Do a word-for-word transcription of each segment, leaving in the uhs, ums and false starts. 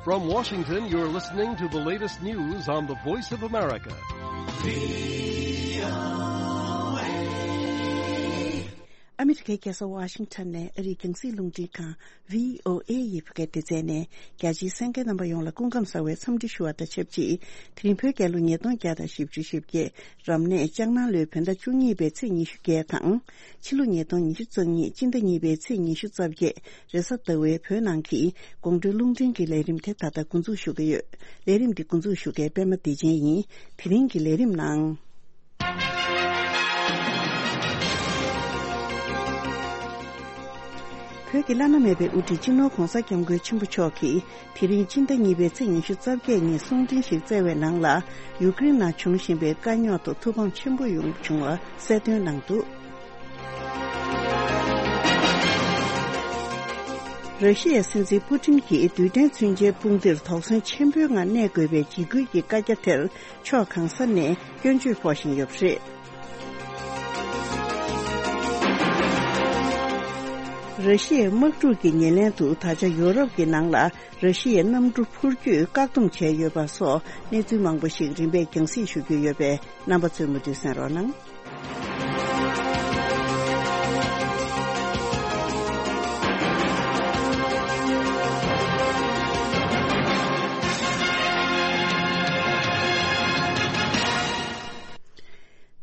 From Washington, you're listening to the latest news on the Voice of America. ཨ་མི་རི་ཀའི་རྒྱལ་ས་ཝ་ཤིང་ཊོན་ནས་ཨ་རིའི་རྒྱང་སྲིང་རླུང་འཕྲིན་ཁང་བྷི་ཨོ་ཨེ་ཡི་བོད་སྐད་སྡེ་ཚན་ནས། རྒྱ་ཆེའི་གསན་མཁན་རྣམ་པ་ཡོངས་ལ་སྐུ་ཁམས་བཟང་བའི་འཚམས་འདྲི་ཞུ་བ་དང་ཆབས་ཅིག་དེ་རིང་བོད་རྒྱལ་ལོ་ཉིས་སྟོང་བརྒྱ་དང་བཞི་བཅུ་ཞེ་བརྒྱད། རབ་གནས་ལྕགས་ནང་ལོའི་བོད་ཟླ་བཅུ་གཉིས་པའི་ཚེས་ཉི་ཤུ་བརྒྱད་དང་། ཕྱི་ལོ་ཉིས་སྟོང་ཉི་ཤུ་རྩ་གཉིས་སྤྱི་ཟླ་གཉིས་པའི་ཚེས་ཉི་ཤུ་རྩ་བརྒྱད། རེས་གཟའ་ཟླ་བའི་བོད་ནང་གི་དགོང་དྲོའི་རླུང་འཕྲིན་གྱི་ལས་རིམ་དེ་ད་ལྟ་འགོ་འཛུགས་ཞུ་གི་ཡོད། ལས་རིམ་འདི་འགོ་འཛུགས་ཞུ་མཁན་པད་མ་བདེ་ཆེན་ཡིན། དེ་རིང་གི་ལས་རིམ་ནང་། བོད་ཀྱི་བླ་ན་མེད་པའི་དབུ་ཁྲིད་སྤྱི་ནོར་༧གོང་ས་༧སྐྱབས་མགོན་ཆེན་པོ་མཆོག་གིས། དེ་རིང་སྤྱི་ཟླ་གཉིས་པའི་ཚེས་ཉི་ཤུ་རྩ་བརྒྱད་ཉིན་གསུང་འཕྲིན་ཞིག་བསྩལ་བའི་ནང་ལ། ཡུཀ་རེན་ནང་འབྱུང་བཞིན་པའི་དཀའ་རྙོག་ཐོག་ཐུགས་ཕམ་ཆེན་པོ་ཡོང་བྱུང་བ་གསལ་སྟོན་གནང་འདུག་ར་ཤི་ཡའི་སྲིད་འཛིན་པུ་ཏིན་གྱིས་རྡུལ་ཕྲན་མཚོན་ཆའི་དཔུང་སྡེར་དོགས་ཟོན་ཆེན་པོའི་ངང་གནས་དགོས་པའི་འཇིགས་སྐུལ་གྱི་བཀའ་རྒྱ་དེར། ཕྱོགས་གང་ས་ནས་སྐྱོན་བརྗོད་ཕོག་བཞིན་ཡོད་པ་རེད། ར་ཤི་ཡའི་དམག་འཁྲུག་གི་ཉེར་ལེན་དུ་ད་ཆ་ཡོ་རོབ་ཀྱི་ནང་ལ་ར་ཤི་ཡའི་གནམ་གྲུ་འཕུར་སྐྱོད་བཀག་སྡོམ་བྱས་ཡོད་པ་སོགས་གནས་ཚུལ་མང་པོ་ཞིག་རིམ་པས་རྒྱང་སྲིང་ཞུ་རྒྱུ་ཡོད་པས་རྣམ་པ་ཚོས་མུ་མཐུད་གསན་རོགས་གནང་།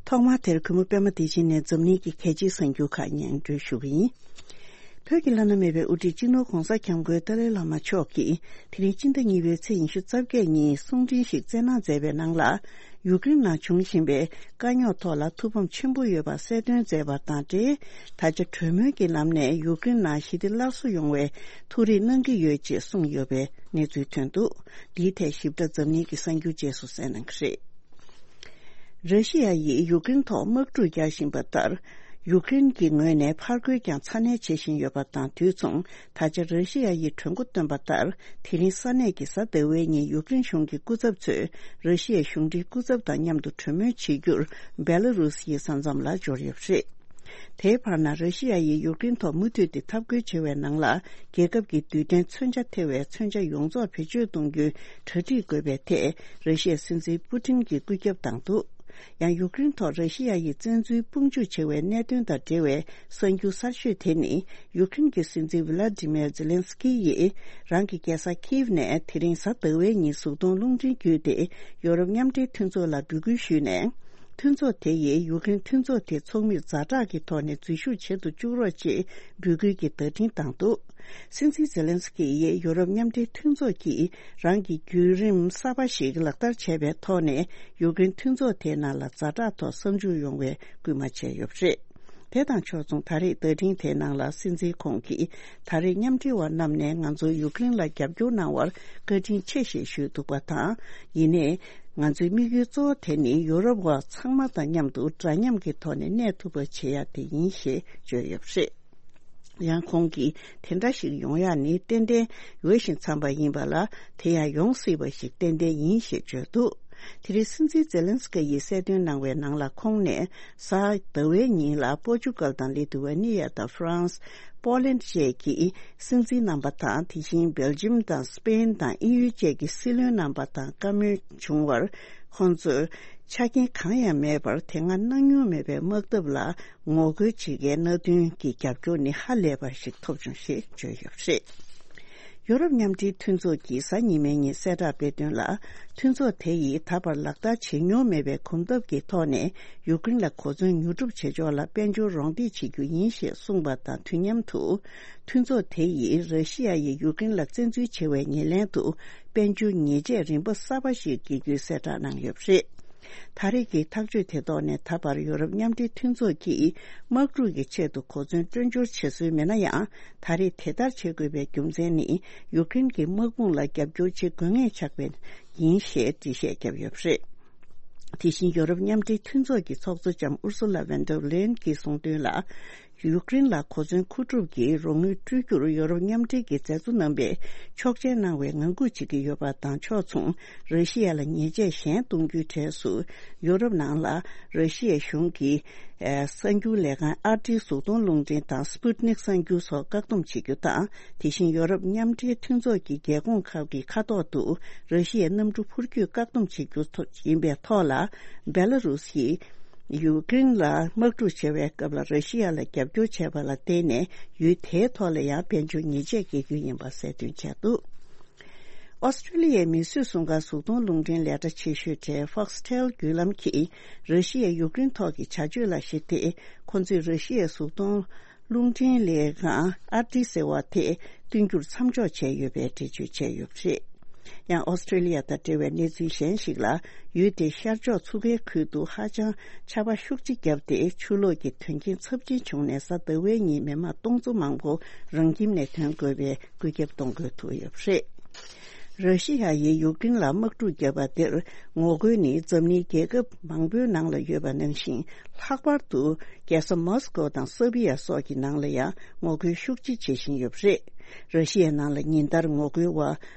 ཐོག་མར་དེར་གུས་མོ་པད་མ་བདེ་ཆེན་ནས་འཛམ་གླིང་གི་གལ་ཆེའི་གསར་འགྱུར་ཁག་སྙན་སྒྲོན་ཞུ་གི་ཡིན། བོད་ཀྱི་བླ་ན་མེད་པའི་དབུ་ཁྲིད་སྤྱི་ནོར་༧གོང་ས་༧སྐྱབས་མགོན་ཏཱ་ལའི་བླ་མ་མཆོག་གིས་དེ་རིང་སྤྱི་ཟླ་གཉིས་པའི་ཚེས་ཉི་ཤུ་རྩ་བརྒྱད་ཉིན་གསུང་འཕྲིན་ཞིག་བསྩལ་གནང་མཛད་པའི་ནང་ལ། ཡུཀ་རེན་ནང་འབྱུང་བཞིན་པའི་དཀའ་རྙོག་ཐོག་ལ་ཐུགས་ཕམ་ཆེན་པོ་ཡོད་པ་གསལ་སྟོན་མཛད་པ་དང་འབྲེལ། ད་ཆ་གྲོས་མོལ་གྱི་ལམ་ནས་ཡུཀ་རེན་ནང་ཞི་བདེ་སླར་གསོ་ཡོང་བའི་ཐུགས་རེ་གནང་གི་ཡོད་ཅེས་གསུངས་ཡོད་པའི་གནས་ཚུལ་ཐོན་འདུག་འདིའི་ཐད་ཞིབ་ཕྲ་འཛམ་གླིང་གི་གསར་འགྱུར་རྗེས་སུ་གསན་གནང་གི་རེད། ར་ཤི་ཡ་ཡིས་ཡུཀ་རེན་ཐོག་དམག་འཁྲུག་རྒྱག་བཞིན་པ་ལྟར། ཡུཀ་རེན་གྱི་ངོས་ནས་ཕར་རྒོལ་ཀྱང་ཚ་ནན་བྱེད་བཞིན་ཡོད་པ་དང་དུས་མཚུངས། ད་ཆ་ར་ཤི་ཡ་ཡིས་གྲོས་འགོ་བཏོན་པ་ལྟར། དེ་རིང་ས་གནས་ཀྱི་གཟའ་ཟླ་བའི་ཉིན་ཡུཀ་རེན་གཞུང་གི་སྐུ་ཚབ་ཚོས་ར་ཤི་ཡའི་གཞུང་འབྲེལ་སྐུ་ཚབ་དང་མཉམ་དུ་གྲོས་མོལ་བྱེད་རྒྱུར་བེ་ལ་རུ་སི་ཡི་ས་མཚམས་ལ་འབྱོར་ཡོད་པ་རེད། དེའི་བར་ན་ར་ཤི་ཡ་ཡིས་ཡུཀ་རེན་ཐོག་མུ་མཐུད་དེ་འཐབ་རྒོལ་བྱེད་པའི་ནང་ལ། རྒྱལ་ཁབ་ཀྱི་རྡུལ་ཕྲན་མཚོན་ཆ་ཐེ་བའི་མཚོན་ཆ་ཡོངས་རྫོགས་བེད་སྤྱོད་གཏོང་རྒྱུའི་གྲ་སྒྲིག་དགོས་པའི་ཐད། ར་ཤི་ཡའི་སྲིད་འཛིན་པུ་ཏིན་གྱིས་བཀོད་ཁྱབ་བཏང་འདུག་ཡང་ཡུཀ་རེན་ཐོག་ར་ཤི་ཡ་ཡི་བཙན་འཛུལ་དཔུང་འཇུག་བྱེད་པའི་གནད་དོན་དང་འབྲེལ་བའི་གསར་འགྱུར་གསར་ཤོས་དེ་ནི། ཡུཀ་རེན་གྱི་སྲིད་འཛིན་ཝི་ལ་ཏི་མེར་ཛེ་ལན་སི་ཀི་ཡིས། རང་གི་རྒྱལ་ས་ཁིབ་ནས་དེ་རིང་གཟའ་ཟླ་བའི་ཉིན་གཟུགས་མཐོང་རླུང་འཕྲིན་བརྒྱུད་དེ། ཡོ་རོབ་མཉམ་འབྲེལ་མཐུན་ཚོགས་ལ་འབོད་སྐུལ་ཞུས་ནས། མཐུན་ཚོགས་དེ་ཡིས་ཡུཀ་རེན་མཐུན་ཚོགས་དེ་ཚོགས་མིར་ཛ་དྲག་གི་ཐོག་ནས་འཛུལ་ཞུགས་བྱེད་དུ་བཅུག་རོགས་ཅེས་འབོད་སྐུལ་གྱི་བརྡ་འཕྲིན་བཏང་འདུག་སྲིད་འཛིན་ཛེ་ལན་སི་ཀི་ཡིས་ཡོ་རོབ་མཉམ་འབྲེལ་མཐུན་ཚོགས་ཀྱིས་རང་གི་བརྒྱུད་རིམ་གསར་པ་ཞིག་ལག་བསྟར་བྱས་པའི་ཐོག་ནས། ཡུཀ་རེན་མཐུན་ཚོགས་དེའི་ནང་ལ་ཛ་དྲག་ཐོག་གསར་འཇུག་ཡོང་བའི་སྐུལ་མ་བྱས་ཡོད་པ་རེད། དེ་དང་ཕྱོགས་མཚུངས། ད་རེས་བརྡ་འཕྲིན་དེའི་ནང་ལ་སྲིད་འཛིན་ཁོང་གིས། ད་རེས་མཉམ་འབྲེལ་བ་རྣམས་ནས་ང་ཚོར་ཡུཀ་རེན་ལ་རྒྱབ་སྐྱོར་གནང་བར་བཀའ་དྲིན་ཆེ་ཞེས་ཞུས་འདུག་པ་དང་། ཡིན་ནའི། ང་ཚོའི་དམིགས་ཡུལ་གཙོ་བོ་དེ་ནི་ཡོ་རོབ་བ་ཚང་མ་དང་མཉམ་དུ་འདྲ་མཉམ་གྱི་ཐོག་ནས་གནས་ཐུབ་པ་བྱེད་ཡ་དེ་ཡིན་ཞེས་བརྗོད་ཡོད་པ་རེད། ཡང་ཁོང་གིས། དེ་འདྲ་ཞིག་ཡོང་ཡ་ནི་ཏན་ཏན་འོས་ཤིང་འཚམས་པ་ཡིན་པ་ལ། དེ་ཡང་ཡོང་སྲིད་པ་ཞིག་ཏན་ཏན་ཡིན་ཞེས་བརྗོད་འདུག་དེ་རིང་སྲིད་འཛིན་ཛེ་ལན་སི་ཀི་ཡིས་གསལ་སྟོན་གནང་བའི་ནང་ལ། ཁོང་ནས་གཟའ་ཟླ་བའི་ཉིན་ལ་པོར་ཅུ་གལ་དང་ལི་ཐུ་ཝེ་ནི་ཡ་དང་ཧྥ་རན་སི། པོ་ལན་བཅས་ཀྱི་སྲིད་འཛིན་རྣམ་པ་དང་། དེ་བཞིན་སྦེལ་ཇམ་དང་སི་པེན་དང་དབྱིན་ཡུལ་བཅས་ཀྱི་སྲིད་བློན་རྣམ་པ་དང་བཀའ་མོལ་བྱུང་བར། ཁོང་ཚོས་ཆ་རྐྱེན་གང་ཡང་མེད་པར། དེ་སྔ་གནང་མྱོང་མེད་པའི་དམག་འཐབ་ལ་ངོ་རྒོལ་བྱེད་མཁན་མནའ་མཐུན་གྱི་རྒྱབ་སྐྱོར་ནི་ཧ་ལས་པ་ཞིག་ཐོབ་བྱུང་ཞེས་བརྗོད་ཡོད་པ་རེད། ཡོ་རོབ་མཉམ་འབྲེལ་མཐུན་ཚོགས་ཀྱིས་གཟའ་ཉི་མའི་ཉིན་གསལ་བསྒྲགས་སྤེལ་དོན་ལ། མཐུན་ཚོགས་དེ་ཡིས་ད་བར་ལག་བསྟར་བྱེད་མྱོང་མེད་པའི་གོམ་སྟབས་ཀྱི་ཐོག་ནས། ཡུཀ་རེན་ལ་གོ་མཚོན་ཉོ་སྒྲུབ་བྱེད་ཕྱོགས་ལ་དཔལ་འབྱོར་རོགས་འདེགས་བྱེད་རྒྱུ་ཡིན་ཞེས་གསུངས་པ་དང་དུས་མཉམ་དུ། མཐུན་ཚོགས་དེ་ཡིས་ར་ཤི་ཡ་ཡིས་ཡུཀ་རེན་ལ་བཙན་འཛུལ་བྱེད་པའི་ཉེར་ལེན་དུ། དཔལ་འབྱོར་ཉེས་ཆད་རིམ་པ་གསར་པ་ཞིག་འགེལ་རྒྱུའི་གསལ་བསྒྲགས་གནང་ཡོད་པ་རེད། ད་རེས་ཀྱི་ཐག་གཅོད་དེ་ཐོག་ནས། ད་བར་ཡོ་རོབ་མཉམ་འབྲེལ་མཐུན་ཚོགས་ཀྱིས་དམག་འཁྲུག་གི་ཆེད་དུ་གོ་མཚོན་སྤྲོད་འབྱོར་བྱེད་སྲོལ་མེད་ན་ཡང་། ད་རེས་དེ་ལྟར་བྱེད་དགོས་པའི་རྒྱུ་མཚན་ནི། ཡུཀ་རེན་གྱི་དམག་དཔུང་ལ་རྒྱབ་སྐྱོར་བྱེད་དགོས་ངེས་ཆགས་པས་ཡིན་ཞེས་འགྲེལ་བཤད་བརྒྱབ་ཡོད་པ་རེད། དེ་བཞིན་ཡོ་རོབ་མཉམ་འབྲེལ་མཐུན་ཚོགས་ཀྱི་ཚོགས་གཙོ་ལྕམ་ཨུར་སུ་ལ་ཝན་ཌར་ལེན་གྱིས་གསུངས་དོན་ལ། ཡུཀ་རེན་ལ་གོ་མཚོན་མཁོ་སྒྲུབ་ཀྱི་རོགས་དངུལ་སྤྲོད་རྒྱུར་ཡོ་རོབ་མཉམ་འབྲེལ་གྱི་མཛད་གཙོ་རྣམ་པས་ཆོག་མཆན་གནང་བའི་ངང་སྒུག་བྱེད་ཀྱི་ཡོད་པ་དང་ཕྱོགས་མཚུངས་ར་ཤི་ཡ་ལ་ཉེས་ཆད་གཞན་གཏོང་རྒྱུའི་གྲས་སུ་ཡོ་རོབ་ནང་ལ་ར་ཤི་ཡའི་གཞུང་གིས་གསར་འགྱུར་ལས་ཁང་ཨར་ཊི་གཟུགས་མཐོང་རླུང་འཕྲིན་དང་སྤུད་ནིག་གསར་འགྱུར་སོགས་བཀག་སྡོམ་བྱེད་རྒྱུ་དང་། དེ་བཞིན་ཡོ་རོབ་མཉམ་འབྲེལ་མཐུན་ཚོགས་ཀྱི་རྒྱལ་ཁོངས་ཁག་གི་ཁ་ཐོག་ཏུ་ར་ཤི་ཡའི་གནམ་གྲུ་འཕུར་སྐྱོད་བཀག་སྡོམ་བྱེད་རྒྱུ་ཡིན་པའི་ཐོག་ལ། བེ་ལ་རུ་སིས་ཡུཀ་རེན་ལ་དམག་འཁྲུག་བྱེད་པའི་སྐབས་ལ་ར་ཤི་ཡ་ལ་རྒྱབ་སྐྱོར་བྱས་པ་ལ་བརྟེན་ནས་ཡུལ་དེའི་ཐོག་ལ་ཡང་དཔལ་འབྱོར་ཉེས་ཆད་འགེལ་རྒྱུ་ཡིན་པ་གསལ་སྟོན་བྱས་འདུག། ཨོ་སི་ཀྲི་ལི་ཡའི་མིས་བཟོས་སྲུང་སྐར་གཟུགས་མཐོང་རླུང་འཕྲིན་ལས་གྲྭ་ཆེ་ཤོས་གྲས་Foxtel་བརྒྱུད་ལམ་གྱིས་ར་ཤི་ཡའི་ཡུཀ་རེན་ཐོག་གི་བྱ་སྤྱོད་ལ་གཞིགས་ཏེ། ཁོ་ཚོས་ར་ཤི་ཡའི་གཟུགས་མཐོང་རླུང་འཕྲིན་ལས་ཁང་ཨར་ཊི་ཟེར་བ་དེ་བསྟུན་རྒྱུར་མཚམས་འཇོག་བྱས་ཡོད་པའི་འགྲེལ་བརྗོད་བྱས་ཡོད་པ་རེད། ཡང་ཨོ་སི་ཀྲི་ལི་ཡ་དང་འབྲེལ་བའི་གནས་ཚུལ་གཞན་ཞིག་ལ། ཡུལ་དེའི་ཤར་ཕྱོགས་མཚོ་ཁའི་ཁུལ་དུ་ཧ་ཅང་ཆར་པ་ཤུགས་ཆེ་བརྒྱབ་སྟེ། ཆུ་ལོག་གི་དོན་རྐྱེན་ཚབས་ཆེན་བྱུང་ནས། གཟའ་ཟླ་བའི་ཉིན་མི་མང་སྟོང་ཚོ་མང་པོ་རང་ཁྱིམ་ནས་ཐོན་དགོས་པའི་བཀོད་ཁྱབ་གཏོང་དགོས་ཐུག་ཡོད་པ་རེད། ར་ཤི་ཡ་ཡིས་ཡུཀ་རེན་ལ་དམག་འཁྲུག་བརྒྱབ་པ་དེར་ངོ་རྒོལ་ནི་འཛམ་གླིང་རྒྱལ་ཁབ་མང་པོའི་ནང་ལ་ཡོད་པ་ནང་བཞིན། ལྷག་པར་དུ་རྒྱལ་ས་མོ་སི་ཀོ་དང་སར་བྷི་ཡ་སོགས་ཀྱི་ནང་ལ་ཡང་ངོ་རྒོལ་ཤུགས་ཆེ་བྱེད་བཞིན་ཡོད་པ་རེད། ར་ཤི་ཡའི་ནང་ལ་ཉིན་ལྟར་ངོ་རྒོལ་བ་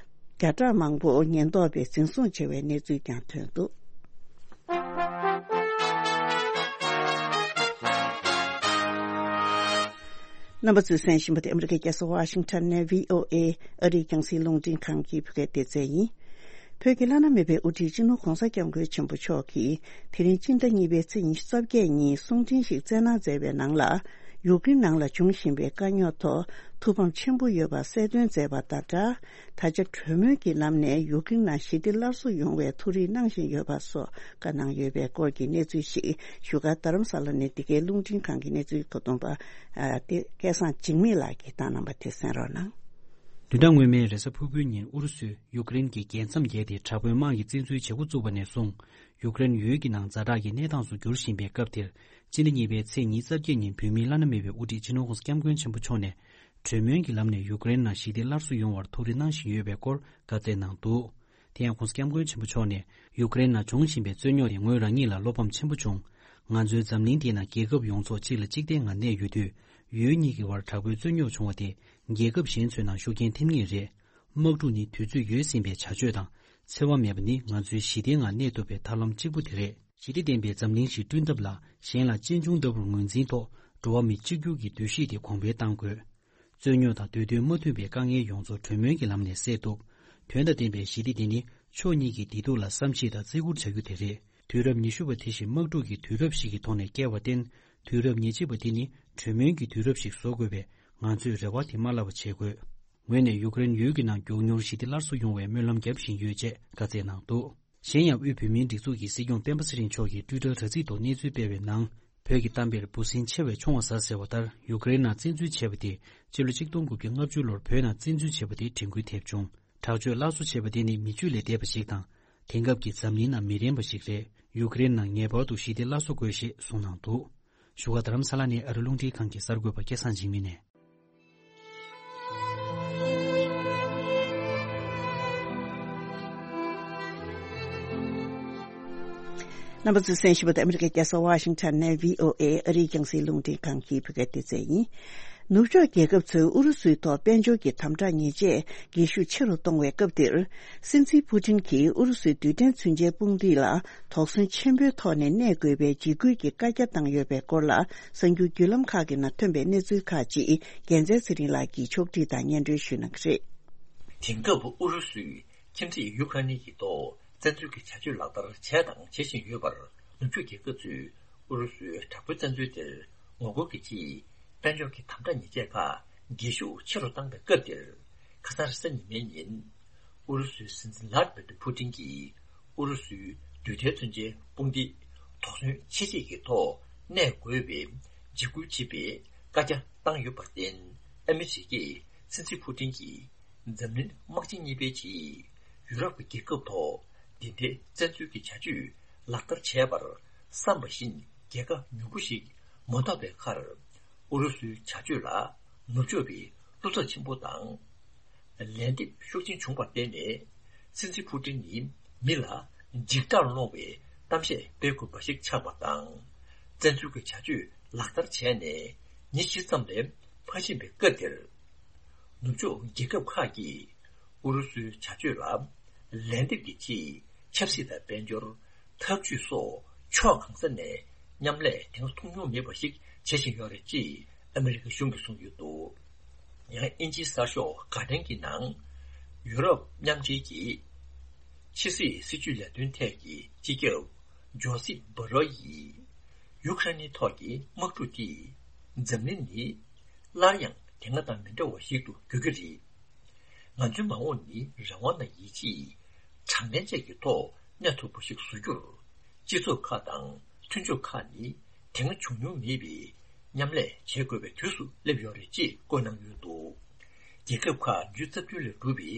བརྒྱ་ཕྲག་མང་པོ་ཉེན་རྟོག་པས་འཛིན་བཟུང་བྱས་པའི་གནས་ཚུལ་ཀྱང་ཐོན་འདུག། རྣམ་པ་ཚོས་གསན་བཞིན་པ་དེ་ཨ་མི་རི་ཀའི་རྒྱལ་ས་ཝ་ཤིང་ཊོན་ནས་བྷི་ཨོ་ཨེ་ཨ་རིའི་རྒྱང་སྲིང་རླུང་འཕྲིན་ཁང་གི་བོད་སྐད་སྡེ་ཚན་ཡིན། བོད་ཀྱི་བླ་ན་མེད་པའི་དབུ་ཁྲིད་སྤྱི་ནོར་༧གོང་ས་༧སྐྱབས་མགོན་ཆེན་པོ་མཆོག་གིས་དེ་རིང་སྤྱི་ཟླ་གཉིས་པའི་ཚེས་ཉི་ཤུ་རྩ་བརྒྱད་ཉིན་གསུང་འཕྲིན་ཞིག་བསྩལ་གནང་མཛད་པའི་ནང་ལ། ཡུཀ་རེན་ནང་ལ་འབྱུང་བཞིན་པའི་དཀའ་རྙོག་ཐོག་ཐུགས་ཕམ་ཆེན་པོ་ཡོད་པ་གསལ་སྟོན་མཛད་པ་དང་སྦྲགས། ད་ཆ་གྲོས་མོལ་གྱི་ལམ་ནས་ཡུཀ་རེན་ནང་ཞི་བདེ་སླར་གསོ་ཡོང་བའི་ཐུགས་རེ་གནང་བཞིན་ཡོད་པ་སོགས་བཀའ་གནང་ཡོད་པའི་སྐོར་གྱི་གནས་ཚུལ་ཞིག་བཞུགས་སྒར་རྡ་རམ་ས་ལ་ནས་འདི་གའི་རླུང་འཕྲིན་ཁང་གི་གནས་ཚུལ་བཀོད་འདོམས་པ་ཨ་དེ་སྐལ་བཟང་འཇིགས་མེད་ལགས་ཀྱིས་བཏང་གནང་པ་དེ་གསན་རོགས་གནང་། བདུན་ཕྲག་སྔོན་མའི་རེས་གཟའ་ཕུར་བུའི་ཉིན་ཨུ་རུ་སུས་ཡུཀ་རེན་གྱི་རྒྱལ་མཚམས་བརྒལ་ཏེ་དྲག་པོའི་དམག་གི་བཙན་འཛུལ་བྱེད་འགོ་བཙུགས་པ་ནས་བཟུང་། ཡུཀ་རེན་ཡུལ་གྱི་ནང་ཛ་དྲག་གི་གནས་སྟངས་སུ་འགྱུར་བཞིན་པའི་སྐབས་དེར། སྤྱི་ཟླ་གཉིས་པའི་ཚེས་ཉི་ཤུ་རྩ་བརྒྱད་ཉིན་བོད་མིའི་བླ་ན་མེད་པའི་དབུ་ཁྲིད་སྤྱི་ནོར་༧གོང་ས་༧སྐྱབས་མགོན་ཆེན་པོ་མཆོག་ནས། གྲོས་མོལ་གྱི་ལམ་ནས་ཡུཀ་རེན་ནང་ཞི་བདེ་སླར་གསོ་ཡོང་བར་ཐུགས་རེ་གནང་བཞིན་ཡོད་པའི་སྐོར་བཀའ་སྩལ་གནང་འདུག། དེ་ཡང་༧གོང་ས་༧སྐྱབས་མགོན་ཆེན་པོ་མཆོག་ནས། ཡུཀ་རེན་ནང་འབྱུང་བཞིན་པའི་རྩོད་རྙོག་དེ་ངོས་རང་ཉིད་ལ་བློ་ཕམ་ཆེན་པོ་བྱུང་། ང་ཚོའི་འཛམ་གླིང་འདིའི་ནང་རྒྱལ་ཁབ་ཡོངས་རྫོགས་གཅིག་ལ་གཅིག་བརྟེན་ངང་གནས་ཡོད་དུས། ཡུལ་གཉིས་ཀྱི་བར་དྲག་པོའི་རྩོད་རྙོག་བྱུང་བ་དེ། རྒྱལ་ཁབ་གཞན་ཚོའི་ནང་ཤུགས་རྐྱེན་ཐེབས་ངེས་རེད། དམག་འཁྲུག་ནི་དུས་ཚོད་ཡོལ་ཟིན་པའི་བྱ་སྤྱོད་དང་། འཚེ་བ་མེད་པ་ནི་ང་ཚོའི་ཞི་བདེའི་ངང་གནས་ཐུབ་པའི་ཐབས་ལམ་གཅིག་པུ་དེ་རེད། ཞི་བདེ་ལྡན་པའི་འཛམ་གླིང་ཞིག་བསྐྲུན་ཐབས་ལ། གཞན་ལ་གཅེས་འཇོག་ལྟ་བུར་ངོས་འཛིན་ཐོག་འགྲོ་བ་མི་གཅིག་གྱུར་གྱི་འདུ་ཤེས་དེ་གོང་འཕེལ་གཏང་དགོས། རྩོད་རྙོག་དང་འདོད་དོན་མ་མཐུན་པའི་དཀའ་ངལ་ཡོངས་རྫོགས་གྲོས་མོལ་གྱི་ལམ་ནས་སེལ་ཐུབ། དོན་དང་ལྡན་པའི་ཞི་བདེ་དེ་ནི་ཕྱོགས་གཉིས་ཀྱི་བདེ་སྡུག་ལ་བསམ་ཤེས་དང་བརྩི་བཀུར་བྱ་རྒྱུ་དེ་རེད། དུས་རབས་ཉི་ཤུ་པ་དེ་བཞིན་དམག་འཁྲུག་གི་དུས་རབས་ཤིག་གི་ཐོག་ནས་བསྐྱལ་བར་བརྟེན། དུས་རབས་ཉེར་གཅིག་པ་དེ་ནི་གྲོས་མོལ་གྱི་དུས་རབས་ཤིག་བཟོ་དགོས་པས། ང་ཚོས་རེ་བ་དེ་མ་བརླག་པ་བྱེད་དགོས། ངོས་ནས་ཡུཀ་རེན་ཡུལ་གྱི་ནང་མགྱོགས་མྱུར་ཞི་བདེ་སླར་གསོ་ཡོང་བའི་སྨོན་ལམ་རྒྱག་བཞིན་ཡོད་ཅེས་བཀའ་སྩལ་གནང་འདུག། གཞན་ཡང་དབུས་བོད་མིའི་སྒྲིག་འཛུགས་ཀྱི་སྲིད་སྐྱོང་སྤེན་པ་ཚེ་རིང་མཆོག་གིས་ཊུའི་ཊར་དྲ་ཚིགས་ཐོག་གནས་ཚུལ་སྤེལ་བའི་ནང་། བོད་ཀྱི་གཏམ་དཔེར་འབུ་སྲིན་མཆེ་བས་མཆོང་བ་ཟ་ཟེར་བ་ལྟར། ཡུཀ་རེན་ནང་བཙན་འཛུལ་བྱས་པ་དེ་སྤྱི་ལོ་ཆིག་སྟོང་དགུ་བརྒྱ་ལྔ་བཅུ་ལོར་བོད་ནང་བཙན་འཛུལ་བྱས་པ་དེ་དྲན་སྐུལ་ཐེབས་བྱུང་། དྲག་སྤྱོད་སླར་གསོ་བྱས་པ་དེ་ནི་མི་ཆོས་ལས་འདས་པ་ཞིག་དང་། དེང་སྐབས་ཀྱི་འཛམ་གླིང་ནང་མི་རན་པ་ཞིག་རེད། ཡུཀ་རེན་ནང་ངེས་པར་དུ་ཞི་བདེ་སླར་གསོ་དགོས་ཞེས་གསུངས་གནང་འདུག། བཞུགས་སྒར་རྡ་རམ་ས་ལ་ནས་ཨ་རི་རླུང་འཕྲིན་ཁང་གི་གསར་འགོད་པ་སྐལ་བཟང་འཇིགས་མེད་ནས། རྣམ་པ་ཚོས་གསན་བཞིན་པ་དེ་ཨ་མི་རི་ཀའི་རྒྱལ་ས་ཝ་ཤིང་ཊོན་ནས་བྷི་ཨོ་ཨེ་ཨ་རིའི་རྒྱང་སྲིང་རླུང་འཕྲིན་ཁང་གི་བོད་སྐད་སྡེ་ཚན་ཡིན། ནུབ་ཕྱོགས་རྒྱལ་ཁབ་ཚོས་ཨུ་རུ་སུའི་ཐོག་དཔལ་འབྱོར་གྱི་དམ་དྲག་ཉེས་ཆད་རྒྱས་ཤུགས་ཆེ་རུ་གཏོང་བའི་སྐབས་འདིར། སྲིད་འཛིན་ཕུ་ཏིན་གྱིས་ཨུ་རུ་སུའི་རྡུལ་ཕྲན་མཚོན་ཆའི་དཔུང་སྡེ་ལ་དོགས་ཟོན་ཆེན་པོའི་ཐོག་ནས་གནས་དགོས་པའི་འཇིགས་སྐུལ་གྱི་བཀའ་རྒྱ་བཏང་ཡོད་པའི་སྐོར་ལ། གསར་འགྱུར་བརྒྱུད་ལམ་ཁག་གི་ནང་ཐོན་པའི་གནས་ཚུལ་ཁག་ཅིག་རྒྱལ་མཚན་ཚེ་རིང་ལགས་ཀྱིས་ཕྱོགས་སྒྲིག་དང་སྙན་སྒྲོན་ཞུ་གནང་གི་རེད། དེང་སྐབས་ཨུ་རུ་སུས་ཁྱིམ་མཚེས་ཡུ་ཁ་ནི་ཡི་ཐོག་བཙན་འཛུལ་གྱི་བྱ་སྤྱོད་ལག་བསྟར་བྱས་དང་བྱེད་བཞིན་ཡོད་པར། ནུབ་ཕྱོགས་རྒྱལ་ཁབ་ཚོས་ཨུ་རུ་སུའི་དྲག་པོའི་བཙན་འཛུལ་དེར་ངོ་རྒོལ་གྱི་ཆེད། དཔལ་འབྱོར་གྱི་དམ་དྲག་ཉེས་ཆད་ཁག་རྒྱས་ཤུགས་ཆེ་རུ་བཏང་པའི་སྐབས་དེར། ཁ་སང་རེས་གཟའ་ཉི་མའི་ཉིན། ཨུ་རུ་སུའི་སྲིད་འཛིན་ལྷ་ཌི་མི་ཏྲི་ཕུ་ཏིན་གྱིས་ཨུ་རུ་སུའི་རྡུལ་ཕྲན་མཚོན་ཆའི་དཔུང་སྡེ་དོགས་ཟོན་ཆེ་བསྐྱེད་ཀྱི་ཐོག་གནས་དགོས་པའི་འཇིགས་སྐུལ་བྱེད་པའི་བཀའ་རྒྱ་བཏང་ཡོད་པར་བརྟེན། ཨ་མི་རི་ཀས་སྲིད་འཛིན་ཕུ་ཏིན་གྱིས་འཛམ་གླིང་དམག་ཆེན་གཉིས་པའི་རྗེས་ཡུ་རོབ་ཀྱི་རྒྱལ་ཁབ་ཐོག་འདི་འདྲའི་བཙན་འཛུལ་གྱི་བྱ་སྤྱོད་ལག་བསྟར་བྱས་པར་བསམ་པ་བཞིན་རྒྱལ་ཁ་མྱུར་པོ་ཞིག་མ་ཐོབ་པའི་ཁར། ཨུ་རུ་སུའི་བྱ་སྤྱོད་ལ་ནུབ་ཕྱོགས་པའི་བློ་འཚབ་ཆེན་པོ་དང་། ལན་འདེབས་ཤུགས་ཆེན་བྱུང་བར་བརྟེན་ནས། སྲིད་འཛིན་ཕུ་ཏིན་ནི་མི་ལ་འཇིགས་སྐྲག་སློང་བའི་གཏམ་བཤད་སྤེལ་དགོས་པ་ཞིག་ཆགས་པ་དང་། བཙན་འཛུལ་གྱི་བྱ་སྤྱོད་ལག་བསྟར་བྱས་ནས་ ཉིན་བཞི་ཙམ་ལས་མ་ཕྱིན་པའི་སྐབས་དེར། ནུབ་ཕྱོགས་རྒྱལ་ཁབ་ཁག་གིས་ཨུ་རུ་སུའི་བྱ་སྤྱོད་ལ་ལན་འདེབས་ཀྱི་ཆེད། ཆབ་སྲིད་དང་དཔལ་འབྱོར། འཐབ་ཇུས་སོགས་ཕྱོགས་གང་ས་ནས་མཉམ་ལས་དེ་སྔ་མཐོང་མྱོང་མེད་པ་ཞིག་བྱེད་བཞིན་ཡོད་རེད་ཅེས་ཨ་མི་རི་ཀ་གཞུང་གིས་གསུངས་ཡོད་འདུག། ཡང་དབྱིན་ཇིའི་གསར་ཤོག་གྷ་ཌེན་གྱི་ནང་། ཡུ་རོབ་མཉམ་འབྲེལ་གྱི་ཕྱི་སྲིད་སྲིད་ཇུས་ལས་དོན་ཐད་ཀྱི་སྤྱི་ཁྱབ་ཇོ་སིབ་བྷ་རོ་ཡིས། ཡུ་ཁ་རེན་ནི་ཐོག་གི་དམག་འཁྲུག་དེས་འཛམ་གླིང་ནི་སླར་ཡང་དེ་སྔ་དང་མི་འདྲ་བ་ཞིག་ཏུ་འགྱུར་གྱི་རེད། ང་ཚོའི་མ་འོངས་ནི་རང་དབང་དང་ཡིད་ཆེས། དྲང་བདེན་བཅས་ཀྱི་ཐོག་གནས་ཐུབ་པ་ཞིག་བཟོ་རྒྱུར། སྤྱི་ཚོགས་ཁག་དང་མཐུན་ཕྱོགས་ཁག་ནི་དེ་སྔ་བྱུང་མྱོང་མེད་པའི་མཉམ་ལས་བྱེད་དགོས་པའི་དུས་སུ་སླེབས་ཡོད་རེད་ཅེས་བཀོད་གནང་ཡོད་འདུག། རྒྱལ་ཁབ་ཁག་བརྒྱ་ཆ་རྩ་བདུན་ལས་གྲུབ་པའི་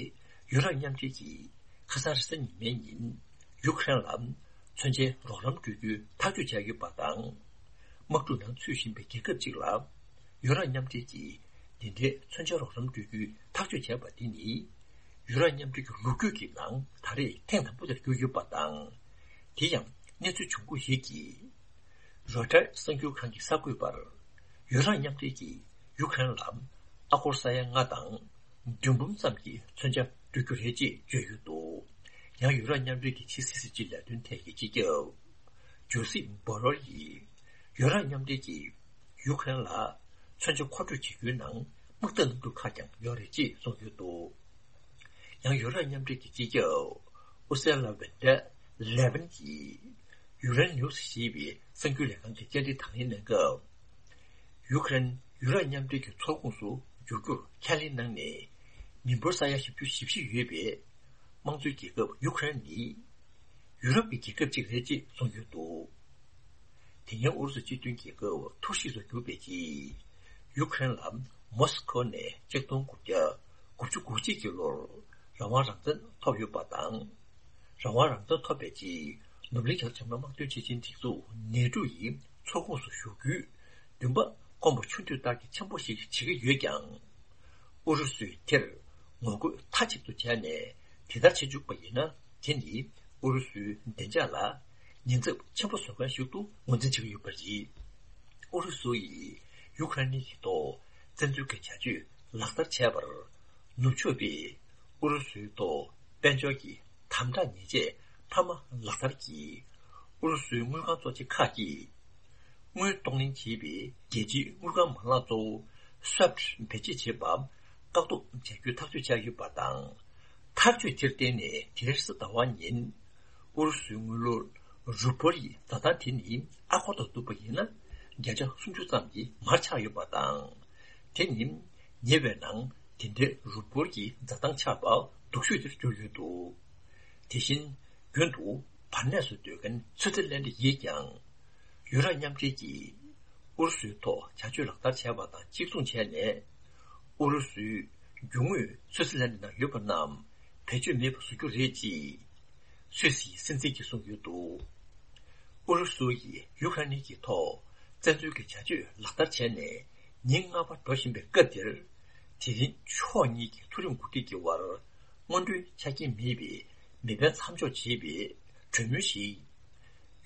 ཡུ་རོབ་མཉམ་འབྲེལ་གྱིས། ཁ་སང་རེས་གཟའ་ཉི་མའི་ཉིན། ཡུ་ཁ་རེན་ལ་མཚོན་ཆའི་རོགས་རམ་སྤྲོད་རྒྱུའི་ཐག་གཅོད་བྱས་ཡོད་པ་དང་། དམག་འཁྲུག་ནང་ཚུད་བཞིན་པའི་རྒྱལ་ཁབ་ཅིག་ལ། ཡུ་རོབ་མཉམ་འབྲེལ་གྱིས་འདི་འདྲའི་མཚོན་ཆ་རོགས་རམ་སྤྲོད་རྒྱུའི་ཐག་གཅོད་བྱས་པ་འདི་ནི། ཡུ་རོབ་མཉམ་འབྲེལ་གྱི་ལོ་རྒྱུས་ཀྱི་ནང་ད་རེས་ཐེངས་དང་པོ་དེར་གྱུར་ཡོད་པ་དང་། དེ་ཡང་གནས་ཚུལ་བྱུང་ཁུངས་ཤིག་གིས། རོའི་ཊར་གསར་འགྱུར་ཁང་གིས་གསར་འགོད་པར། ཡུ་རོབ་མཉམ་འབྲེལ་གྱིས་ཡུ་ཁ་རེན་ལ་ཨ་སྒོར་ས་ཡ་ལྔ་དང་། བདུན་འབུམ་ཙམ་གྱི་མཚོན་ཆ་སྤྲོད་རྒྱུ་རེད་ཅེས་བརྗོད་ཡོད་འདུག། ཡང་ཡུ་རོབ་མཉམ་འབྲེལ་གྱི་ཕྱི་སྲིད་སྲིད་ཇུས་ལས་དོན་ཐད་ཀྱི་སྤྱི་ཁྱབ་ཇོ་སིབ་བྷོ་རེལ་ཡིས། ཡུ་རོབ་མཉམ་འབྲེལ་གྱིས་ཡུ་ཁ་རེན་ལ་མཚོན་ཆ་མཁོ་སྤྲོད་བྱེད་རྒྱུའི་ནང་དམག་འཐབ་གནང་རྒྱུ་ཁག་ཀྱང་ཡོད་རེད་ཅེས་གསུངས་ཡོད་འདུག། ཡང་ཡུ་རོབ་མཉམ་འབྲེལ་གྱི་སྤྱི་ཁྱབ་ཨུ་སེ་ལ་ཝེན་ཏེ་ལེ་ཝན་གྱིས་ཡུ་རེན་ནིའུ་སི་ཞེས་པའི་གསར་འགྱུར་ལས་ཁང་གི་བཅར་འདྲི་དང་ལེན་གནང་སྐབས། ཡུ་ཁ་རེན་ཡུ་རོབ་མཉམ་འབྲེལ་གྱི་ཚོགས་ཁོངས་སུ་འཇུག་རྒྱུར་ཁས་ལེན་གནང་ནས། མི་འབོར་ས་ཡ་བཞི་བཅུ་ཞེ་བཞི་ཡོད་པའི་དམངས་གཙོའི་རྒྱལ་ཁབ་ཡུ་ཁ་རེན་ནི་ཡུ་རོབ་ཀྱི་རྒྱལ་ཁབ་ཅིག་རེད་ཅེས་གསུངས་ཡོད་འདུག། དེ་སྔོན་ཨུ་རུ་སུ་སྤྱི་མཐུན་རྒྱལ་ཁབ་ཐུར་ཞིག་ཏུ་གྱུར་པའི་རྗེས། ཡུ་ཁ་རེན་ལ་མོ་སི་ཁོ་ནས་ཆིག་སྟོང་དགུ་བརྒྱ་དགུ་བཅུ་གོ་གཅིག་གི་ལོར་རང་དབང་རང་བཙན་ཐོབ་ཡོད་པ་དང་། རང་དབང་རང་བཙན་ཐོབ་པའི་རྗེས་ནོར་གླིང་རྒྱ་ཆེ་དམག་དོན་ཆེད་ཆེན་སྒྲིག་འཛུགས་ནེ་ཊོ་ཡི་ཚོགས་ཁོངས་སུ་ཞུགས་རྒྱུའི་འདུན་པ་སྐོམ་པ་ཆུ་འདོད་ལྟར་གྱི་ཆེན་པོ་ཞིག་བྱེད་ཀྱི་ཡོད་ཀྱང་། ཨུ་རུ་སུས་དེར་ངོ་རྒོལ་མཐའ་གཅིག་ཏུ་བྱས་ནས་དེ་ལྟར་བྱེད་བཅུག་པ་ཡིན་ན། དེ་ནི་ཨུ་རུ་སུའི་བདེ་འཇགས་ལ་ཉེན་ཚབས་ཆེན་པོ་བཟོ་མཁན་ཞིག་ཏུ་ངོས་འཛིན་བྱེད་ཀྱི་ཡོད་པ་རེད། ཨུ་རུ་སུ་ཡིས་ཡུ་ཁ་རེན་གྱི་ཐོག་བཙན་འཛུལ་གྱི་བྱ་སྤྱོད་ལག་བསྟར་བྱས་པར། ནུབ་ཕྱོགས་པས་ཨུ་རུ་སུའི་ཐོག་དཔལ་འབྱོར་གྱི་དམ་དྲག་ཉེས་ཆད་འཕར་མ་ལག་བསྟར་གྱིས། ཨུ་རུ་སུའི་དངུལ་ཁང་གཙོ་ཆེ་ཁག་གིས། དངུལ་གཏོང་ལེན་བྱེད་པའི་རྒྱལ་སྤྱིའི་དངུལ་ཁང་མ་ལག་གཙོ་བོ་སུའེབ་བེད་སྤྱོད་བྱེད་པ་བཀག་སྡོམ་བྱ་རྒྱུའི་ཐག་གཅོད་བྱས་ཡོད་པ་དང་། ཐག་གཅོད་དེར་བརྟེན་ནས་དེ་རིང་གཟའ་ཟླ་བ་ཉིན། ཨུ་རུ་སུའི་དངུལ་ལོར་རུ་པོལ་ཡི་འཛའ་ཐང་དེ་ནི་ཨ་སྒོར་དང་བསྡུར་བ་ཡིན་ན་བརྒྱ་ཆ་སུམ་ཅུ་ཙམ་གྱིས་མར་ཆག་ཡོད་པ་དང་། དེ་ནི་ཉེ་བའི་ནང་དེ་འདྲའི་རུ་པོལ་གྱི་འཛའ་ཐང་ཆག་པ་སྡུག་ཤོས་དེར་གྱུར་ཡོད་འདུག། དེ་བཞིན། རྒྱུན་དུ་བར་གནས་སུ་སྡོད་མཁན་སུའུ་ཙི་ལན་ཌི་ཡིས་ཀྱང་། ཡུ་རོབ་མཉམ་འབྲེལ་གྱིས་ཨུ་རུ་སུའི་ཐོག་བྱ་སྤྱོད་ལག་བསྟར་བྱས་པ་དང་གཅིག་མཚུངས་བྱས་ནས། ཨུ་རུ་སུའི་རྒྱུ་དངོས་སུའུ་ཙི་ལན་ཌི་ནང་ཡོད་པ་རྣམས་བེད་སྤྱོད་མེད་པར་བཟོ་རྒྱུ་རེད་ཅེས། སུད་སིའི་སྲིད་འཛིན་གྱིས་གསུངས་ཡོད་འདུག། ཨུ་རུ་སུ་ཡིས་ཡུ་ཁ་རེན་གྱི་ཐོག་བཙན་འཛུལ་གྱི་བྱ་སྤྱོད་ལག་བསྟར་བྱས་ནས་ཉིན་ལྔ་པ་འགྲོ་བཞིན་པའི་སྐབས་འདིར། དེ་རིང་ཕྱོགས་གཉིས་ཀྱི་མཐོ་རིམ་འགོ་ཁྲིད་ཀྱི་དབར། སྔོན་འགྲོའི་ཆ་རྐྱེན་མེད་པའི་མེ་འཕེན་མཚམས་འཇོག་བྱས་པའི་གྲོས་མོལ་ཞིག་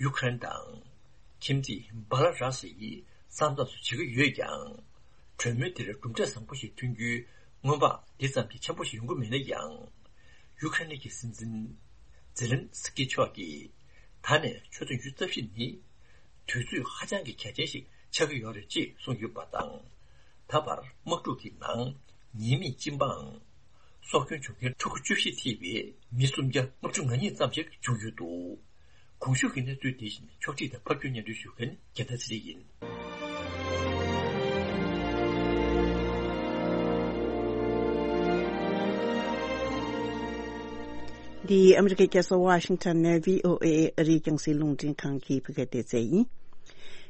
ཡུ་ཁ་རེན་དང་ཁྱིམ་མཚེས་སྦ་ལ་ར་སི་ཡི་ས་མཚམས་སུ་བྱེད་ཀྱི་ཡོད་ཀྱང་། གྲོས་མོལ་དེར་གྲུབ་འབྲས་བཟང་པོ་ཞིག་ཐོན་རྒྱུའི་སྔོན་དཔག་འདི་ཙམ་གྱིས་ཆེན་པོ་ཞིག་ཡོང་གི་མེད་ན་ཡང་། ཡུ་ཁ་རེན་གྱི་སྲིད་འཛིན་ཛེ་ལན་སི་ཀི་མཆོག་གིས་ད་ནས་ཆུ་ཚོད་ཉི་ཤུ་རྩ་བཞི་ནི་དུས་ཚོད་ཧ་ཅང་གི་གལ་ཆེན་ཞིག་ཆགས་ཀྱི་ཡོད་རེད་ཅེས་གསུངས་ཡོད་པ་དང་། ད་བར་དམག་འཁྲུག་གི་ནང་ཉེས་མེད་སྤྱི་འབངས་སྲོག་སྐྱོན་བྱུང་མཁན་ཕྲུ་གུ་བཅུ་བཞི་ཐེ་བའི་མི་སུམ་བརྒྱ་ལྔ་བཅུ་ང་གཉིས་ཙམ་ཞིག་བྱུང་ཡོད་འདུག། གོང་ཞུས་ཀྱི་གནས་ཚུལ་དེ་བཞིན་ཕྱོགས་སྒྲིག་དང་ཕབ་སྒྱུར་སྙན་སྒྲོན་ཞུ་མཁན་རྒྱལ་མཚན་ཚེ་རིང་ཡིན། འདི་ཨ་མི་རི་ཀའི་རྒྱལ་ས་ཝ་ཤིང་ཊོན་ནས་བྷི་ཨོ་ཨེ་ཨ་རིའི་རྒྱང་སྲིང་རླུང་འཕྲིན་ཁང་གི་བོད་སྐད་སྡེ་ཚན་ཡིན།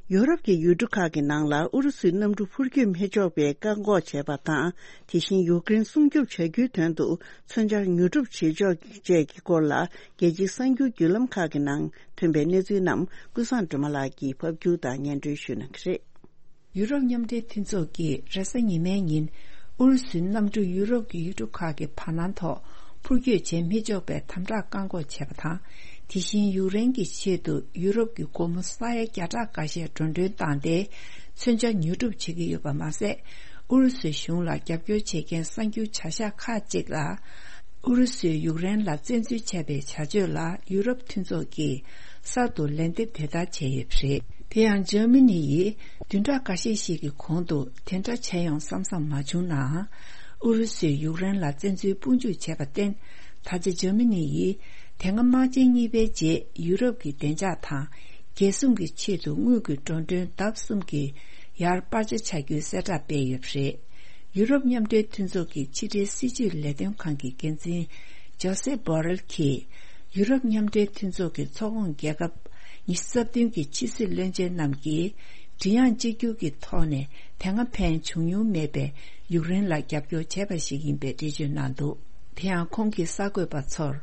ཡོ་རོབ་ཀྱི་ཡུལ་གྲུ་ཁག་གི་ནང་ལ་ཨུ་རུ་སུའི་གནམ་གྲུ་འཕུར་སྐྱོད་མི་ཆོག་པའི་བཀག་འགོག་བྱས་པ་དང་། དེ་བཞིན་ཡུཀ་རེན་སྲུང་སྐྱོབ་བྱ་རྒྱུའི་དོན་དུ་མཚོན་ཆ་ཉོ་སྒྲུབ་བྱེད་ཕྱོགས་བཅས་ཀྱི་སྐོར་ལ། རྒྱལ་སྤྱིའི་གསར་འགྱུར་བརྒྱུད་ལམ་ཁག་གི་ནང་ཐོན་པའི་གནས་ཚུལ་རྣམས་ཀུན་བཟང་སྒྲོལ་མ་ལགས་ཀྱིས་ཕབ་སྒྱུར་དང་སྙན་སྒྲོན་ཞུ་གནང་གི་རེད། ཡུ་རོབ་མཉམ་འབྲེལ་མཐུན་ཚོགས་ཀྱིས་རེས་གཟའ་ཉི་མའི་ཉིན་ཨུ་རུ་སུའི་གནམ་གྲུ་ཡུ་རོབ་ཀྱི་ཡུལ་གྲུ་ཁག་གི་བར་སྣང་ཐོག་འཕུར་སྐྱོད་བྱེད་མི་ཆོག་པའི་དམ་དྲག་བཀག་འགོག་བྱས་པ་དང་། དེ་བཞིན་ཡུཀ་རེན་གྱི་ཆེད་དུ་ཡུ་རོབ་ཀྱི་སྒོར་མོ་ས་ཡ་བརྒྱ་ཕྲག་འགའ་ཤས་འགྲོ་གྲོན་བཏང་སྟེ། མཚོན་ཆ་ཉོ་སྒྲུབ་བྱེད་ཀྱི་ཡོད་པ་མ་ཟད། ཨུ་རུ་སུའི་གཞུང་ལ་རྒྱབ་སྐྱོར་བྱེད་མཁན་གསར་འགྱུར་བྱ་གཞག་ཁག་ཅིག་ལ། ཨུ་རུ་སུས་ཡུཀ་རེན་ལ་བཙན་འཛུལ་བྱས་པའི་བྱ་སྤྱོད་ལ་ཡུ་རོབ་མཐུན་ཚོགས་ཀྱིས་གསར་དུ་ལན་འདེབས་དེ་ལྟར་བྱས་ཡོད་པ་རེད། དེ་ཡང་འཇར་མ་ནི་ཡིས་བདུན་ཕྲག་འགའ་ཤས་ཤིག་གི་གོང་དུ་དེ་འདྲ་བྱས་ཡོང་བསམ་བསམ་མ་བྱུང་ནའང་། ཨུ་རུ་སུས་ཡུཀ་རེན་ལ་བཙན་འཛུལ་དཔུང་འཇུག་བྱས་པར་བརྟེན། ད་ཆ་འཇར་མ་ནི་ཡིས་དེ་སྔ་དམག་ཆེན་གཉིས་པའི་རྗེས་ཡུ་རོབ་ཀྱི་བདེ་འཇགས་དང་། རྒྱལ་སྲུང་གི་ཆེད་དུ་དངུལ་གྱི་འགྲོ་གྲོན་ལྡབ་གསུམ་གྱིས་ཡར་སྤར་ཆ་བྱ་རྒྱུའི་གསལ་བསྒྲགས་སྤེལ་ཡོད་པ་རེད། ཡུ་རོབ་མཉམ་འབྲེལ་མཐུན་ཚོགས་ཀྱི་ཕྱི་འབྲེལ་སྲིད་ཇུས་ལས་དོན་ཁང་གི་འགན་འཛིན་ཇོ་སེ་བྷོ་རེལ་གྱིས། ཡུ་རོབ་མཉམ་འབྲེལ་མཐུན་ཚོགས་ཀྱི་ཚོགས་ཁོངས་རྒྱལ་ཁབ་ཉི་ཤུ་རྩ་བདུན་གྱི་ཕྱི་སྲིད་བློན་ཆེན་རྣམས་ཀྱིས་མགྲིན་དབྱངས་གཅིག་གྱུར་གྱི་ཐོག་ནས་དེ་སྔ་ཕན་བྱུང་མྱོང་མེད་པའི་ཡུཀ་རེན་ལ་རྒྱབ་སྐྱོར་བྱས་པ་ཞིག་ཡིན་པའི་འགྲེལ་བརྗོད་གནང་འདུག་དེ་ཡང་ཁོང་གིས་གསར་འགོད་པ་ཚོར།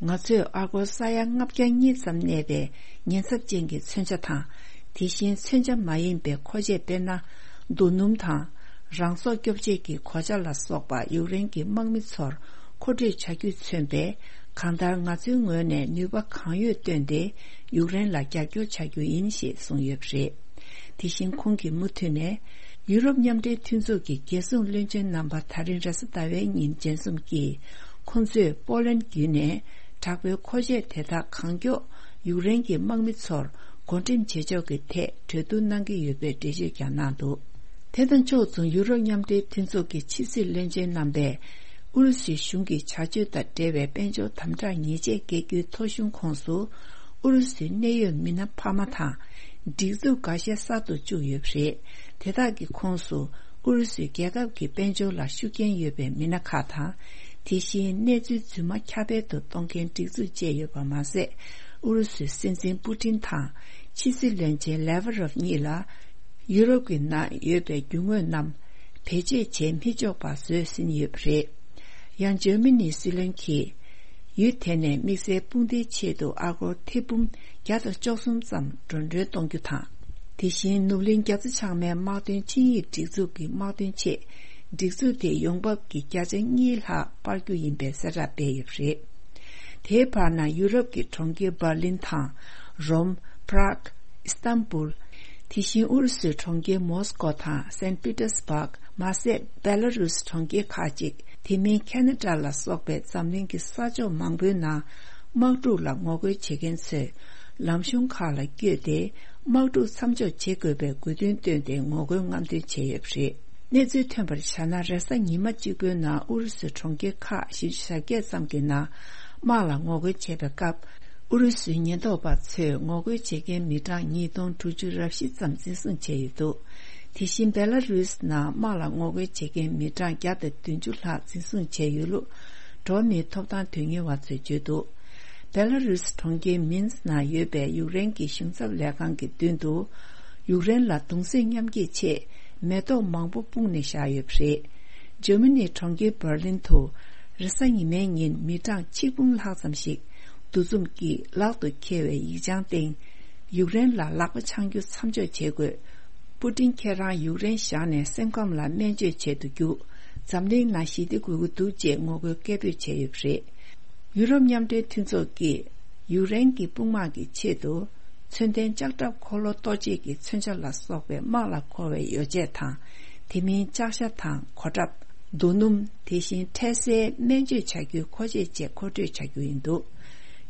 ང་ཚོས་ཨ་སྒོར་ས་ཡ་ལྔ་བརྒྱ་གཉིས་ཙམ་གནས་པའི་ཉེན་ཚབས་ཅན་གྱི་མཚོན་ཆ་དང་། དེ་བཞིན་མཚོན་ཆ་མ་ཡིན་པའི་མཁོ་ཆས་དཔེར་ན། རྡོ་སྣུམ་དང་། རང་སྲོག་སྐྱོབ་ཆེད་ཀྱི་གོ་ཆ་ལ་སོགས་པ་ཡུཀ་རེན་གྱི་དམག་མི་ཚོར་མཁོ་སྤྲོད་བྱ་རྒྱུས་མཚོན་པས། གང་ལྟར་ང་ཚོའི་ངོས་ནས་ནུས་པ་གང་ཡོད་བཏོན་ཏེ་ཡུཀ་རེན་ལ་རྒྱབ་སྐྱོར་བྱ་རྒྱུ་ཡིན་ཞེས་གསུངས་ཡོད་པ་རེད། དེ་བཞིན་ཁོང་གིས་མུ་མཐུད་ནས། ཡུ་རོབ་མཉམ་འབྲེལ་མཐུན་ཚོགས་ཀྱི་རྒྱལ་སྲུང་བློན་ཆེན་རྣམ་པ་ད་རིང་རེས་གཟའ་ཟླ་བའི་ཉིན་མཇལ་འཛོམས་ཀྱིས། ཁོང་ཚོས་པོ་ལན་བརྒྱུད་ནས་དྲག་པོའི་མཁོ་ཆས་དེ་དག་གང་མགྱོགས་ཡུཀ་རེན་གྱི་དམག་མི་ཚོར་བགོ་འགྲེམས་བྱེད་ཕྱོགས་ཀྱི་ཐད་གྲོས་བསྡུར་གནང་གི་ཡོད་པའི་འགྲེལ་བརྗོད་ཀྱང་གནང་འདུག་དེ་དང་ཕྱོགས་མཚུངས་ཡུ་རོབ་མཉམ་འབྲེལ་མཐུན་ཚོགས་ཀྱི་ཕྱི་སྲིད་བློན་ཆེན་རྣམ་པས། ཨུ་རུ་སུའི་གཞུང་གི་བྱ་སྤྱོད་དང་འབྲེལ་བའི་དཔལ་འབྱོར་དམ་དྲག་ཉེས་ཆད་འགེལ་རྒྱུའི་ཐོ་གཞུང་ཁོངས་སུ། ཨུ་རུ་སུའི་གནད་ཡོད་མི་སྣ་འཕར་མ་དང་། སྒྲིག་འཛུགས་འགའ་ཤས་གསར་དུ་བཅུག་ཡོད་པ་རེད། དེ་དག་གི་ཁོངས་སུ། ཨུ་རུ་སུའི་རྒྱལ་ཁབ་ཀྱི་དཔལ་འབྱོར་ལ་ཤུགས་རྐྱེན་ཡོད་པའི་མི་སྣ་ཁག་དང་། དེ་བཞིན་གནས་ཚུལ་རྫུན་མ་ཁྱབ་སྤེལ་དུ་གཏོང་མཁན་སྒྲིག་འཛུགས་བཅས་ཡོད་པ་མ་ཟད། ཨུ་རུ་སུའི་སྲིད་འཛིན་པུ་ཏིན་དང་། ཕྱི་སྲིད་བློན་ཆེན་ལེ་ཝ་རོབ་གཉིས་ལ། ཡུ་རོབ་ཀྱི་ནང་ཡོད་པའི་རྒྱུ་དངོས་རྣམས་བེད་སྤྱོད་བྱེད་མི་ཆོག་པ་བཟོས་ཟིན་ཡོད་པ་རེད། ཡང་འཇར་མ་ནིའི་སྲིད་བློན་གྱིས། ཡུལ་དེ་ནས་དམིགས་བསལ་དཔུང་སྡེའི་ཆེད་དུ་ཨ་སྒོར་ཐེར་འབུམ་བརྒྱ་དང་བཅུ་གསུམ་ཙམ་འགྲོ་གྲོན་གཏོང་རྒྱུ་དང་། དེ་བཞིན་ནུབ་གླིང་རྒྱ་མཚོ་བྱང་མའི་དམག་དོན་ཆིངས་ཡིག་སྒྲིག་འཛུགས་ཀྱི་དམག་དོན་ཆེད། སྒྲིག་འཛུགས་དེའི་ཡོང་འབབ་ཀྱི་བརྒྱ་ཆ་གཉིས་ལྷག་སྤར་རྒྱུ་ཡིན་པའི་གསལ་བསྒྲགས་སྤེལ་ཡོད་པ་རེད། དེའི་བར་ན་ཡུ་རོབ་ཀྱི་གྲོང་ཁྱེར་འབར་ལིན་དང་། རོམ། པྲག་ཨི་སྟན་བུལ། དེ་བཞིན་ཨུ་རུ་སུའི་གྲོང་ཁྱེར་མོ་སི་ཀོ་དང་སན་པི་ཏེར་སྦག་མ་ཟད་བེ་ལ་རུས་གྲོང་ཁྱེར་ཁག་ཅིག་དེ་མིན་ཁེ་ན་ཌ་ལ་སོགས་པའི་འཛམ་གླིང་གི་ས་ཕྱོགས་མང་པོའི་ནང་དམག་འཁྲུག་ལ་ངོ་རྒོལ་བྱེད་མཁན་ཚོས་ལམ་གཞུང་ཁག་ལ་བསྐྱོད་དེ་དམག་འཁྲུག་མཚམས་འཇོག་བྱེད་དགོས་པའི་དགོས་འདུན་བཏོན་ཏེ་ངོ་རྒོལ་རྔམ་སྟོན་བྱས་ཡོད་པ་རེད། གནས་ཚུལ་ཐོན་པར་བྱས་ན་རེས་གཟའ་ཉི་མ་གཅིག་པུའི་ནང་ཨུ་རུ་སུའི་གྲོང་ཁྱེར་ཁག་བཞི་བཅུ་ཞེ་བརྒྱད་ཙམ་གྱི་ནང་དམག་ལ་ངོ་རྒོལ་བྱས་པའི་སྐབས། ཨུ་རུ་སུའི་ཉེན་རྟོག་པ་ཚོས་ངོ་རྒོལ་བྱེད་མཁན་མི་གྲངས་ཉིས་སྟོང་དྲུག་ཅུ་རེ་བཞི་ཙམ་འཛིན་བཟུང་བྱས་ཡོད་འདུག་དེ་བཞིན་བེ་ལ་རུས་ནང་དམག་ལ་ངོ་རྒོལ་བྱེད་མཁན་མི་གྲངས་བརྒྱ་དང་བདུན་ཅུ་ལྷག་འཛིན་བཟུང་བྱས་ཡོད་ལུགས་འགྲོ་བ་མིའི་ཐོབ་ཐང་དོན་གཉེར་བ་ཚོས་བརྗོད་འདུག་བེ་ལ་རུས་གྲོང་ཁྱེར་མིན་སི་ནང་ཡོད་པའི་ཡུཀ་རེན་གྱི་གཞུང་ཚབ་ལས་ཁང་གི་མདུན་དུ། ཡུཀ་རེན་ལ་གདུང་སེམས་མཉམ་སྐྱེད་ཆེད་མེ་ཏོག་མང་པོ་སྤུངས་ནས་བཞག་ཡོད་པ་རེད། འཇར་མ་ནིའི་གྲོང་ཁྱེར་འབར་ལིན་དུ་རེས་གཟའ་ཉི་མའི་ཉིན་མི་གྲངས་ཆིག་འབུམ་ལྷག་ཙམ་ཞིག་འདུ་འཛོམས་ཀྱིས་ལག་ཏུ་འཁྱེར་བའི་ཡིག་བྱང་སྟེང་། ཡུཀ་རེན་ལ་ལག་པ་འཆང་རྒྱུ་མཚམས་འཇོག་བྱེད་དགོས། པུ་ཏིན་ཁྱེད་རང་ཡུཀ་རེན་བཞག་ནས་སེམས་ཁམས་ལ་སྨན་བཅོས་བྱེད་དུ་རྒྱུགས། འཛམ་གླིང་ནང་ཞི་བདེ་དགོས་ཀྱི་འདུག་ཅེས་ངོ་རྒོལ་སྐད་འབོད་བྱས་ཡོད་པ་རེད། ཡུ་རོབ་མཉམ་འབྲེལ་མཐུན་ཚོགས་ཀྱིས་ཡུཀ་རེན་གྱི་དཔུང་དམག་གི་ཆེད་དུ། མཚོན་ལྡན་ལྕགས་ཁྲབ་འཁོར་ལོ་གཏོར་བྱེད་ཀྱི་མཚོན་ཆ་ལ་སོགས་པའི་དམག་ལ་མཁོ་བའི་ཡོ་བྱད་དང་། དེ་མིན་ལྕགས་ཤ་དང་གོ་ཁྲབ། རྡོ་སྣུམ། དེ་བཞིན་འཕྲལ་སེལ་སྨན་བཅོས་བྱ་རྒྱུའི་མཁོ་ཆས་བཅས་མཁོ་སྤྲོད་བྱ་རྒྱུ་ཡིན་འདུག་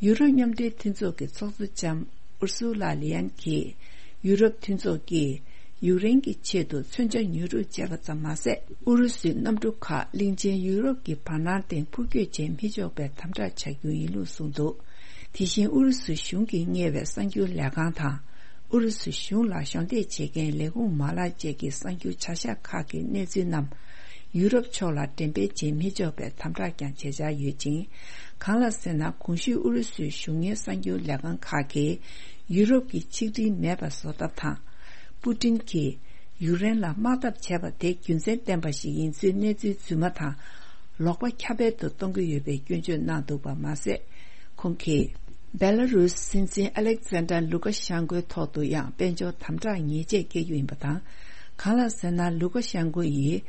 ཡུ་རོབ་མཉམ་འབྲེལ་མཐུན་ཚོགས་ཀྱི་ཚོགས་གཙོ་ལྕམ་ཨུར་སུ་ལ་ལི་ཡན་གྱིས། ཡུ་རོབ་མཐུན་ཚོགས་ཀྱིས། ཡུཀ་རེན་གྱི་ཆེད་དུ་མཚོན་ཆ་ཉོ་སྒྲུབ་བྱས་པ་ཙམ་མ་ཟད། ཨུ་རུ་སུའི་གནམ་གྲུ་ཁག་གླིང་ཆེན་ཡུ་རོབ་ཀྱི་བར་སྣང་སྟེང་འཕུར་སྐྱོད་བྱེད་མི་ཆོག་པའི་དམ་དྲག་བྱ་རྒྱུ་ཡིན་ལུགས་གསུངས་འདུག་དེ་བཞིན་ཨུ་རུ་སུ་གཞུང་གིས་གཉེར་བའི་གསར་འགྱུར་ལས་ཁང་དང་། ཨུ་རུ་སུ་གཞུང་ལ་གཞོགས་འདེགས་བྱེད་མཁན་ལས་ཁུངས་མ་ལག་བཅས་ཀྱི་གསར་འགྱུར་བྱ་གཞག་ཁག་གི་གནས་ཚུལ་རྣམས། ཡུ་རོབ་ཕྱོགས་ལ་འགྲེམས་སྤེལ་བྱེད་མི་ཆོག་པའི་དམ་དྲག་ཀྱང་བྱེད་འཆར་ཡོད་ཅིང་། གང་ལགས་ཟེར་ན། གོང་ཞུས་ཨུ་རུ་སུའི་གཞུང་གཉེར་གསར་འགྱུར་ལས་ཁང་ཁག་གིས། ཡུ་རོབ་ཀྱི་ཆིག་སྒྲིལ་མེད་པ་བཟོ་ཐབས་དང་། པུ་ཏིན་གྱིས་ཡུཀ་རེན་ལ་དམག་འཐབ་བྱས་པ་དེ་རྒྱུ་མཚན་ལྡན་པ་ཞིག་ཡིན་ཚུལ་གནས་ཚུལ་རྫུན་མ་དང་། ལོག་པ་ཁྱབ་སྤེལ་དུ་གཏོང་གི་ཡོད་པའི་སྐྱོན་བརྗོད་གནང་འདུག་པ་མ་ཟད། ཁོང་གིས། བེ་ལ་རུས་སྲིད་འཛིན་ཨ་ལེག་ཛན་ཌར་ལུ་ཀ་ཤན་ཀོའི་ཐོག་ཏུ་ཡང་དཔལ་འབྱོར་དམ་དྲག་ཉེས་ཆད་བཀལ་རྒྱུ་ཡིན་པ་དང་། གང་ལགས་ཟེར་ན། ལུ་ཀ་ཤན་ཀོ་ཡིས།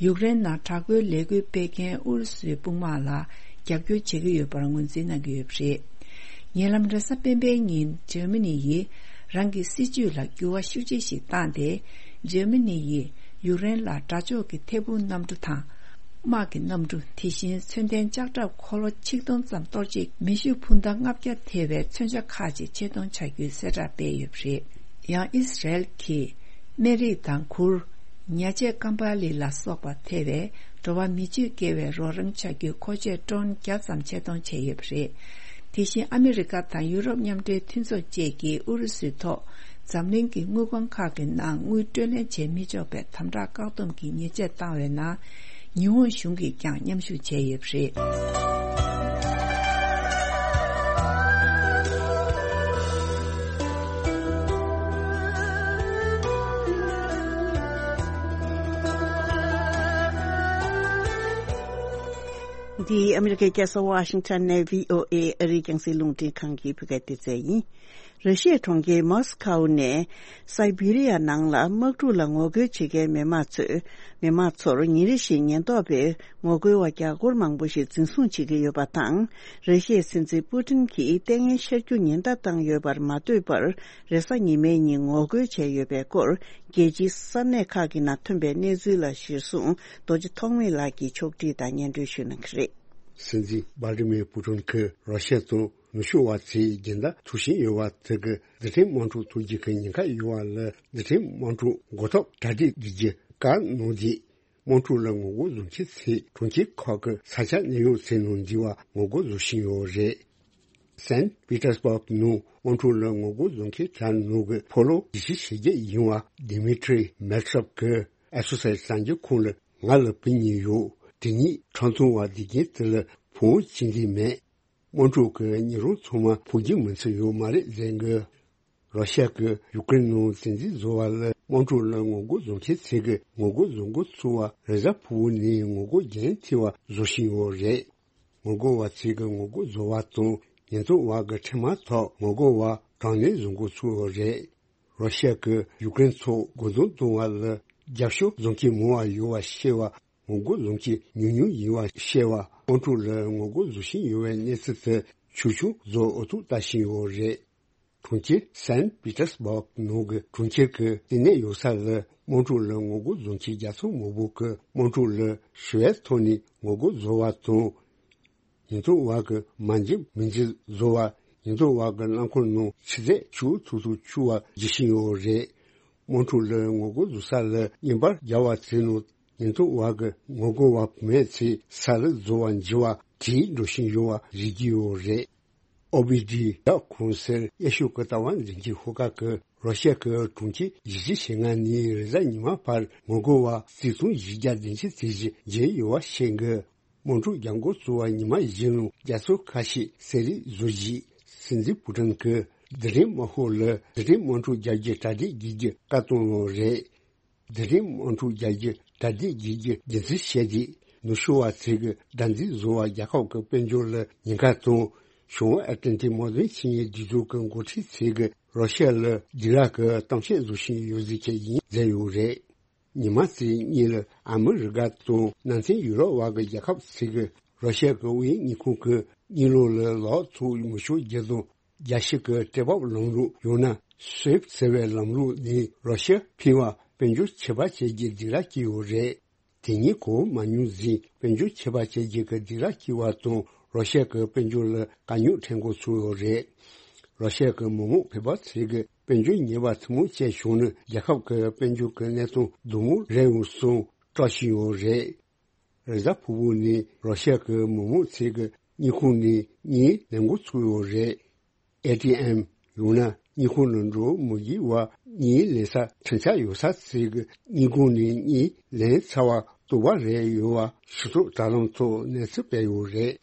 ཡུཀ་རེན་ནང་དྲག་པོའི་ལས་འགུལ་སྤེལ་མཁན་ཨུ་རུ་སུའི་དཔུང་དམག་ལ་རྒྱབ་སྐྱོར་བྱེད་ཀྱི་ཡོད་པར་ངོས་འཛིན་གནང་གི་ཡོད་པ་རེད། ཉེ་ལམ་རེས་གཟའ་སྤེན་པའི་ཉིན་འཇར་མ་ནི་ཡིས་རང་གི་སྲིད་ཇུས་ལ་འགྱུར་བ་ཤུགས་ཆེ་ཞིག་བཏང་སྟེ། འཇར་མ་ནི་ཡིས་ཡུཀ་རེན་ལ་དགྲ་ཕྱོགས་ཀྱི་ཐད་འཕུར་གནམ་གྲུ་དང་། དམག་གི་གནམ་གྲུ། དེ་བཞིན་མཚོན་ལྡན་ལྕགས་ཁྲབ་འཁོར་ལོ་ཆིག་སྟོང་ཙམ་གཏོར་ཆེད་མེ་ཤུགས་འཕུར་མདའ་ལྔ་བརྒྱ་ཐེ་བའི་མཚོན་ཆ་ཁག་ཅིག་ཆེད་གཏོང་བྱ་རྒྱུའི་གསལ་བསྒྲགས་སྤེལ་ཡོད་པ་རེད། ཡང་ཨི་སི་རེལ་གྱིས་སྨན་རིགས་དང་གུར། ཉ་ཆས་ཀམ་པ་ལི་ལ་སོགས་པ་ཐེ་བའི་འགྲོ་བ་མི་བཅས་བསྐྱེལ་བའི་རོགས་རམ་བྱ་རྒྱུའི་མཁོ་ཆས་ཀྲོན་བརྒྱ་ཙམ་ཆེད་གཏོང་བྱས་ཡོད་པ་རེད། དེ་བཞིན་ཨ་མི་རི་ཀ་དང་ཡུ་རོབ་མཉམ་འབྲེལ་མཐུན་ཚོགས་བཅས་ཀྱིས་ཨུ་རུ་སུའི་ཐོག་འཛམ་གླིང་གི་དངུལ་ཁང་ཁག་གི་ནང་དངུལ་སྤྲོད་ལེན་བྱེད་མི་ཆོག་པའི་དམ་དྲག་བཀག་སྡོམ་གྱི་ཉེས་ཆད་བཏང་བའི་ནང་། ཉི་ཧོང་གཞུང་གིས་ཀྱང་མཉམ་ཞུགས་བྱས་ཡོད་པ་རེད། འདི་ཨ་མི་རི་ཀའི་རྒྱལ་ས་ཝ་ཤིང་ཊོན་ནས་བྷི་ཨོ་ཨེ་ཨ་རིའི་རྒྱང་སྲིང་རླུང་འཕྲིན་ཁང་གི་བོད་སྐད་སྡེ་ཚན་ཡིན། ར་ཤི་ཡའི་གྲོང་ཁྱེར་མོ་སི་ཁའུ་ནས་སའི་བྷི་རི་ཡ་ནང་ལ་དམག་འཁྲུག་ལ་ངོ་རྒོལ་བྱེད་མཁན་མི་མང་ཚོས། མི་མང་ཚོར་ཉིན་རེ་བཞིན་ཉེན་རྟོག་པས་ངོ་རྒོལ་བ་རྒྱ་སྒོར་མང་པོ་ཞིག་འཛིན་བཟུང་བྱེད་ཀྱི་ཡོད་པ་དང་། ར་ཤི་ཡའི་སྲིད་འཛིན་པུ་ཏིན་གྱིས་ལྟས་ངན་ཤར་རྒྱུ་ཉེན་བརྡ་བཏང་ཡོད་པར་མ་ལྟོས་པར། རེས་གཟའ་ཉི་མའི་ཉིན་ངོ་རྒོལ་བྱས་ཡོད་པའི་སྐོར། རྒྱལ་སྤྱིའི་ས་གནས་ཁག་གི་ནང་ཐོན་པའི་གནས་ཚུལ་ལ་གཞིར་བཟུང་རྡོ་རྗེ་ཐོགས་མེད་ལགས་ཀྱིས་ཕྱོགས་སྒྲིག་དང་སྙན་སྒྲོན་ཞུ་གནང་གི་རེད། སྲིད་འཛིན་ཝ་ལི་མིར་པུ་ཏིན་གྱིས་རོ་ཤ་དང་ནུབ་ཕྱོགས་བ་ཚོས་སྦྱིན་བདག་ཐུག་བཞིན་ཡོད་པ་དེ་གིས་རྡུལ་ཕྲན་དམག་འཁྲུག་ཐུག་རྒྱུ་གི་ཉེན་ཁ་ཡོད་པ་ལས། རྡུལ་ཕྲན་དམག་འཁྲུག་འགོ་ཐོག་གྲ་སྒྲིག་བྱེད་རྒྱུ་བཀག་གནང་རྗེས། དམག་འཁྲུག་ལ་ངོ་རྒོལ་བཟོ་མཁན་ཚོས་གྲོང་ཁྱེར་ཁག་གི་ས་ཆ་གནས་ཡུལ་ཚོའི་ནང་འཛུལ་བར་ངོ་རྒོལ་བཟོ་བཞིན་ཡོད་རེད། སན་པི་ཏར་སྦུག་ནང་དམག་འཁྲུག་ལ་ངོ་རྒོལ་བཟོ་མཁན་དེ་ནང་གི་ཕོ་ལོ་ཉི་ཤུ་ཞེ་བརྒྱད་ཡིན་པ་ཌི་མི་ཏྲི་མེ་ཏྲོབ་ཀྱིས་ཨེ་སོ་སའི་གསར་འགྱུར་ཁང་ལ་ང་ལ་བུ་གཉིས་ཡོད། དེ་གཉིས་ཁྲག་འཐུང་བ་བསྡད་མཁན་དེ་ལ་བུ་མོ་གཅིག་འདི་མེད། དམག་འཁྲུག་གི་ཉིན་རུ་ཚང་མ་ཕོ་རྒྱུད་མི་ཚེ་ཡོད་མ་རེད་ཟེར་གི། རོ་ཤ་གིས་ཡུཀ་རེན་ནང་བཙན་འཛུལ་བཟོ་བ་ལ་དམག་འཁྲུག་ལ་ངོ་རྒོལ་བཟོ་མཁན་ཚོས་ཀྱི་ངོ་རྒོལ་བཟོ་འགོ་ཚུགས་པ་རེས་གཟའ་ཕུར་བུ་ནས་ངོ་རྒོལ་རྒྱུན་མཐུད་པ་བཟོ་བཞིན་ཡོད་རེད། ངོ་རྒོལ་བ་ཚོས་ཀྱི་ངོ་རྒོལ་བཟོ་བ་དང་ཉེན་རྟོག་པ་གི་འཕྲིན་དམག་ཐོག་ངོ་རྒོལ་བ་གྲངས་ལས་བཟོ་འགོ་ཚུགས་ཡོད་རེད། རོ་ཤ་གིས་ཡུཀ་རེན་ཚོ་རྒོལ་རྡུང་གཏོང་བ་ལ་རྒྱབ་སྐྱོར་བཟོ་མཁན་མང་བ་ཡོད་པ་བཤད་པ། ངོ་རྒོལ་བཟོ་མཁན་ཉུང་ཉུང་ཡིན་པ་བཤད་པ། དམག་འཁྲུག་ལ་ངོ་རྒོལ་བཟོ་བཞིན་ཡོད་པའི་གནས་ཚུལ་དེ་ཆུང་ཆུང་བཟོ་འོས་ཐུག་ལྟ་བཞིན་ཡོད་རེད། གྲོང་ཁྱེར་སན་པི་ཏར་སྦུག་ནང་གི་གྲོང་ཁྱེར་གྱི་ལྟེ་གནས་ཡོད་ས་ལ་དམག་འཁྲུག་ལ་ངོ་རྒོལ་བཟོ་མཁན་བརྒྱ་ཚོ་མང་པོ་གིས་དམག་འཁྲུག་ལ་ཞི་བའི་ཐོག་ནས་ངོ་རྒོལ་བཟོ་བ་དང་། ཉེན་རྟོག་པ་གིས་མ་འཇིགས་མི་འཇིགས་བཟོ་བ། ཉེན་རྟོག་པ་གི་རླངས་འཁོར་ནང་ཆུ་ཚད་བཅུ་ཐུག་ཐུག་བཅུག་པ་བྱེད་བཞིན་ཡོད་རེད། དམག་འཁྲུག་ལ་ངོ་རྒོལ་བཟོ་ས་ལ་བརྙན་པར་སྦྱར་བ་ཚོའི་ནང་ཉེན་རྟོག་པ་གིས་ངོ་རྒོལ་བ་བུད་མེད་ཚོས་ས་ལུད་བཟོ་བར་འགྱུར་བ་དེ་འགྲོ་བཞིན་ཡོད་པ་རིག་གི་ཡོད་རེད། ཨོ་བི་ཌི་ཡ་གོང་གསལ་དབྱེ་ཞིབ་ཀྱི་ལྟ་བ་འཛིན་གྱི་ཤོག་ཁག་གིས་རོ་ཤ་གི་གྲོང་ཁྱེར་བཞི་བཅུ་ཞེ་ལྔ་ནས་རེས་གཟའ་ཉི་མ་བར་ངོ་རྒོལ་བ་རྩིས་ཐོ་བཞི་བརྒྱ་བདུན་ཅུ་ཙམ་ཞིག་བརྒྱབ་ཡོད་པ་བཤད་འདུག་དམག་འཁྲུག་རྒྱག་འགོ་བཙུགས་པ་ཉི་མ་བཞི་ནང་རྒྱལ་ཚོགས་ཁ་ཤས་གསལ་རིག་བཟོས་རྗེས། སྲིད་འཛིན་པུ་ཏིན་གྱིས་རྡུལ་ཕྲན་དམག་ཤོག་ལ་རྡུལ་ཕྲན་དམག་འཁྲུག་རྒྱག་རྒྱུ་གྲ་སྒྲིག་བྱེད་རྒྱུ་བཀའ་གཏོང་གནང་བ་རེད། རྡུལ་ཕྲན་དམག་འཁྲུག་རྒྱག་རྒྱུ་གྲ་སྒྲིག་བྱེད་རྒྱུ་རྒྱུ་མཚན་བཤད་དེ། ནུབ་ཕྱོགས་པ་ཚོས་ཀྱི་དགྲར་འཛིན་བཟོ་བ་རྒྱལ་ཁབ་ཀྱི་དཔལ་འབྱོར་ལ་ཉེན་ཁ་དང་། བྱང་ཨེ་ཏི་ལན་ཏིག་དམག་དོན་ཆིངས་ཡིག་འདི་ཚོ་གི་འགོ་ཁྲིད་ཚོས་ཀྱི་རོ་ཤ་ལ་སྦྱིས་རག་གི་གཏམ་བཤད་བཟོ་བཞིན་ཡོད་ཟེར་གྱི་ཡིན་ཟེར་ཡོད་རེད། ཉི་མ་དེ་གཉིས་ལ་ཨ་མི་རི་ཀ་དང་ནང་ཚན་ཡུ་རོབ་བར་གྱི་རྒྱལ་ཁབ་ཚོས་ཀྱི་རོ་ཤ་གི་དབུས་དངུལ་ཁང་གི་དངུལ་ལོར་ལ་ལག་ཐོག་མི་ཤོར་རྒྱུ་དང་རྒྱལ་སྤྱི་གི་སྤྲད་འབབ་ལམ་ལུགས་ཡང་ན་སུའེབ་ཟེར་བའི་ལམ་ལུགས་ནས་རོ་ཤ་ཕུད་པ་དཔལ་འབྱོར་ཆད་པ་བཅད་རྒྱུའི་སྦྱིས་རག་བྱས་ཡོད་རེད། དེ་གཉིས་གོ་མ་མྱོང་ཟིན་དཔལ་འབྱོར་ཆད་པ་བཅད་རྒྱུ་གི་སྦྱིས་རག་བྱས་པ་དང་རོ་ཤ་གི་དཔལ་འབྱོར་ལ་དཀའ་རྙོག་འཕྲད་འགོ་ཚུགས་ཡོད་རེད། རོ་ཤ་གི་མི་དམངས་ཕལ་པ་ཚོས་ཀྱི་དཔལ་འབྱོར་ཉེས་པ་ཐུན་མོང་ཅན་བྱུང་ན་རྒྱལ་ཁབ་ཀྱི་དཔལ་འབྱོར་གྱི་གནས་སྟངས་སྡུག་མོ་རེད་འོང་གསུངས་སྐྲག་བཞིན་ཡོད་རེད། རེས་གཟའ་ཕུར་བུ་ནས་རོ་ཤ་གི་མི་དམངས་ཚོས་ཀྱི་དངུལ་ཁང་ནས་དངུལ་ལེན་འགོ་ཚུགས་ཡོད་རེད། ཨེ་ཊི་ཨེམ་ཡང་ན་དངུལ་ཁང་ནང་འགྲོ་མི་དགོས་པར་དངུལ་ལེན་ས་ཁྲིམས་འཆར་ཡོད་ས་ཚོས་ཀྱི་དངུལ་ཁང་ནས་དངུལ་ལེན་ཚར་བ་བཏུབ་པ་རེད་ཡོད་པ་ཞུ་གཏུག་དྲ་ལམ་ཐོག་གནས་ཚུལ་སྤེལ་ཡོད་རེད།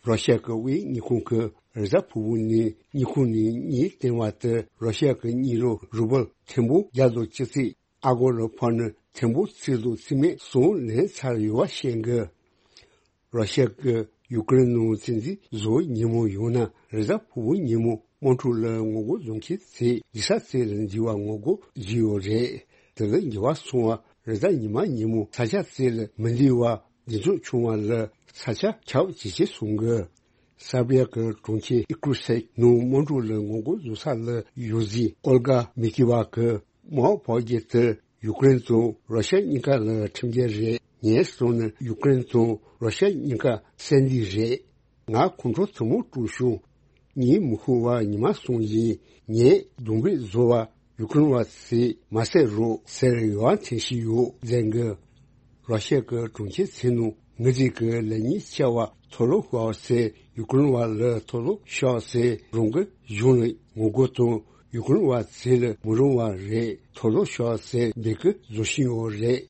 རོ་ཤ་གི་དབུས་དངུལ་ཁང་གིས་རེས་གཟའ་ཕུར་བུ་ནས་དངུལ་ཁང་ནས་དངུལ་བཏོན་པ་དེ་རོ་ཤ་གི་དངུལ་ལོར་རུ་བལ་ཐེར་འབུམ་བརྒྱ་དང་བཅུ་གཅིག་ཨ་སྒོར་ལ་ཕར་ནི་ཐེར་འབུམ་གཅིག་དང་རྩིས་མེད་གསུམ་ལེན་ཚར་ཡོད་པ་བཤད་འདུག་རོ་ཤ་གིས་ཡུཀ་རེན་ནང་བཙན་འཛུལ་བཟོ་བའི་ཉིན་མོ་ཡང་ན་རེས་གཟའ་ཕུར་བུའི་ཉིན་མོ་དམག་འཁྲུག་ལ་ངོ་རྒོལ་བཟོ་མཁན་ཚོས་ཡིག་ཚང་ཚོ་ལ་འཛུལ་བར་ངོ་རྒོལ་བཟོས་ཡོད་རེད། དེ་ལ་འགྱུར་བ་སོང་བ་རེས་གཟའ་ཉི་མ་ཉིན་མོ་ས་ཆ་ཚོ་ལ་མི་འཛུལ་བར་གདེང་ཚོད་བྱུང་བ་ལ་ས་ཆ་ཁྱབ་ཇེ་ཆེ་སོང་གི། སར་བྷི་ཡ་གི་གྲོང་ཁྱེར་ཨི་ཀྲུ་སེག་ནང་དམག་འཁྲུག་ལ་ངོ་རྒོལ་བཟོ་ས་ལ་ཡོད་ཟིན་ཨོལ་གྷ་མི་ཀི་ཝ་གི་དམག་འཕུར་མདའ་དེ་ ཡུ་ཀེ་རེན་དང་རོ་ཤ་གཉིས་ཀ་ལ་ཁྲིམས་འགལ་རེད། ངས་སོང་ན་ཡུ་ཀེ་རེན་དང་རོ་ཤ་གཉིས་ཀ་བསད་འདི་རེད། ང་ཁོང་ཁྲོ་ཐུན་མོང་དཀྲུག་བྱུང་། ཉིན་མི་ཁུག་པ་ཉི་མ་སོང་ཡིན། ངས་རྡུང་རྡེག་བཟོ་བ་ཡུ་ཀེ་རེན་བ་ཚོས་མ་བསད་རོགས་ཟེར་ཡོང་བ་འཐེན་བཞིན་ཡོད་ཟེར་གི། རོ་ཤ་གི་གྲོང་ཁྱེར་ཚོའི་ནང་ངོས་འཛིན་གྱི་ལས་གཉེར་བྱ་བ་ཐོ་ལོ་ཤོག་ཟེར་ཡུ་ཀེ་རེན་བ་ལ་ཐོ་ལོ་ཤོག་ཟེར་རང་གི་གཞུང་ལ་ངོ་རྒོལ་དང་ཡུ་ཀེ་རེན་བ་ཚོ་ལ་མི་རུང་བ་རེད། ཐོ་ལོ་ཤོག་ཟེར་འབོད་སྐུལ་བཟོ་བཞིན་ཡོད་རེད།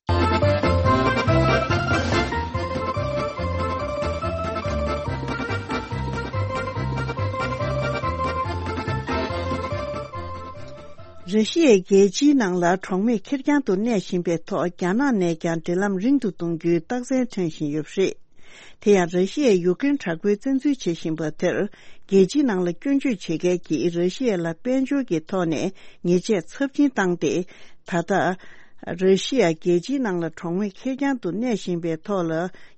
ར་ཤི་ཡའི་རྒྱལ་སྤྱིའི་ནང་ལ་གྲོགས་མེད་ཁེར་རྐྱང་དུ་གནས་བཞིན་པའི་ཐོག་རྒྱ་ནག་ནས་ཀྱང་འབྲེལ་ལམ་རིང་དུ་གཏོང་རྒྱུའི་རྟགས་མཚན་ཐོན་བཞིན་ཡོད་པ་རེད། དེ་ཡང་ར་ཤི་ཡས་ཡུཀ་རེན་དྲག་པོའི་བཙན་འཛུལ་བྱེད་བཞིན་པ་དེར་རྒྱལ་སྤྱིའི་ནང་ལ་སྐྱོན་བརྗོད་བྱེད་མཁན་གྱིས་ར་ཤི་ཡ་ལ་དཔལ་འབྱོར་གྱི་ཐོག་ནས་ཉེས་ཆད་ཚབས་ཆེན་བཏང་སྟེ། ད་ལྟ། ར་ཤི་ཡ་རྒྱལ་སྤྱིའི་ནང་ལ་གྲོགས་མེད་ཁེར་རྐྱང་དུ་གནས་བཞིན་པའི་ཐོག་ལ།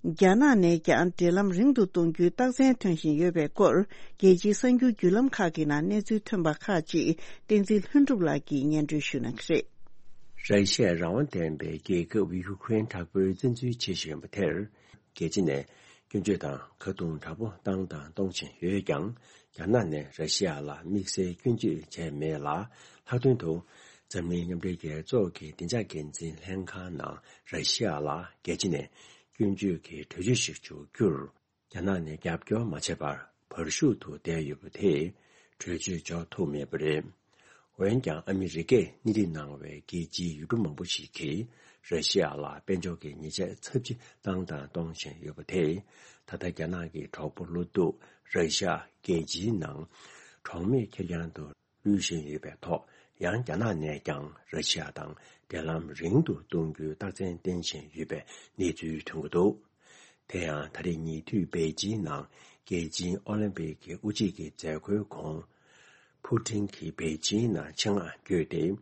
རྒྱ་ནག་ནས་ཀྱང་འབྲེལ་ལམ་རིང་དུ་གཏོང་རྒྱུའི་རྟགས་མཚན་ཐོན་བཞིན་ཡོད་པའི་སྐོར། རྒྱལ་སྤྱིའི་གསར་འགྱུར་བརྒྱུད་ལམ་ཁག་གི་ནང་གནས་ཚུལ་ཐོན་པ་ཁག་ཅིག་བསྟན་འཛིན་ལྷུན་གྲུབ་ལགས་ཀྱིས་སྙན་སྒྲོན་ཞུ་གནང་གི་རེད། ར་ཤི་ཡ་རང་དབང་ལྡན་པའི་རྒྱལ་ཁབ་ཡུཀ་རེན་དྲག་པོའི་བཙན་འཛུལ་བྱེད་བཞིན་པ་དེར། རྒྱལ་སྤྱི་ནས་སྐྱོན་བརྗོད་དང་ཁ་རྡུང་དྲག་པོ་བཏང་དང་གཏོང་བཞིན་ཡོད་ཀྱང་། རྒྱ་ནག་ནས་ར་ཤི་ཡ་ལ་དམིགས་བསལ་སྐྱོན་བརྗོད་བྱས་མེད་ལ། ལྷག་དོན་དུ་འཛམ་གླིང་མཉམ་འབྲེལ་རྒྱལ་ཚོགས་ཀྱི་བདེ་འཇགས་འགན་འཛིན་ལྷན་ཁང་ནང་ར་ཤི་ཡ་ལ་རྒྱལ་སྤྱི་ནས་སྐྱོན་བརྗོད་ཀྱི་གྲོས་ཆོད་ཞིག་འཇོག་རྒྱུར། རྒྱ་ནག་ནས་རྒྱབ་སྐྱོར་མ་བྱས་པར་བར་ཞུགས་དུ་བསྡད་ཡོད་པ་དེས་གྲོས་ཆོད་འཇོག་ཐུབ་མེད་པ་རེད། འོན་ཀྱང་ཨ་མི་རི་ཀས་སྣེ་ཁྲིད་གནང་བའི་རྒྱལ་སྤྱིའི་ཡུལ་གྲུ་མང་པོ་ཞིག་གིས་ར་ཤི་ཡ་ལ་དཔལ་འབྱོར་གྱི་ཉེས་ཆད་ཚབས་ཆེ་བཏང་དང་གཏོང་བཞིན་ཡོད་པ་དེས། ད་ལྟ་རྒྱ་ནག་གི་གྲོགས་པོ་བློ་སྡུག་ར་ཤི་ཡ་རྒྱལ་སྤྱིའི་ནང་གྲོགས་མེད་ཁེར་རྐྱང་དུ་ལུས་བཞིན་ཡོད་པའི་ཐོག་ཡང་རྒྱ་ནག་ནས་ཀྱང་ར་ཤི་ཡ་དང་འབྲེལ་ལམ་རིང་དུ་གཏོང་རྒྱུའི་རྟགས་མཚན་བསྟན་བཞིན་ཡོད་པའི་གནས་ཚུལ་ཐོན་གྱི་འདུག་དེ་ཡང་ད་རེས་ཉེ་དུས་པེ་ཅིན་ནང་རྒྱལ་སྤྱིའི་ཨོ་ལིམ་པིག་གི་དབུ་འབྱེད་ཀྱི་མཛད་སྒོའི་གོང་། ཕུ་ཀྲིན་གྱིས་པེ་ཅིན་ནང་ཆེད་མངགས་བསྐྱོད་དེ།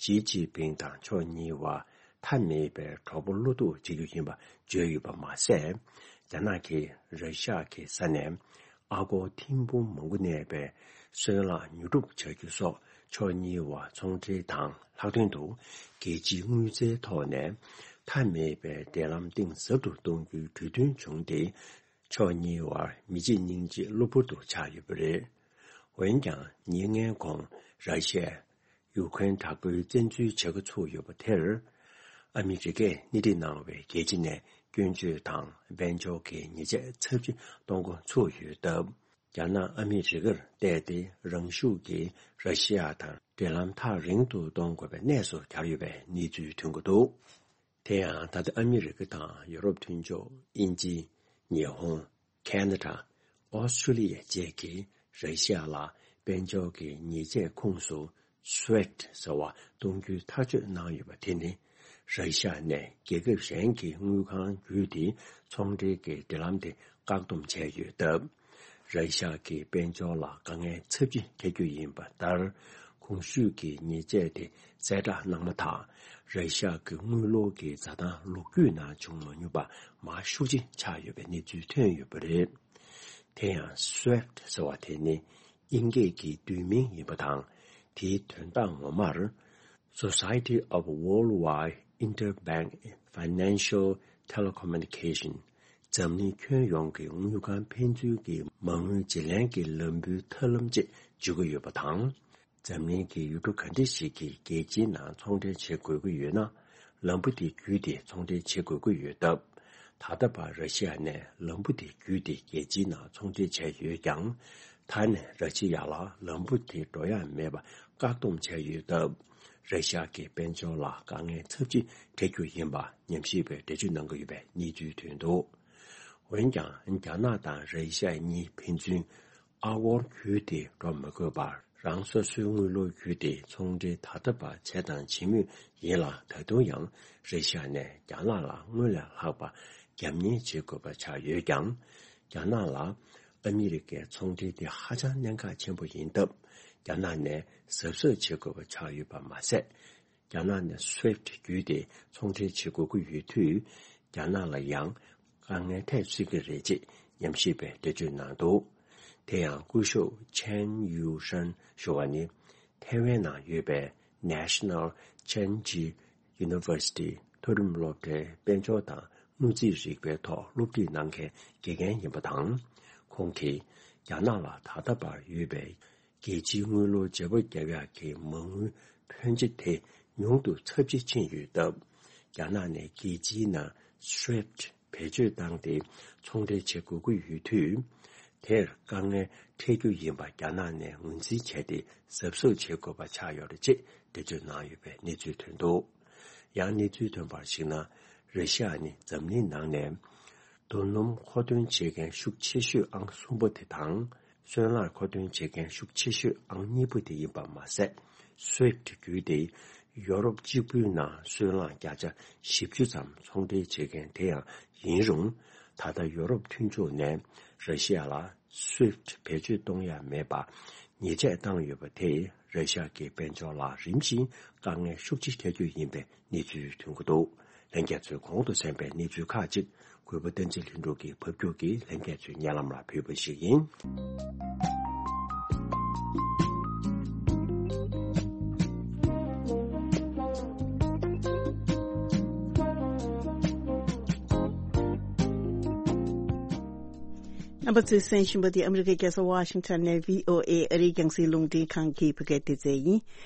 ཞི་ཅིན་ཕིང་དང་ཕྱོགས་གཉིས་བར་མཐའ་མེད་པའི་གྲོགས་པོ་བློ་སྡུག་བྱེད་རྒྱུ་ཡིན་པ་བརྗོད་ཡོད་པ་མ་ཟད། རྒྱ་ནག་གིས་ར་ཤ་ཡ་གི་ས་ནས་ཨ་སྒོར་ཐེར་འབུམ་མང་པོ་གནས་པའི་སོལ་རླངས་ཉོ་སྒྲུབ་བྱ་རྒྱུ་སོགས་ཕྱོགས་གཉིས་བར་ཚོང་འབྲེལ་དང་ལྷག་དོན་དུ་རྒྱལ་སྤྱིའི་དངུལ་རྩའི་ཐོག་ནས་མཐའ་མེད་པའི་འབྲེལ་ལམ་གཏིང་ཟབ་ཏུ་གཏོང་རྒྱུའི་གྲོས་མཐུན་བྱུང་སྟེ། ཕྱོགས་གཉིས་བར་མི་གཅིག་སྙིང་གཅིག་གློ་བུར་དུ་ཆགས་ཡོད་པ་རེད། འོན་ཀྱང་ཉེར་ལྔའི་གོང་ར་ཤི་ཡས་ཡུཀ་རེན་དྲག་པོའི་བཙན་འཛུལ་བྱེད་འགོ་ཚུགས་ཡོད་པ་དེར། ཨ་མི་རི་ཀས་སྣེ་ཁྲིད་གནང་བའི་རྒྱལ་སྤྱི་ནས་སྐྱོན་བརྗོད་དང་དཔལ་འབྱོར་གྱི་ཉེས་ཆད་ཚབས་ཆེ་གཏོང་འགོ་ཚུགས་ཡོད་སྟབས། རྒྱ་ནག་ཨ་མི་རི་ཀར་བལྟས་ཏེ་རང་ཤུགས་ཀྱིས་ར་ཤི་ཡ་དང་འབྲེལ་ལམ་ཐག་རིང་དུ་གཏོང་དགོས་པའི་གནས་སུ་གྱར་ཡོད་པའི་གནས་ཚུལ་ཐོན་གྱི་འདུག་དེ་ཡང་ད་ལྟ་ཨ་མི་རི་ཀ་དང་ཡོ་རོབ་མཐུན་ཕྱོགས། དབྱིན་ཇི། ཉི་ཧོང་། ཁེ་ན་ཌ། ཨོ་སི་ཁྲུ་ལི་ཡ་བཅས་ཀྱིས་ར་ཤི་ཡ་ལ་དཔལ་འབྱོར་གྱི་ཉེས་ཆད་ཁོངས་སུ་སུའེཕ་ཊི་ཟེར་བ་གཏོང་རྒྱུའི་ཐག་གཅོད་གནང་ཡོད་པ་དེ་ནི། ར་ཤི་ཡ་ནས་རྒྱལ་ཁབ་གཞན་གྱི་དངུལ་ཁང་བརྒྱུད་དེ་ཚོང་འབྲེལ་གྱི་འབྲེལ་ལམ་དེ་བཀག་སྡོམ་བྱས་ཡོད་སྟབས། ར་ཤ་ཡ་གི་དཔལ་འབྱོར་ལ་དཀའ་ངལ་ཚབས་ཆེ་འཕྲད་རྒྱུ་ཡིན་པ་ལྟར། གོང་ཞུས་ཀྱི་ཉེས་ཆད་དེ་གསལ་བསྒྲགས་གནང་མ་ཐག་ར་ཤ་ཡ་གི་དངུལ་ལོར་གྱི་འཛའ་ཐང་ལོ་རྒྱུས་ནང་བྱུང་མ་མྱོང་པ་མར་ཤུགས་ཆེ་ཆག་ཡོད་པའི་གནས་ཚུལ་ཐོན་ཡོད་པ་རེད། དེ་ཡང་སུའེཕ་ཊི་ཟེར་བ་དེ་ནི་དབྱིན་སྐད་ཀྱི་བསྡུས་མིང་ཡིན་པ་དང་། དེའི་དོན་དག་ངོ་མར། Society of Worldwide Interbank Financial Telecommunication། འཛམ་གླིང་ཁྱོན་ཡོངས་ཀྱི་དངུལ་ཁང་ཕན་ཚུན་གྱི་མ་དངུལ་བརྗེ་ལེན་གྱི་ལམ་བུའི་ཐབས་ལམ་ཅེས་བརྗོད་ཀྱི་ཡོད་པ་དང་། འཛམ་གླིང་གི་ཡུལ་གྲུ་ག་འདྲ་ཞིག་གིས་རྒྱལ་སྤྱིའི་ནང་ཚོང་འབྲེལ་བྱེད་དགོས་ཀྱི་ཡོད་ན། ལམ་བུ་དེ་བརྒྱུད་དེ་ཚོང་འབྲེལ་བྱེད་དགོས་ཀྱི་ཡོད་སྟབས། ད་ལྟ་བར་ར་ཤི་ཡ་ནས་ལམ་བུ་དེ་བརྒྱུད་དེ་རྒྱལ་སྤྱིའི་ནང་ཚོང་འབྲེལ་བྱས་ཡོད་ཀྱང་། ད་ནས་ར་ཤི་ཡ་ལ་ལམ་བུ་དེ་འགྲོ་ཡ་མེད་པ་བཀག་སྡོམ་བྱས་ཡོད་སྟབས། ར་ཤི་ཡ་གི་དཔལ་འབྱོར་ལ་དཀའ་ངལ་ཚབས་ཆེ་འཕྲད་རྒྱུ་ཡིན་པ་ཉམས་ཞིབ་པས་འགྲེལ་བརྗོད་གནང་གི་ཡོད་པའི་གནས་ཚུལ་ཐོན་འདུག་འོན་ཀྱང་རྒྱ་ནག་དང་ར་ཤི་ཡ་གཉིས་ཕན་ཚུན་ཨ་སྒོར་བརྒྱུད་དེ་འགྲོ་མི་དགོས་པར། རང་སོ་སོའི་དངུལ་ལོར་བརྒྱུད་དེ་ཚོང་འབྲེལ་ད་ལྟ་བར་བྱས་དང་བྱེད་མུས་ཡིན་ལ། ད་དུང་ཡང་ར་ཤི་ཡ་ནས་རྒྱ་ནག་ལ་དངུལ་ལས་ལྷག་པ་རྒྱབ་གཉེར་བྱེད་དགོས་པ་ཆགས་ཡོད་ཀྱང་། རྒྱ་ནག་ལ་ཨ་མི་རི་ཀའི་ཚོང་འབྲེལ་དེ་ཧ་ཅང་གནད་འགག་ཆེན་པོ་ཡིན་སྟབས། རྒྱ་ནག་ནས་གཟབ་གཟབ་བྱེད་དགོས་པ་ཆགས་ཡོད་པ་མ་ཟད། རྒྱ་ནག་ནས་སུའེཕ་ཊི་བརྒྱུད་དེ་ཚོང་འབྲེལ་བྱེད་དགོས་ཀྱི་ཡོད་དུས། རྒྱ་ནག་ལ་ཡང་དཀའ་ངལ་འཕྲད་སྲིད་ཀྱི་རེད་ཅེས་ཉམས་ཞིབ་པས་འགྲེལ་བརྗོད་གནང་འདུག་དེ་ཡང་སྐུ་ཞབས་ཆན་ཡུའུ་ཧྲན་ཞུ་བ་ནི། ཐའེ་ཝན་ནང་ཡོད་པའི་National Chinji University མཐོ་རིམ་སློབ་གྲྭའི་དཔལ་འབྱོར་དང་དངུལ་རྩིས་རིག་པའི་ཐོག་སློབ་ཁྲིད་གནང་མཁན་དགེ་རྒན་ཡིན་པ་དང་། ཁོང་གིས་རྒྱ་ནག་ལ་ད་ལྟ་བར་ཡོད་པའི་རྒྱལ་སྤྱིའི་དངུལ་ལོར་བརྗེ་པོ་བརྒྱབ་ཡག་གི་མ་དངུལ་ཕོན་ཆེ་དེ་ཉུང་དུ་ཚབས་ཆེ་ཕྱིན་ཡོད་སྟབས། རྒྱ་ནག་ནས་རྒྱལ་སྤྱིའི་ནང་SWIFT བེད་སྤྱོད་བཏང་སྟེ་ཚོང་འབྲེལ་བྱེད་དགོས་ཀྱི་ཡོད་དུས། དེར་དཀའ་ངལ་འཕྲད་རྒྱུ་ཡིན་པ་རྒྱ་ནག་ནས་ངོས་འཛིན་བྱས་ཏེ་གཟབ་གཟབ་བྱེད་དགོས་པ་ཆགས་ཡོད་རེད་ཅེས་འགྲེལ་བརྗོད་གནང་ཡོད་པའི་གནས་ཚུལ་ཐོན་འདུག། ཡང་གནས་ཚུལ་ཐོན་པར་གཞིགས་ན། ར་ཤི་ཡ་ནི་འཛམ་གླིང་ནང་ནས་རྡོ་སྣུམ་མཁོ་འདོན་བྱེད་མཁན་ཤུགས་ཆེ་ཤོས་ཨང་གསུམ་པ་དེ་དང་། སོལ་རླངས་མཁོ་འདོན་བྱེད་མཁན་ཤུགས་ཆེ་ཤོས་ཨང་གཉིས་པ་དེ་ཡིན་པ་མ་ཟད། SWIFT བརྒྱུད་དེ་ཡོ་རོབ་གཅིག་པུའི་ནང་སོལ་རླངས་བརྒྱ་ཆ་བཞི་བཅུ་ཙམ་ཚོང་འབྲེལ་བྱེད་མཁན་དེ་ཡང་ཡིན་རུང་། ད་ལྟ་ཡོ་རོབ་མཐུན་ཕྱོགས་ནས་ར་ཤི་ཡ་ལ་SWIFT བེད་སྤྱོད་གཏོང་ཡ་མེད་པ་ཉེས་ཆད་བཏང་ཡོད་པ་དེས་ར་ཤི་ཡ་གི་དཔལ་འབྱོར་ལ་རིམ་བཞིན་དཀའ་ངལ་ཤུགས་ཆེ་འཕྲད་རྒྱུ་ཡིན་པའི་གནས་ཚུལ་ཐོན་གྱི་འདུག། ལྷན་རྒྱས་ཚོས་གོང་དུ་གསན་པའི་གནས་ཚུལ་ཁག་ཅིག་གུས་པ་བསྟན་འཛིན་ལྷུན་གྲུབ་ཀྱིས་ཕབ་སྒྱུར་གྱིས་ལྷན་རྒྱས་ཚོའི་སྙན་ལམ་ལ་ཕུལ་བ་ཞིག་ཡིན། རྣམ་པ་ཚོས་གསན་བཞིན་པ་འདི་ཨ་མི་རི་ཀའི་རྒྱལ་ས་ཝ་ཤིང་ཊོན་ནས་VOA ཨ་རིའི་རྒྱང་སྲིང་རླུང་འཕྲིན་ཁང་གི་བོད་སྐད་སྡེ་ཚན་ཡིན།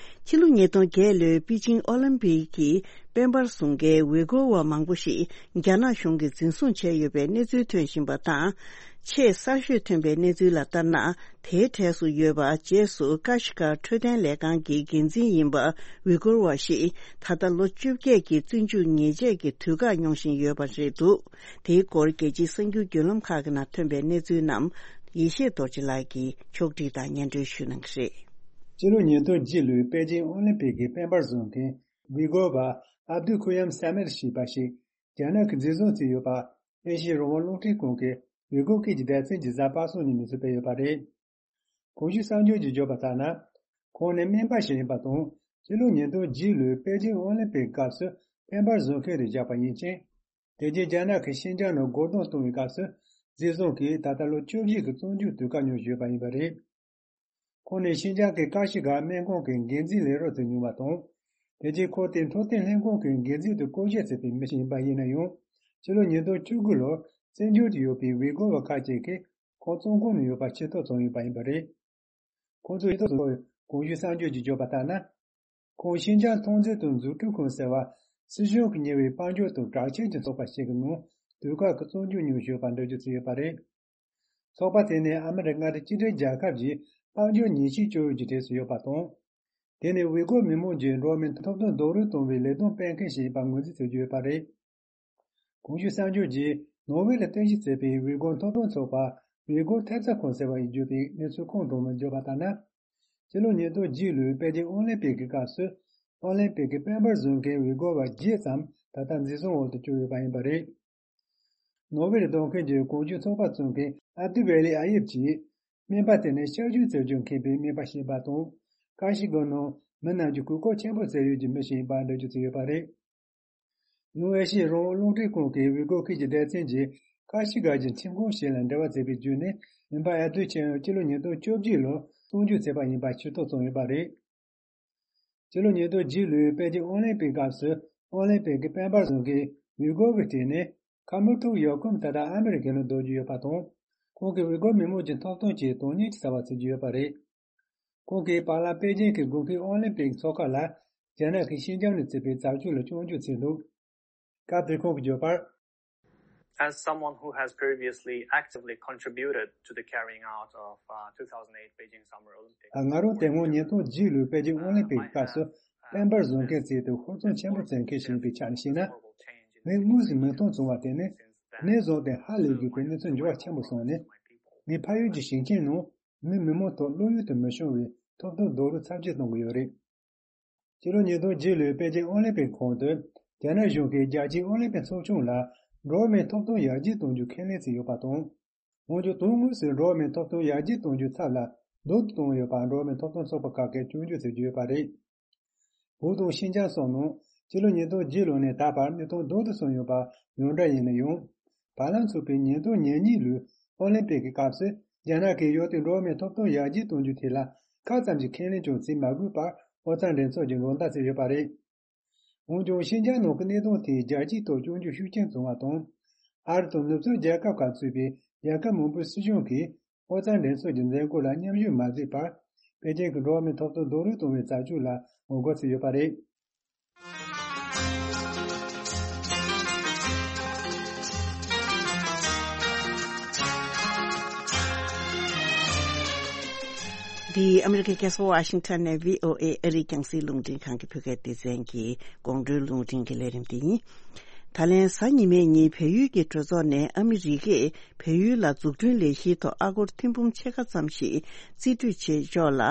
ཕྱི་ལོ་ཉིས་སྟོང་བརྒྱད་ལོའི་པེ་ཅིང་ཨོ་ལིམ་པིག་གི་དཔལ་འབར་བཟུང་མཁན་ཝི་གོ་བ་མང་པོ་ཞིག་རྒྱ་ནག་གཞུང་གིས་འཛིན་བཟུང་བྱས་ཡོད་པའི་གནས་ཚུལ་ཐོན་བཞིན་པ་དང་། ཆེས་གསར་ཤོས་ཐོན་པའི་གནས་ཚུལ་ལ་ལྟར་ན། དེའི་གྲས་སུ་ཡོད་པ་རྗེས་སུ་ཀ་ཤི་ཀར་འཕྲོད་བསྟེན་ལས་ཁང་གི་འགན་འཛིན་ཡིན་པ་ཝི་གོ་བ་ཞིག་ད་ལྟ་ལོ་བཅོ་བརྒྱད་ཀྱི་བཙོན་འཇུག་ཉེས་ཆད་ཀྱི་དུས་བཀག་མྱོང་བཞིན་ཡོད་པ་རེད་འདུག། དེའི་སྐོར་རྒྱལ་སྤྱིའི་གསར་འགྱུར་བརྒྱུད་ལམ་ཁག་གི་ནང་ཐོན་པའི་གནས་ཚུལ་རྣམས་ཡེ་ཤེས་རྡོ་རྗེ་ལགས་ཀྱིས་ཕྱོགས་སྒྲིག་དང་སྙན་སྒྲོན་ཞུ་གནང་གི་རེད། སྤྱི་ལོ་ཉིས་སྟོང་བརྒྱད་ལོའི་པེ་ཅིང་ཨོ་ལིམ་པིག་གི་དཔལ་འབར་བཟོ་མཁན་ཝི་གོ་བ་ཨབ་དུ་ཁུ་ཡམ་ས་མེར་ཞེས་པ་ཞིག་རྒྱ་ནག་གིས་འཛིན་བཟུང་བྱས་ཡོད་པ་ཨེ་ཤི་ཡའི་རང་དབང་རླུང་འཕྲིན་ཁང་གི་ཝི་གོ་སྐད་ཀྱི་སྡེ་ཚན་གྱིས་གཟའ་པ་སངས་ཉིན་གནས་ཚུལ་སྤེལ་ཡོད་པ་རེད། གོང་ཞུས་གསར་འགྱུར་གྱིས་བརྗོད་པ་ལྟར་ན། ཁོང་ནི་སྨན་པ་ཞིག་ཡིན་པ་དང་། སྤྱི་ལོ་ཉིས་སྟོང་བརྒྱད་ལོའི་པེ་ཅིང་ཨོ་ལིམ་པིག་སྐབས་སུ་དཔལ་འབར་བཟོ་མཁན་རུ་བཞག་པ་ཡིན་ཅིང་། དེ་རྗེས་རྒྱ་ནག་གིས་ཤིན་ཅང་ནང་སྒོ་རྡུང་གཏོང་བའི་སྐབས་སུ་འཛིན་བཟུང་གིས་ད་ལྟ་ལོ་བཅུ་བཞི་གི་བཙོན་འཇུག་དུས་བཀག་མྱོང་བཞིན་ཡོད་པ་ཡིན་པ་རེད། ཁོང་ནི་ཤིན་ཅང་གི་ཀ་ཤི་གར་སྨན་ཁང་གི་འགན་འཛིན་ལས་རོགས་ཚོས་ཉུང་བ་དང་། དེ་རྗེས་ཁོ་དེ་འཕྲོད་བསྟེན་ལྷན་ཁང་གི་འགན་འཛིན་དུ་བསྐོ་བཞག་བྱས་པའི་མི་ཞིག་ཡིན་པ་ཡིན་ན་ཡང་། ཕྱི་ལོ་ཉིས་སྟོང་བཅུ་དགུ་ལོར་བཙན་བྱོལ་དུ་ཡོད་པའི་ཝི་གོ་བ་ཁག་ཅིག་གིས་ཁོང་བཙོན་ཁང་ནང་ཡོད་པ་ཤེས་རྟོགས་བྱུང་ཡོད་པ་ཡིན་པ་རེད། ཁོང་ཚོས་ཤེས་རྟོགས་བྱུང་བའི་གོང་ཞུས་གསར་འགྱུར་གྱིས་བརྗོད་པ་ལྟར་ན། ཁོང་ཤིན་ཅང་ཐོན་རྫས་དང་འཛུགས་སྐྲུན་ཁང་ཟེར་བ། སྲིད་གཞུང་གིས་གཉེར་བའི་དཔལ་འབྱོར་དང་དྲག་ཆས་ཀྱི་ཚོགས་པ་ཞིག་གི་ནང་དུས་བཀག་གི་བཙོན་འཇུག་མྱོང་བཞིན་ཡོད་པ་འགྲེལ་བརྗོད་བྱས་ཡོད་པ་རེད། ཚོགས་པ་དེ་ནི་ཨ་མི་རི་ཀ་མངའ་སྡེ་གཅིག་སྒྲིལ་རྒྱལ་ཁབ་ཀྱི་དཔལ་འབྱོར་ཉེས་ཆད་གཅོད་ཡུལ་གྱི་གྲས་སུ་ཡོད་པ་དང་། དེ་ནི་ཝི་གོ་མི་མང་གྱི་འགྲོ་བ་མིའི་ཐོབ་ཐང་རྡོག་རོལ་གཏོང་བའི་ལས་དོན་སྤེལ་མཁན་ཞིག་ཡིན་པ་ངོས་འཛིན་བྱེད་ཀྱི་ཡོད་པ་རེད། གོང་ཞུས་གསར་འགྱུར་གྱིས་ནོར་ཝེ་ལ་རྟེན་གཞི་བྱས་པའི་ཝི་གོ་ཐོབ་ཐང་ཚོགས་པ་ཝི་གོ་ཐེབས་རྩ་ཁང་ཟེར་བ་ཡིས་བརྗོད་པའི་གནས་ཚུལ་ཁུངས་དྲངས་ནས་བརྗོད་པ་ལྟར་ན། སྤྱི་ལོ་ཉིས་སྟོང་བརྒྱད་ལོའི་པེ་ཅིང་ཨོ་ལིམ་པིག་གི་སྐབས་སུ་ཨོ་ལིམ་པིག་གི་དཔལ་འབར་བཟོ་མཁན་ཝི་གོ་བ་བརྒྱད་ཙམ་ད་ལྟ་འཛིན་བཟུང་འོག་ཏུ་བཅུག་ཡོད་པ་ཡིན་པ་རེད། ནོར་ཝེ་ལ་སྡོད་མཁན་གྱི་གོང་ཞུས་ཚོགས་པ་གཙོ་མཁན་ཨབ་དུ་ཝེ་ལི་ཨ་ཡེབ་ཀྱིས། སྨན་པ་དེ་ནི་ཤ་ཆུ་བཙལ་རྒྱུར་མཁས་པའི་སྨན་པ་ཞིག་ཡིན་པ་དང་། ཀ་ཤི་གར་ནང་མི་རྣམས་ཀྱི་གོ་སྐབས་ཆེན་པོ་བཙལ་ཡུལ་གྱི་མི་ཞིག་ཡིན་པ་འགྲེལ་བརྗོད་བྱས་ཡོད་པ་རེད། ཡང་ཨེ་ཤི་ཡའི་རང་དབང་རླུང་འཕྲིན་ཁང་གི་ཝི་གོ་སྐད་ཀྱི་སྡེ་ཚན་གྱིས་ཀ་ཤི་གར་གྱི་ཁྲིམས་ཁང་ཞིག་ལ་འབྲེལ་བ་བྱས་པའི་བརྒྱུད་ནས་སྨན་པ་ཨ་དུ་ཆེ་ཡང་སྤྱི་ལོ་ཉིས་སྟོང་བཅོ་བརྒྱད་ལོར་བཙོན་འཇུག་བྱས་པ་ཡིན་པ་ཤེས་རྟོགས་བྱུང་ཡོད་པ་རེད། སྤྱི་ལོ་ཉིས་སྟོང་བརྒྱད་ལོའི་པེ་ཅིང་ཨོ་ལིམ་པིག་སྐབས་སུ་ཨོ་ལིམ་པིག་གི་དཔལ་འབར་བཟོ་མཁན་ཝི་གོ་བའི་གྲས་ནི་ཁ་མིག་ཐོག་ཡོད་ཁུངས་ད་ལྟ་ཨ་མི་རི་ཀའི་ནང་སྡོད་ཀྱི་ཡོད་པ་དང་། ཁོང་གིས་ཝི་གོ་མི་མང་གི་ཐོབ་ཐང་ཆེད་དོན་གཉེར་གྱི་བྱ་བ་བྱེད་ཀྱི་ཡོད་པ་རེད། ཁོང་གིས་བར་ལམ་པེ་ཅིང་གི་དགོས་མཁོའི་ཨོ་ལིམ་པིག་ཚོགས་ཁང་ལ་རྒྱ་ནག་གིས་ཤིན་ཅང་ནས་བྱས་པའི་བྱ་སྤྱོད་ལ་སྐྱོན་བརྗོད་བྱས་འདུག། སྐབས་དེར་ཁོང་གིས་བརྗོད་པར། As someone who has previously actively contributed to the carrying out of uh, two thousand eight Beijing Summer Olympics, ང་རང་དེ་སྔོན་ཉིས་སྟོང་བརྒྱད་ལོའི་པེ་ཅིང་ཨོ་ལིམ་པིག་སྐབས་སུ་དཔལ་འབར་བཟོ་མཁན་ཚོའི་ཐད་ཧུར་བརྩོན་ཆེན་པོ་བྱེད་མཁན་ཞིག་ཡིན་པའི་ཆ་ནས་བཤད་ན། ངས་དངོས་སུ་མིང་མཐོང་བྱུང་བ་དེ་ནི་ནས་བཟུང་སྟེ་ཧ་ལས་དགོས་པའི་གནས་ཚུལ་འགྱུར་བ་ཆེན་པོ་སོང་ནས། ངས་ཕ་ཡུལ་གྱི་ཞིང་ཆེན་ནང་མི་མི་མང་ཐོག་བློ་ཡུལ་དུ་མི་ཤོང་བའི་ཐོབ་ཐང་རྡོག་རོལ་ཚབས་ཆེ་གཏོང་གི་ཡོད་རེད། ཕྱི་ལོ་ཉིས་སྟོང་བརྒྱད་ལོའི་པེ་ཅིང་ཨོ་ལིམ་པིག་གོང་དུ་རྒྱ་ནག་གཞུང་གིས་རྒྱལ་སྤྱིའི་ཨོ་ལིམ་པིག་ཚོགས་ཆུང་ལ་འགྲོ་བ་མིའི་ཐོབ་ཐང་ཡར་རྒྱས་གཏོང་རྒྱུ་ཁས་ལེན་བྱས་ཡོད་པ་དང་། འོན་ཀྱང་དོན་དངོས་སུ་འགྲོ་བ་མིའི་ཐོབ་ཐང་ཡར་རྒྱས་གཏོང་རྒྱུའི་ཚབ་ལ་སྡུག་ཏུ་བཏང་ཡོད་པར་འགྲོ་བ་མིའི་ཐོབ་ཐང་ཚོགས་པ་ཁག་གིས་སྐྱོན་བརྗོད་བྱེད་ཀྱི་ཡོད་པ་རེད། བོད་དང་ཤིན་ཅང་སོགས་ནང་སྤྱི་ལོ་ཉིས་སྟོང་བརྒྱད་ལོ་ནས་ད་བར་གནས་སྟངས་སྡུག་ཏུ་སོང་ཡོད་པ་ཡང་འདྲ་ཡིན་ན་ཡང་། བར་ལམ་ཚུགས་པའི་ཉིས་སྟོང་ཉེར་གཉིས་ལོའི་ཨོ་ལིམ་པིག་གི་སྐབས་སུ་རྒྱ་ནག་གིས་ཡུལ་དེའི་འགྲོ་བ་མིའི་ཐོབ་ཐང་ཡར་རྒྱས་གཏོང་རྒྱུའི་ཐད་ལ་ཁ་ཙམ་གྱི་ཁས་ལེན་ཀྱང་བྱེད་མ་དགོས་པར་ཨོ་རྩལ་འགྲན་ཚོགས་ཀྱིས་འགྲན་ཟླ་བྱས་ཡོད་པ་རེད། འོན་ཀྱང་ཤིན་ཅང་ནང་གི་གནད་དོན་དེ་རྒྱལ་སྤྱིའི་ཐོག་སྐྱོན་བརྗོད་ཤུགས་ཆེན་བྱུང་བ་དང་། ཨ་རི་དང་ནུབ་ཕྱོགས་རྒྱལ་ཁབ་ཁག་གཙོས་པའི་རྒྱལ་ཁབ་མང་པོའི་སྲིད་གཞུང་གིས་ཨོ་རྩལ་འགྲན་ཚོགས་ཀྱི་མཛད་སྒོ་ལ་མཉམ་ཞུགས་མ་བྱས་པར། པེ་ཅིང་གི་འགྲོ་བ་མིའི་ཐོབ་ཐང་རྡོག་རོལ་གཏོང་བའི་རྩ་ཆོད་ལ་ངོ་རྒོལ་བྱས་ཡོད་པ་རེད། འདི་ཨ་མི་རི་ཀའི་རྒྱལ་ས་ཝ་ཤིང་ཊོན་ནས་བྷི་ཨོ་ཨེ་ཨ་རིའི་རྒྱང་སྲིང་རླུང་འཕྲིན་ཁང་གི་བོད་སྐད་སྡེ་ཚན་གྱི་གོང་བཀྲོལ་རླུང་འཕྲིན་གྱི་ལས་རིམ་འདི་ཡིན། ད་ལན་གཟའ་ཉི་མའི་ཉིན་བལ་ཡུལ་གྱི་གྲོས་ཚོགས་ནས་ཨ་མི་རི་ཀས་བལ་ཡུལ་ལ་འཛུགས་སྐྲུན་ལས་གཞིའི་ཐོག་ཨ་སྒོར་ཐེར་འབུམ་ཕྱེད་ཀ་ཙམ་ཞིག་རྩིས་སྤྲོད་བྱེད་ཕྱོགས་ལ་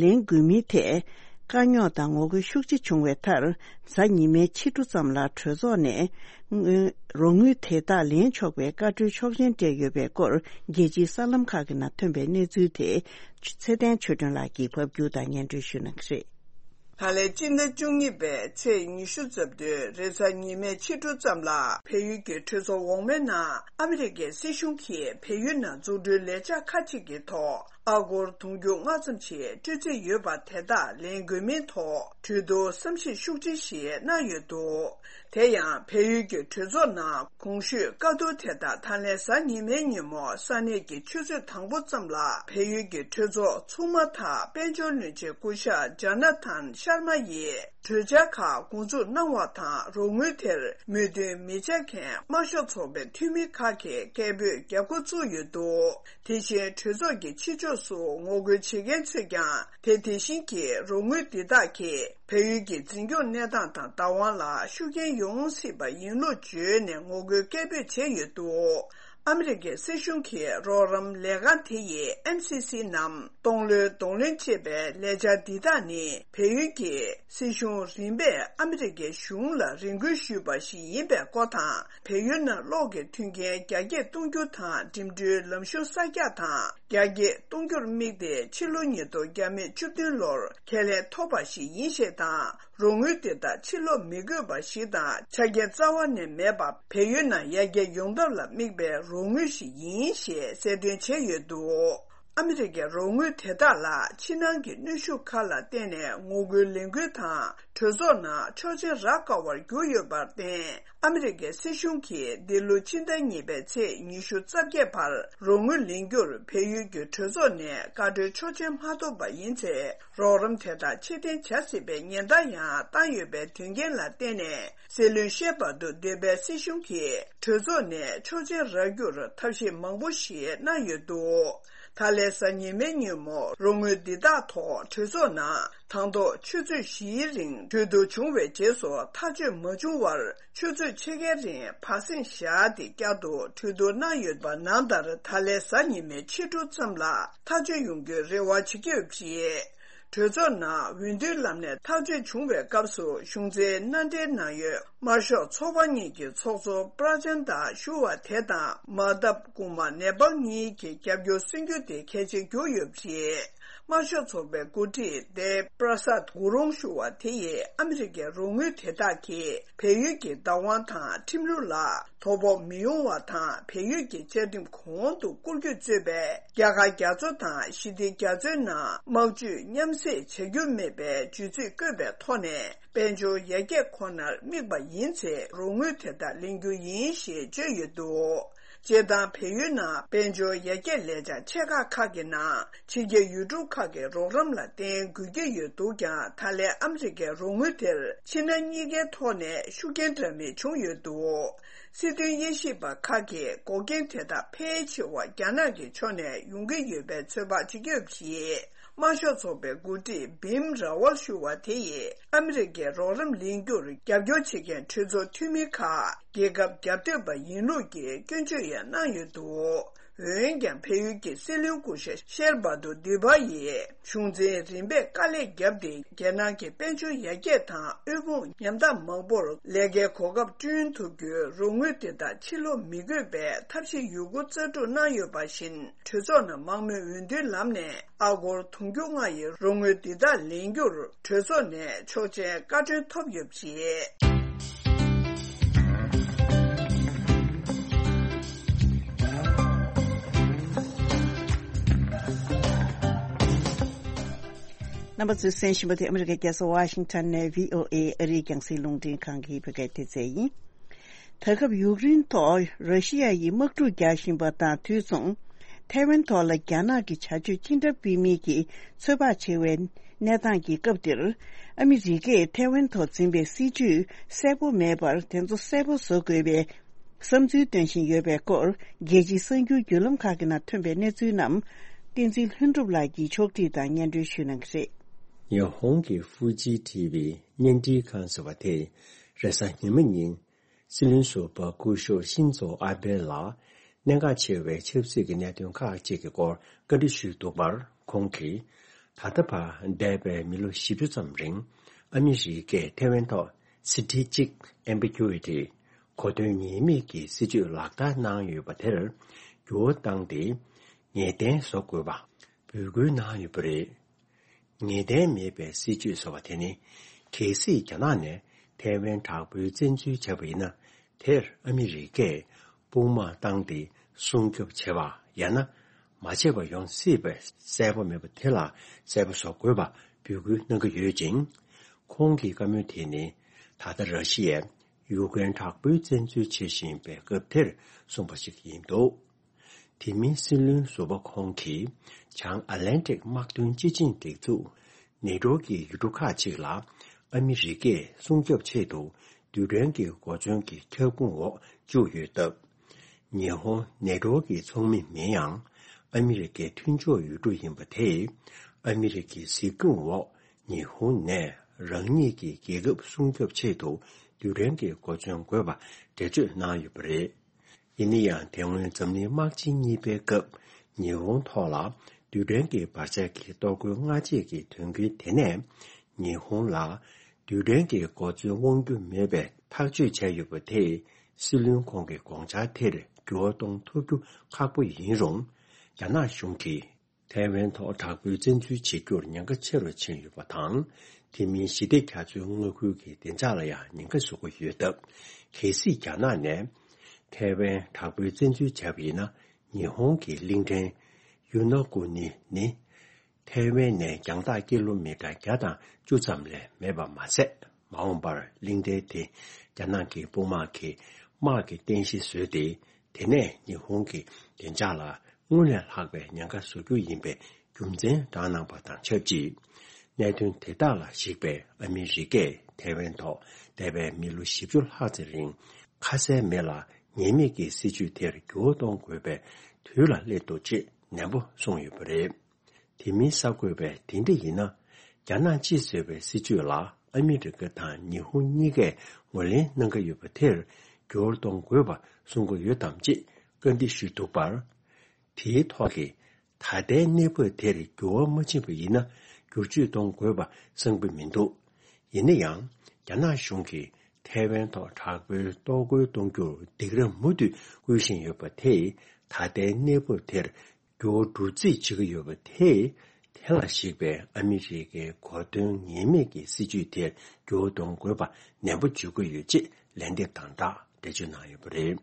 ལེན་དགོས་མིན་ཐད་དཀའ་རྙོག་དང་ངོ་རྒོལ་ཤུགས་ཆེ་བྱུང་བའི་མཐར། གཟའ་ཉི་མའི་ཕྱི་དྲོ་ཙམ་ལ་གྲོས་ཚོགས་ནས་རོགས་དངུལ་དེ་དག་ལེན་ཆོག་པའི་བཀའ་འཁྲོལ་ཆོག་མཆན་སྤྲད་ཡོད་པའི་སྐོར། རྒྱལ་སྤྱིའི་གསར་ལམ་ཁག་གི་ནང་ཐོན་པའི་གནས་ཚུལ་དེ་ཚེ་བརྟན་ཆོས་སྒྲོན་ལགས་ཀྱིས་ཕབ་སྒྱུར་དང་སྙན་སྒྲོན་ཞུ་གནང་གི་རེད། ད་ལན་སྤྱི་ཟླ་བཅུ་གཉིས་པའི་ཚེས་ཉི་ཤུ་རྩ་བདུན་རེས་གཟའ་ཉི་མའི་ཕྱི་དྲོ་ཙམ་ལ་བལ་ཡུལ་གྱི་གྲོས་ཚོགས་འོག་མའི་ནང་ཨ་མི་རི་ཀའི་སྲིད་གཞུང་གིས་བལ་ཡུལ་ནང་འཛུགས་སྐྲུན་ལས་འཆར་ཁག་ཅིག་གི་ཐོག་ཨ་སྒོར་དུང་ཕྱུར་ལྔ་ཙམ་ཞིག་སྤྲོད་རྩིས་ཡོད་པ་དེ་དག་ལེན་དགོས་མིན་ཐོག་གྲོས་བསྡུར་བསམ་གཞིག་ཤུགས་ཆེ་ཞིག་གནང་ཡོད་འདུག་དེ་ཡང་བལ་ཡུལ་གྱི་གྲོས་ཚོགས་ནང་གོང་ཞུས་བཀའ་བསྡུར་དེ་དག་ད་ལན་གཟའ་ཉི་མའི་ཉིན་མོ་ས་གནས་ཀྱི་ཆུ་ཚོད་དང་པོ་ཙམ་ལ་བལ་ཡུལ་གྱི་གྲོས་ཚོགས་ཚོགས་མ་དང་དཔལ་འབྱོར་བློན་ཆེན་སྐུ་ཞབས་ཇོ་ན་ཐན་ཤར་མ་ཡིས་གྲོས་འཆར་ཁག་འགོ་འཛུགས་གནང་བ་དང་རོགས་དངུལ་དེར་མོས་མཐུན་མི་བྱ་མཁན་དམར་ཤོག་ཚོགས་པའི་འཐུས་མི་ཁག་གིས་སྐད་འབོད་རྒྱག་འགོ་བཙུགས་ཡོད་འདུག་དེ་བཞིན་གྲོས་ཚོགས་ཀྱི་ཕྱི་ཕྱོགས་སུ་ངོ་རྒོལ་བྱེད་མཁན་ཚོས་ཀྱང་དེ་དེ་བཞིན་གྱི་རོགས་དངུལ་འདི་དག་གིས་བལ་ཡུལ་གྱི་འཛིན་སྐྱོང་གནས་སྟངས་དང་བདག་དབང་ལ་ཤུགས་རྐྱེན་ཡོང་སྲིད་པ་ཡིན་ལུགས་བརྗོད་ནས་ངོ་རྒོལ་སྐད་འབོད་བྱས་ཡོད་འདུག་ཨ་མི་རི་ཀའི་སྲིད་གཞུང་གི་རོགས་རམ་ལས་ཁང་དེ་ཡིས་ཨེམ་སི་སི་ནམ་སྟོང་ལོའི་གདོང་ལེན་བྱེད་པའི་ལས་འཆར་འདི་དག་ནི་བལ་ཡུལ་གྱི་སྲིད་གཞུང་རིམ་པས་ཨ་མི་རི་ཀའི་གཞུང་ལ་རེ་སྐུལ་ཞུས་པ་ཞིག་ཡིན་པའི་སྐོར་དང་། བལ་ཡུལ་ནང་གློག་གི་མཐུན་རྐྱེན་རྒྱ་སྐྱེད་གཏོང་རྒྱུ་དང་འགྲིམ་འགྲུལ་ལམ་གཞུང་གསར་རྒྱག་དང་རྒྱ་སྐྱེད་གཏོང་རྒྱུར་དམིགས་ཏེ་ཕྱི་ལོ་ཉིས་སྟོང་བརྒྱ་མེད་བཅུ་བདུན་ལོར་ཁས་ལེན་ཐོབ་པ་ཞིག་ཡིན་ཞེས་དང་། རོགས་དངུལ་དེ་དག་ཕྱིར་སློག་མི་དགོས་པ་ཞིག་དང་ཆ་རྐྱེན་རྩ་བ་ནས་མེད་པ། བལ་ཡུལ་ནང་ཡར་རྒྱས་ཡོང་ཐབས་ལ་དམིགས་པའི་རོགས་དངུལ་ཞིག་ཡིན་ཞེས་གསལ་སྟོན་བྱས་ཡོད་འདུག་ཨ་མི་རི་ཀའི་རོགས་དངུལ་དེ་དག་ལ་ཕྱི་ནང་གི་གནོན་ཤུགས་ཁག་ལ་བརྟེན་ནས་ངོ་རྒོལ་ལས་འགུལ་དང་གྲོས་ཚོགས་ནང་ཆོག་མཆན་རག་དཀའ་བར་གྱུར་ཡོད་པར་བརྟེན། ཨ་མི་རི་ཀའི་སྲིད་གཞུང་གིས་འདི་ལོ་ཕྱི་ཟླ་གཉིས་པའི་ཚེས་ཉི་ཤུ་རྩ་བརྒྱད་བར་རོགས་དངུལ་ལེན་རྒྱུར་བལ་ཡུལ་གྱི་གྲོས་ཚོགས་ནས་བཀའ་འཁྲོལ་ཆོག་མཆན་མ་ཐོབ་པ་ཡིན་ཚེ། རོགས་རམ་དེ་དག་ཕྱིར་འཐེན་བྱ་སྲིད་པའི་ཉེན་བརྡ་ཡང་བཏང་ཡོད་པའི་དོན་རྐྱེན་ལ་བརྟེན་ནས། སྲིད་བློན་ཤེར་བྷ་དུ་སྡོད་པའི་སྲིད་གཞུང་གིས་གྲོས་ཚོགས་ནས་ཆོག་མཆན་རག་རྒྱུར་ཐབས་ཤེས་མང་པོ་ཞིག་གནང་ཡོད་འདུག་ད་ལན་གཟའ་ཉི་མའི་ཉིན་མོ་རོགས་དངུལ་འདི་དག་ཐོག་གྲོས་ཚོགས་ནང་དང་ཐོག་ཆུ་ཚོད་བཞིའི་རིང་གྲོས་བསྡུར་བྱུང་བའི་རྗེས་སུ་ཐག་གཅོད་མ་བྱུང་བར་ཆུ་ཚོད་ཕྱེད་ཀའི་རིང་བར་གསེང་བཞག་སྟེ་བསྐྱར་དུ་གྲོས་བསྡུར་གནང་ཡོད་པ་ནང་ལྟར་ད་ལན་གཟའ་ཉི་མའི་ཕྱི་དྲོ་ཙམ་ལ་ཐག་གཅོད་ཡོང་རྒྱུའི་རེ་བ་བྱེད་ཀྱི་ཡོད་པ་རེད། གྲོས་ཚོགས་ནང་འོས་བསྡུའི་ལམ་ནས་ཐག་གཅོད་བྱུང་བའི་སྐབས་སུ་གཞུང་འཛིན་མནའ་འབྲེལ་ནང་ཡོད་དམར་ཤོག་ཚོགས་པ་གཉིས་ཀྱི་ཚོགས་གཙོ་པྲ་ཅན་ད་ཞུ་བ་དེ་དང་མ་ཏབ་ཀུ་མ་ནེ་པལ་གཉིས་ཀྱི་རྒྱབ་སྐྱོར་སོན་རྒྱུ་དེ་གལ་ཆེར་གྱུར་ཡོད་པ་རེད། དམར་ཤོག་ཚོགས་པའི་འགོ་ཁྲིད་དེབ་པྲ་སད་གུ་རུང་ཞུ་བ་དེ་ཡིས་ཨ་མི་རི་ཀའི་རོགས་དངུལ་དེ་དག་གིས་བལ་ཡུལ་གྱི་བདག་དབང་དང་ཁྲིམས་ལུགས་ལ་དོ་ཕོག་མི་ཡོང་བ་དང་བལ་ཡུལ་གྱི་བཅའ་ཁྲིམས་གོང་དུ་བཀུར་སྐྱོད་གཙོས་པའི་རྒྱ་གར་རྒྱ་མཚོ་དང་ཞི་བདེ་རྒྱ་མཚོའི་ནང་དམག་ཇུས་མཉམ་བསྲེས་བྱ་རྒྱུ་མེད་པའི་བརྗོད་ཚིག་བཀོད་པའི་ཐོག་ནས་དཔལ་འབྱོར་ཡར་རྒྱས་ཁོ་ནར་དམིགས་པ་ཡིན་ཚེ་རོགས་དངུལ་དེ་དག་ལེན་རྒྱུ་ཡིན་ཞེས་བརྗོད་ཡོད་འདུག་སྤྱིར་བཏང་བལ་ཡུལ་ནང་དཔལ་འབྱོར་ཡར་རྒྱས་ལས་འཆར་ཆེ་ཁག་ཁག་གི་ནང་ཕྱི་རྒྱལ་ཡུལ་གྲུ་ཁག་གི་རོགས་རམ་ལ་བརྟེན་དགོས་ཀྱི་ཡོད་འདུག་ཀྱང་ད་ལན་ཨ་མི་རི་ཀའི་རོགས་དངུལ་དེར་ཕྱི་ནང་གཉིས་ཀའི་ཐོག་ནས་ཤུགས་རྐྱེན་འདྲ་མིན་བྱུང་ཡོད་འདུག་སྲིད་དོན་དབྱེ་ཞིབ་པ་ཁག་གིས་འགོག་རྐྱེན་དེ་དག་ཕལ་ཆེ་བ་རྒྱ་ནག་གི་ཕྱོགས་ནས་ཡོང་གི་ཡོད་པའི་ཚོད་དཔག་བྱེད་ཀྱི་ཡོད་པ་རེད། དམར་ཤོག་ཚོགས་པའི་འགོ་ཁྲིད་བིམ་ར་ཝལ་ཞུ་བ་དེ་ཡིས་ཨ་མི་རི་ཀའི་རོགས་རམ་ལེན་རྒྱུར་རྒྱབ་སྐྱོར་བྱེད་མཁན་གྲོས་ཚོགས་འཐུས་མི་ཁག་རྒྱལ་ཁབ་རྒྱབ་གཏོད་པ་ཡིན་ལུགས་ཀྱི་སྐྱོན་བརྗོད་ཡང་གནང་ཡོད་འདུག་འོན་ཀྱང་བལ་ཡུལ་གྱི་སྲིད་བློན་སྐུ་ཞབས་ཤེར་བྷ་དུ་དི་བྷ་ཡིས་གཞུང་འཛིན་རིམ་པས་དཀའ་ལས་བརྒྱབ་སྟེ་རྒྱལ་ནང་གི་དཔལ་འབྱོར་ཡར་རྒྱས་དང་དབུལ་ཕོངས་ཉམ་ཐག་མང་པོར་ལས་ཀའི་གོ་སྐབས་བསྐྲུན་ཐུབ་རྒྱུའི་རོགས་དངུལ་དེ་དག་ཕྱིར་སློག་མི་དགོས་པའི་ཐབས་ཤེས་ཡོད་རྒུ་རྩལ་སྤྲུགས་གནང་ཡོད་པ་བཞིན། གྲོས་ཚོགས་ནང་དམངས་མོས་འོས་བསྡུའི་ལམ་ནས་ཨ་སྒོར་དུང་ཕྱུར་ལྔ་ཡི་རོགས་དངུལ་འདི་དག་ལེན་རྒྱུར་གྲོས་ཚོགས་ནས་ཆོག་མཆན་བཀའ་འཁྲོལ་ཐོབ་ཡོད་པ་རེད། རྣམ་པ་ཚོས་གསན་བཞིན་པ་དེ་ཨ་མི་རི་ཀའི་རྒྱལ་ས་ཝ་ཤིང་ཊོན་ནས་བྷི་ཨོ་ཨེ་ཨ་རིའི་རྒྱང་སྲིང་རླུང་འཕྲིན་ཁང་གི་བོད་སྐད་སྡེ་ཚན་ཡིན། ད་སྐབས་ཡུཀ་རེན་ཐོག་ར་ཤི་ཡ་ཡིས་དམག་འཁྲུག་རྒྱག་བཞིན་པ་དང་དུས་མཚུངས། ཐའེ་ཝན་ཐོག་ལ་རྒྱ་ནག་གི་བྱ་སྤྱོད་ཅི་འདྲ་སྤེལ་མིན་གྱི་ཚོད་དཔག་བྱེད་པའི་གནས་སྟངས་ཀྱི་སྐབས་འདིར། ཨ་མི་རི་ཀས་ཐའེ་ཝན་ཐོག་འཛིན་པའི་སྲིད་ཇུས་གསལ་པོ་མེད་པར་དེ་ཚོ་གསལ་པོ་བཟོ་དགོས་པའི་བསམ་ཚུལ་འདོན་བཞིན་ཡོད་པའི་སྐོར། རྒྱལ་སྤྱིའི་གསར་འགྱུར་བརྒྱུད་ལམ་ཁག་གི་ནང་ཐོན་པའི་གནས་ཚུལ་རྣམས། བསྟན་འཛིན་ལྷུན་གྲུབ་ལགས་ཀྱིས་ཕྱོགས་སྒྲིག་དང་སྙན་སྒྲོན་ཞུ་གནང་གི་རེད། ཉི་ཧོང་གི་ཧྥུ་ཇི་ཊི་ཝི་བརྙན་འཕྲིན་ཁང་ཟེར་བ་དེས་རེས་གཟའ་ཉི་མ་ཉིན། སྲིད་བློན་ཟུར་པ་སྐུ་ཞབས་ཤིན་ཛོ་ཨ་བྷེ་ལ་གནད་འགག་ཆེ་བའི་ཆབ་སྲིད་ཀྱི་གནད་དོན་ཁག་ཅིག་གི་སྐོར་བཀའ་འདྲི་ཞུས་འདུག་པར། ཁོང་གིས། ད་ལྟ་བར་འདས་པའི་མི་ལོ་བཞི་བཅུ་ཙམ་རིང་ཨ་མི་རི་ཀས་ཐའེ་ཝན་ཐོག་སི་ཊེ་ཊིག་ཨེམ་བི་གུ་ཨི་ཊི། གོ་དོན་ངེས་མེད་ཀྱི་སྲིད་ཇུས་ལག་བསྟར་གནང་ཡོད་པ་དེར་འགྱུར་བ་བཏང་སྟེ། ངེས་གཏན་བཟོ་དགོས་པ་འབོད་སྐུལ་གནང་ཡོད་པ་རེད། ངེས་གཏན་མེད་པའི་སྲིད་ཇུས་ཟེར་བ་དེ་ནི། གལ་སྲིད་རྒྱ་ནག་ནས་ཐའེ་ཝན་དྲག་པོའི་བཙན་འཛུལ་བྱས་པ་ཡིན་ན། དེར་ཨ་མི་རི་ཀས་དཔུང་དམག་བཏང་སྟེ་སྲུང་སྐྱོབ་བྱེད་པ་ཡང་ན་མ་བྱས་པ་ཡོང་སྲིད་པའི་གསལ་པོ་མེད་པ་དེ་ལ་གསལ་པོ་བཟོ་དགོས་པ་འབོད་སྐུལ་གནང་གི་ཡོད་ཅིང་། ཁོང་གི་བཀའ་མོལ་དེ་ནི། ད་ལྟ་ར་ཤི་ཡས་ཡུཀ་རེན་དྲག་པོའི་བཙན་འཛུལ་བྱེད་བཞིན་པའི་སྐབས་དེར་གསུངས་པ་ཞིག་ཡིན་འདུག་དེ་མིན་སྲིད་བློན་ཟུར་པ་ཁོང་གིས་བྱང་ཨ་ལན་ཏིག་དམག་དོན་སྤྱི་ཆིངས་སྒྲིག་འཛུགས་ནེ་ཏྲོ་གི་ཡུལ་གྲུ་ཁག་ཅིག་ལ་ཨ་མི་རི་ཀས་སྲུང་སྐྱོབ་ཆེད་དུ་རྡུལ་ཕྲན་གྱི་གོ་མཚོན་གྱི་ཁྱབ་ཁོངས་འོག་བཅུག་ཡོད་སྟབས། ཉི་ཧོང་ནེ་ཏྲོ་གི་ཚོགས་མི་མིན་ཡང་། ཨ་མི་རི་ཀའི་མཐུན་ཕྱོགས་ཡུལ་གྲུ་ཡིན་པ་དེས། ཨ་མི་རི་ཀའི་གཟིགས་སྐྱོང་འོག་ཉི་ཧོང་ནས་རང་ཉིད་ཀྱི་རྒྱལ་ཁབ་སྲུང་སྐྱོབ་ཆེད་དུ་རྡུལ་ཕྲན་གྱི་གོ་མཚོན་དགོས་པ་འགྲེལ་བརྗོད་གནང་ཡོད་པ་རེད། ཡིན་ན་ཡང་། དེ་སྔོན་འཛམ་གླིང་དམག་ཆེན་གཉིས་པའི་སྐབས། ཉི་ཧོང་ཐོག་ལ་རྡུལ་ཕྲན་གྱི་བར་ཆད་ཀྱི་གཏོར་རྒོལ་སྔ་རྗེས་ཀྱི་དོན་རྐྱེན་དེ་ནས། ཉི་ཧོང་ལ་རྡུལ་ཕྲན་གྱི་གོ་མཚོན་དབང་རྒྱུ་མེད་པའི་ཐག་གཅོད་བྱས་ཡོད་པ་དེས། སྲིད་བློན་ཁོང་གི་དགོངས་འཆར་དེར་འགྱུར་བ་གཏོང་ཐུབ་རྒྱུ་ཁག་པོ་ཡིན་རུང་། རྒྱ་ནག་གཞུང་གིས། ཐའེ་ཝན་ཐོག་དྲག་པོའི་བཙན་འཛུལ་བྱེད་རྒྱུར་ཉེན་ཁ་ཆེ་རུ་ཕྱིན་ཡོད་པ་དང་། དེ་མིན་ཞི་བདེ་རྒྱ་མཚོའི་མངའ་ཁུལ་གྱི་བདེ་འཇགས་ལ་ཡང་ཉེན་ཁ་བཟོ་གི་ཡོད་སྟབས། གལ་སྲིད་རྒྱ་ནག་ནས་ཐའེ་ཝན་དྲག་པོའི་བཙན་འཛུལ་བྱས་པ་ཡིན་ན། ཉི་ཧོང་གི་གླིང་ཕྲན་ཡུ་ན་ཀུ་ནི་ནི། ཐའེ་ཝན་ནས་རྒྱང་ཐག་ཀི་ལོ་མི་ཊར་བརྒྱ་དང་བཅུ་ཙམ་ལས་མེད་པ་མ་ཟད། མ་འོངས་པར་གླིང་ཕྲན་དེ་རྒྱ་ནག་གི་དཔུང་དམག་གི་དམག་གི་རྟེན་གཞི་བཟོས་ཏེ། དེ་ནས་ཉི་ཧོང་གི་བདེ་འཇགས་ལ་སྔོན་ལས་ལྷག་པའི་ཉེན་ཁ་བཟོ་རྒྱུ་ཡིན་པའི་རྒྱུ་མཚན་བགྲངས་གནང་པ་དང་ཆབས་ཅིག་གནད་དོན་དེ་དག་ལ་གཞིགས་པའི་ཨ་མི་རི་ཀས་ཐའེ་ཝན་ཐོག་འདས་པའི་མི་ལོ་བཞི་བཅུ་ལྷག་ཙམ་རིང་ཁ་གསལ་མེད་ལ་ངེས་མེད་ཀྱི་སྲིད་ཇུས་དེར་འགྱུར་བ་གཏོང་དགོས་པའི་དུས་ལ་སླེབས་འདུག་ཅེས་ནན་པོ་གསུངས་ཡོད་པ་རེད། དེ་མིན་གསར་འགོད་པས་དེ་འདྲ་ཡིན་ན། རྒྱ་ནག་གཅིག་ཟེར་བའི་སྲིད་ཇུས་ལ་ཨ་མི་རི་ཀ་དང་ཉི་ཧོང་གཉིས་ཀས་ངོས་ལེན་གནང་གི་ཡོད་པ་དེར་འགྱུར་བ་གཏོང་དགོས་པ་གསུང་གི་ཡོད་དམ་ཅེས་བཀའ་འདྲི་ཞུས་འདུག་པར། དེའི་ཐོག་གི་ད་ལྟའི་གནས་བབ་དེར་འགྱུར་བ་མ་ཕྱིན་པ་ཡིན་ན་བསྒྱུར་བཅོས་གཏོང་དགོས་པ་གསང་པོ་མི་འདུག་ཡིན་ན་ཡང་། རྒྱ་ནག་གཞུང་གིས་ཐའེ་ཝན་ཐོག་དྲག་པོའི་གཏོར་རྒོལ་གཏོང་རྒྱུར་སྡིགས་ར་མུ་མཐུད་བསྐུལ་བཞིན་ཡོད་པ་དེས། ད་ལྟའི་གནས་བབ་དེར་འགྱུར་བ་འགྲོ་རྩིས་བྱེད་ཀྱི་ཡོད་པ་དེས། དེ་ལ་གཞིགས་པའི་ཨ་མི་རི་ཀའི་གོ་དོན་ངེས་མེད་ཀྱི་སྲིད་ཇུས་དེར་འགྱུར་བ་གཏོང་དགོས་པ་ནན་པོ་བརྗོད་ཀྱི་ཡོད་ཅེས་ལན་འདེབས་དང་སྦྲགས་འགྲེལ་བརྗོད་གནང་ཡོད་པ་རེད།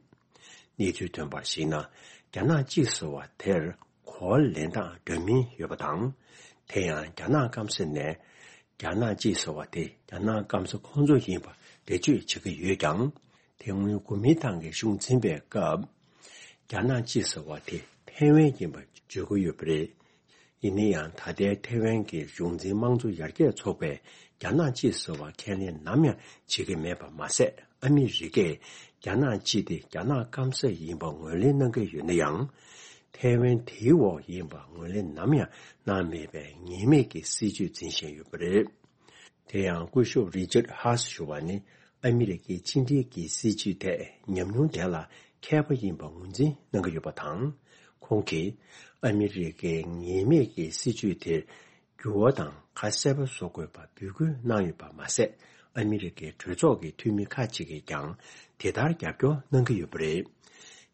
གནས་ཚུལ་ཐོན་པར་གཞིགས་ན། རྒྱ་ནག་གཅིག་ཟེར་བ་དེར་གོ་བ་ལེན་སྟངས་འདྲ་མིན་ཡོད་པ་དང་། དེ་ཡང་རྒྱ་ནག་སྐམ་ས་ནས། རྒྱ་ནག་གཅིག་ཟེར་བ་དེ་རྒྱ་ནག་སྐམ་ས་ཁོང་ཚོ་ཡིན་པ་འགྲེལ་བརྗོད་བྱེད་ཀྱི་ཡོད་ཀྱང་། དེ་སྔོན་གོ་མིན་ཏང་གི་གཞུང་འཛིན་པའི་སྐབས། རྒྱ་ནག་གཅིག་ཟེར་བ་དེ་ཐའེ་ཝན་ཡིན་པ་བརྗོད་ཀྱི་ཡོད་པ་རེད། ཡིན་ན་ཡང་ད་ལྟའི་ཐའེ་ཝན་གྱི་གཞུང་འཛིན་དམངས་གཙོ་ཡར་རྒྱས་ཚོགས་པས་རྒྱ་ནག་གཅིག་ཟེར་བ་ཁས་ལེན་ནམ་ཡང་བྱེད་ཀྱི་མེད་པ་མ་ཟད། ཨ་མི་རི་ཀས་རྒྱ་ནག་གཅིག་དེ་རྒྱ་ནག་སྐམ་ས་ཡིན་པ་ངོས་ལེན་གནང་གི་ཡོད་ན་ཡང་། ཐའེ་ཝན་དེའི་འོག་ཡིན་པ་ངོས་ལེན་ནམ་ཡང་གནང་མེད་པའི་ངེས་མེད་ཀྱི་སྲིད་ཇུས་འཛིན་བཞིན་ཡོད་པ་རེད། དེ་ཡང་སྐུ་ཞབས་རི་ཅར་ཧ་སི་ཞུ་བ་ནི་ཨ་མི་རི་ཀའི་ཕྱི་འབྲེལ་གྱི་སྲིད་ཇུས་ཐད་ཉམས་མྱོང་ལྡན་ལ་མཁས་པ་ཡིན་པ་ངོས་འཛིན་གནང་གི་ཡོད་པ་དང་། ཁོང་གིས་ཨ་མི་རི་ཀའི་ངེས་མེད་ཀྱི་སྲིད་ཇུས་དེར་འགྱུར་བ་དང་ཁ་གསལ་པོ་བཟོ་དགོས་པ་འབོད་སྐུལ་གནང་ཡོད་པ་མ་ཟད། ཨ་མི་རི་ཀའི་གྲོས་ཚོགས་ཀྱི་འཐུས་མི་ཁག་ཅིག་གིས་ཀྱང་དེ་ལྟར་རྒྱབ་སྐྱོར་གནང་གི་ཡོད་པ་རེད།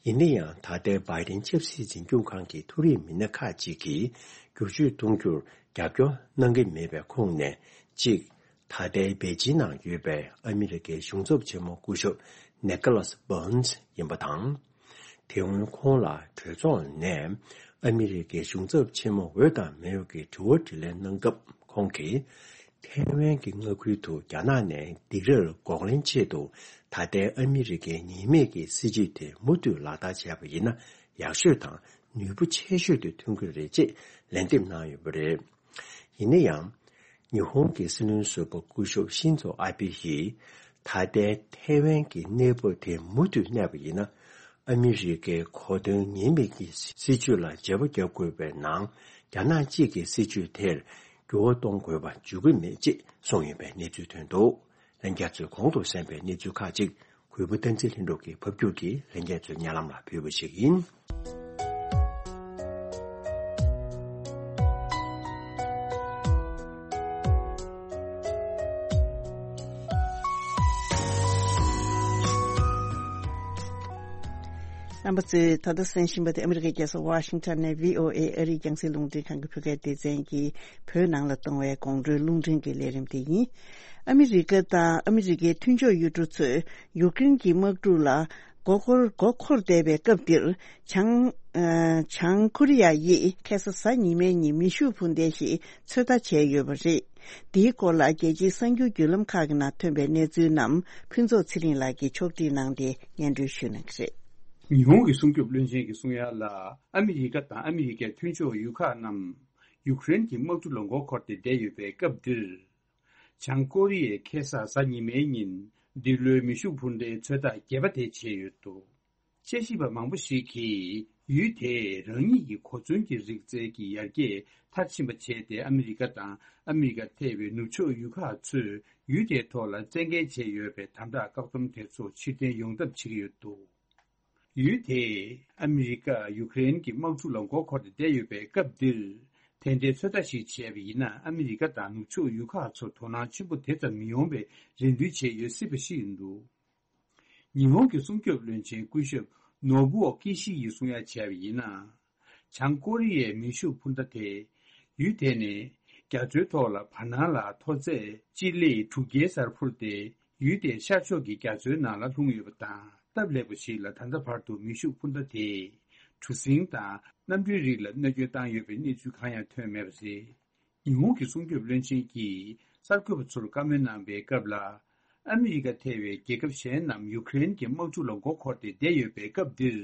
ཡིན་ན་ཡང་ད་ལྟའི་བྷའི་ཌེན་ཆབ་སྲིད་འཛིན་སྐྱོང་ཁང་གི་མཐོ་རིམ་མི་སྣ་ཁག་ཅིག་གིས་བསྒྱུར་བཅོས་གཏོང་རྒྱུར་རྒྱབ་སྐྱོར་གནང་གི་མེད་པའི་ཁོངས་ནས་གཅིག་ད་ལྟའི་པེ་ཅིན་ནང་ཡོད་པའི་ཨ་མི་རི་ཀའི་གཞུང་ཚབ་ཆེན་མོ་སྐུ་ཞབས་ནི་ཀོ་ལཱས་བྷོན་ཡིན་པ་དང་། དེ་སྔོན་ཁོང་ལ་གྲོས་ཚོགས་ནས་ཨ་མི་རི་ཀའི་གཞུང་ཚབ་ཆེན་མོ་འོས་དང་མི་འོས་ཀྱི་དྲི་བ་དྲིས་ལན་གནང་སྐབས། ཁོང་གིས། ཐའེ་ཝན་གྱི་མངའ་ཁུལ་དུ་རྒྱ་ནག་ནས་སྡིགས་རར་འགོག་ལན་ཆེད་དུ་ད་ལྟའི་ཨ་མི་རི་ཀའི་ཉེས་མེད་ཀྱི་སྲིད་བྱུས་དེ་མུ་མཐུད་ལག་བསྟར་བྱས་པ་ཡིན་ན་ཡག་ཤོས་དང་ནུས་པ་ཆེ་ཤོས་དེ་ཐོན་གྱི་རེད་ཅེས་ལན་འདེབས་གནང་ཡོད་པ་རེད། ཡིན་ན་ཡང་། ཉི་ཧོང་གི་སྲིད་བློན་ཟུར་པ་སྐུ་ཞབས་ཤིན་ཛོ་ཨ་བྷེ་ཡིས། ད་ལྟའི་ཐའེ་ཝན་གྱི་གནས་བབ་དེ་མུ་མཐུད་གནས་པ་ཡིན་ན། ཨ་མི་རི་ཀའི་གོ་དོན་ཉེས་མེད་ཀྱི་སྲིད་བྱུས་ལ་བརྗེ་པོ་རྒྱག་དགོས་པའི་ནང་། རྒྱ་ནག་གཅིག་གི་སྲིད་བྱུས་དེར་འགྱུར་བ་གཏོང་དགོས་པ་འཇུག་གི་མེད་ཅེས་གསུངས་ཡོད་པའི་གནས་ཚུལ་ཐོན་འདུག་ལྷན་རྒྱས་ཚོས་གོང་དུ་གསན་པའི་གནས་ཚུལ་ཁག་ཅིག་གུས་པ་བསྟན་འཛིན་ལྷུན་གྲུབ་ཀྱིས་ཕབ་སྒྱུར་གྱིས་ལྷན་རྒྱས་ཚོའི་སྙན་ལམ་ལ་ཕུལ་བ་ཞིག་ཡིན། རྣམ་པ་ཚོས་ད་ལྟ་གསན་བཞིན་པ་དེ་ཨ་མི་རི་ཀའི་རྒྱལ་ས་ཝ་ཤིང་ཊོན་ནས་བྷི་ཨོ་ཨེ་ཨ་རིའི་རྒྱང་སྲིང་རླུང་འཕྲིན་ཁང་གི་བོད་སྐད་སྡེ་ཚན་གྱི་བོད་ནང་ལ་གཏོང་བའི་དགོང་དྲོའི་རླུང་འཕྲིན་གྱི་ལས་རིམ་དེ་ཡིན། ཨ་མི་རི་ཀ་དང་ཨ་མི་རི་ཀའི་མཐུན་ཕྱོགས་ཡུལ་གྲུ་ཚོས་ཡུཀ་རེན་གྱི་དམག་འཁྲུག་ལ་མགོ་འཁོར་མགོ་འཁོར་བསྡད་པའི་སྐབས་འདིར། བྱང་། ཨ། བྱང་ཀོ་རི་ཡ་ཡིས་ཁ་སང་གཟའ་ཉི་མའི་ཉིན་མེ་ཤུགས་འཕུར་མདེལ་ཞིག་ཚོད་ལྟ་བྱས་ཡོད་པ་རེད། འདིའི་སྐོར་ལ་རྒྱལ་སྤྱིའི་གསར་འགྱུར་བརྒྱུད་ལམ་ཁག་གི་ནང་ཐོན་པའི་གནས་ཚུལ་རྣམས་ཕུན་ཚོགས་ཚེ་རིང་ལགས་ཀྱིས་ཕྱོགས་སྒྲིག་གནང་སྟེ་སྙན་སྒྲོན་ཞུ་གནང་གི་རེད། ཉི་ཧོང་གི་སྲུང་སྐྱོབ་བློན་ཆེན་གྱིས་གསུང་ཡ་ལ། ཨ་མི་རི་ཀ་དང་ཨ་མི་རི་ཀའི་མཐུན་ཕྱོགས་ཡུལ་ཁག་རྣམས་ཡུཀ་རེན་གྱི་དམག་འཁྲུག་ལ་མགོ་འཁོར་ཏེ་བསྡད་ཡོད་པའི་སྐབས་འདིར། བྱང་ཀོ་རི་ཡས་ཁ་སང་གཟའ་ཉི་མའི་ཉིན་འདི་ལོའི་མེ་ཤུགས་འཕུར་མདེལ་ཚོད་ལྟ་བརྒྱད་པ་དེ་བྱས་ཡོད་འདུག་དཔྱད་ཞིབ་པ་མང་པོ་ཞིག་གིས་ཡུལ་དེས་རང་ཉིད་ཀྱི་གོ་མཚོན་གྱི་རིག་རྩལ་གྱི་ཡར་རྒྱས་མཐར་ཕྱིན་པ་བྱས་ཏེ། ཨ་མི་རི་ཀ་དང་ཨ་མི་རི་ཀ་ཐེ་བའི་ནུབ་ཕྱོགས་ཡུལ་ཁག་ཚོས་ཡུལ་དེའི་ཐོག་ལ་བཙན་འགེལ་བྱས་ཡོད་པའི་དམ་དྲག་བཀག་སྡོམ་དེ་ཚོ་ཕྱིར་འཐེན་ཡོང་ཐབས་བྱེད་ཀྱི་ཡོད་འདུག་ཡུལ་དེས་ཨ་མི་རི་ཀ་ཡུཀ་རེན་གྱི་དམག་འཁྲུག་ལ་མགོ་འཁོར་ཏེ་བསྡད་ཡོད་པའི་སྐབས་འདིར། དེ་འདྲའི་ཚོད་ལྟ་ཞིག་བྱས་པ་ཡིན་ན། ཨ་མི་རི་ཀ་དང་ནུབ་ཕྱོགས་ཡུལ་ཁག་ཚོར་དོ་སྣང་ཆེན་པོ་དེ་ཙམ་མི་ཡོང་བའི་རེ་འདུན་བྱས་ཡོད་སྲིད་པ་ཞིག་ཡིན་འདུག་ཉི་ཧོང་གི་སྲུང་སྐྱོབ་བློན་ཆེན་སྐུ་ཞབས་ནོ་བུ་ཨོ་ཀི་ཤི་ཡིས་གསུང་ཡ་བྱས་པ་ཡིན་ན། བྱང་ཀོ་རི་ཡའི་མེ་ཤུགས་འཕུར་མདའ་དེ་ཡུལ་དེ་ནས་རྒྱ་མཚོའི་ཐོག་ལ་བར་སྣང་ལ་མཐོ་ཚད་སྤྱི་ལེ་དྲུག་བརྒྱའི་སར་འཕུར་ཏེ། ཡུལ་དེའི་ཤར་ཕྱོགས་ཀྱི་རྒྱ་མཚོའི་ནང་ལ་ལྷུང་ཡོད་པ་དང་། སྟབས་ལེགས་པ་ཞིག་ལ་ད་ལྟ་བར་དུ་མེ་ཤུགས་འཕུར་མདའ་དེས་གྲུ་གཟིངས་དང་གནམ་གྲུའི་རིགས་ལ་གནོད་སྐྱོན་བཏང་ཡོད་པའི་གནས་ཚུལ་གང་ཡང་ཐོན་མེད་པ་རེད། ཉི་ཧོང་གི་སྲུང་སྐྱོབ་བློན་ཆེན་གྱིས་གསར་འགོད་པ་ཚོར་བཀའ་མོལ་གནང་པའི་སྐབས་ལ། ཨ་མི་རི་ཀ་ཐེ་བའི་རྒྱལ་ཁབ་གཞན་རྣམས་ཡུཀ་རེན་གྱི་དམག་འཁྲུག་ལ་མགོ་འཁོར་ཏེ་བསྡད་ཡོད་པའི་སྐབས་འདིར།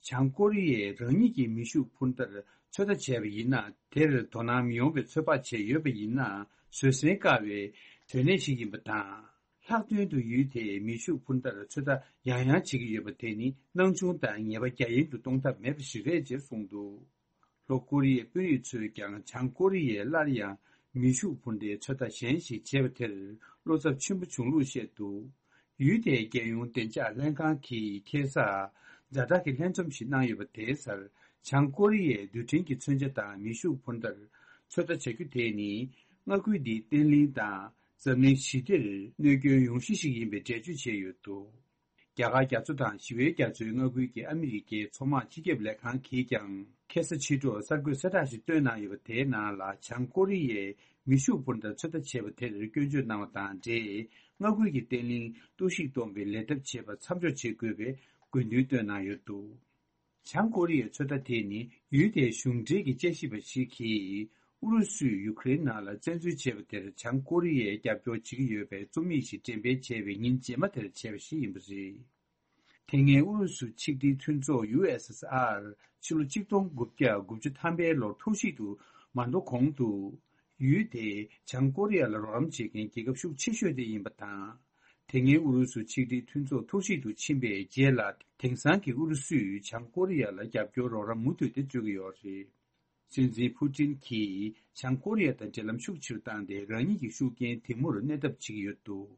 བྱང་ཀོ་རི་ཡས་རང་ཉིད་ཀྱི་མེ་ཤུགས་འཕུར་མདའ་ཚོད་ལྟ་བྱས་པ་ཡིན་ན། དེར་དོ་སྣང་མི་ཡོང་བའི་ཚོད་དཔག་བྱས་ཡོད་པ་ཡིན་ན། བཟོད་བསྲན་དཀའ་བའི་དོན་གནད་ཞིག་ཡིན་པ་དང་། ལྷག་དོན་དུ་ཡུལ་དེའི་མེ་ཤུགས་འཕུར་མདའ་ཚོད་ལྟ་ཡང་ཡང་བྱེད་ཀྱི་ཡོད་པ་དེ་ནི་སྣང་ཆུང་དང་ཉེས་པ་རྒྱ་ཡན་དུ་གཏོང་ཐབས་མེད་པ་ཞིག་རེད་ཅེས་གསུངས་འདུག་ལྷོ་ཀོ་རི་ཡའི་དཔོན་རིགས་ཚོས་ཀྱང་བྱང་ཀོ་རི་ཡས་སླར་ཡང་མེ་ཤུགས་འཕུར་མདའི་ཚོད་ལྟ་གཞན་ཞིག་བྱས་པ་དེར་བློ་འཚབ་ཆེན་པོ་བྱུང་ལུགས་བཤད་འདུག་ཡུལ་དེའི་རྒྱལ་ཡོངས་བདེ་འཇགས་ལྷན་ཁང་གིས་ཁ་སང་ཛ་དྲག་གི་ལྷན་འཛོམས་ཤིག་གནང་ཡོད་པ་དེའི་སར། བྱང་ཀོ་རི་ཡའི་རྡུལ་ཕྲན་གྱི་མཚོན་ཆ་དང་མེ་ཤུགས་འཕུར་མདའ་ཚོད་ལྟ་བྱ་རྒྱུ་དེ་ནི། མངའ་ཁུལ་འདིའི་བརྟན་ལྷིང་དང་འཛམ་གླིང་ཞི་བདེར་གནོད་སྐྱོན་ཡོང་གཞི་ཞིག་ཡིན་པའི་འགྲེལ་བརྗོད་བྱས་ཡོད་འདུག་རྒྱ་གར་རྒྱ་མཚོ་དང་ཞི་བའི་རྒྱ་མཚོའི་མངའ་ཁུལ་གྱི་ཨ་མི་རི་ཀའི་མཚོ་དམག་སྤྱི་ཁྱབ་ལས་ཁང་གིས་ཀྱང་ཁ་སང་ཕྱི་དྲོར་གསར་འགོད་གསལ་བསྒྲགས་ཤིག་བཏོན་གནང་ཡོད་པ། དེའི་ནང་ལ་བྱང་ཀོ་རི་ཡས་མེ་ཤུགས་འཕུར་མདའ་ཚོད་ལྟ་བྱས་པ་དེར་སྐྱོན་བརྗོད་གནང་བ་དང་འབྲེལ། མངའ་ཁུལ་གྱི་བརྟན་ལྷིང་གཏོར་བཤིག་གཏོང་བའི་ལས་ཐབས་བྱེད་པ་མཚམས་འཇོག་བྱེད་དགོས་པའི་དགོས་འདུན་བཏོན་གནང་ཡོད་འདུག་བྱང་ཀོ་རི་ཡའི་ཚོད་ལྟ་དེ་ནི་ཡུལ་དེའི་གཞུང་འབྲེལ་གྱི་དཔྱད་ཞིབ་པ་ཞིག་གིས། ཨུ་རུ་སུས་ཡུ་ཀེ་རེན་ནང་ལ་བཙན་འཛུལ་བྱས་པ་དེར་བྱང་ཀོ་རི་ཡས་རྒྱབ་སྐྱོར་བྱེད་ཀྱི་ཡོད་པའི་རྩོམ་ཡིག་ཞིག་འགྲེམས་སྤེལ་བྱས་པའི་ཉིན་རྗེས་མ་དེར་བྱས་པ་ཞིག་ཡིན་པ་རེད། དེ་སྔའི་ཨུ་རུ་སུ་ཆིག་སྒྲིལ་མཐུན་ཚོགས་ཡུ་ཨེས་ཨེས་ཨར་ཕྱི་ལོ་ཆིག་སྟོང་དགུ་བརྒྱ་དགུ་བཅུ་ཐམ་པའི་ལོར་འཐོར་བཤིག་ཏུ་མ་འགྲོ་གོང་དུ། ཡུལ་དེས་བྱང་ཀོ་རི་ཡ་ལ་རོགས་རམ་བྱེད་མཁན་རྒྱལ་ཁབ་ཤུགས་ཆེ་ཤོས་དེ་ཡིན་པ་དང་། དེ་སྔའི་ཨུ་རུ་སུ་ཆིག་སྒྲིལ་མཐུན་ཚོགས་འཐོར་བཤིག་ཏུ་ཕྱིན་པའི་རྗེས་ལ། དེང་སང་གི་ཨུ་རུ་སུས་བྱང་ཀོ་རི་ཡ་ལ་རྒྱབ་སྐྱོར་རོགས་རམ་མུ་མཐུད་དེ་སྤྲོད་ཀྱི་ཡོད་རེད། སྲིད་འཛིན་ཕུ་ཏིན་གྱིས་བྱང་ཀོ་རི་ཡ་དང་འབྲེལ་ལམ་ཤུགས་ཆེ་རུ་བཏང་སྟེ། རང་ཉིད་ཀྱི་ཤུགས་རྐྱེན་དེ་མུར་གནས་ཐབས་བྱེད་ཀྱི་ཡོད་འདུག་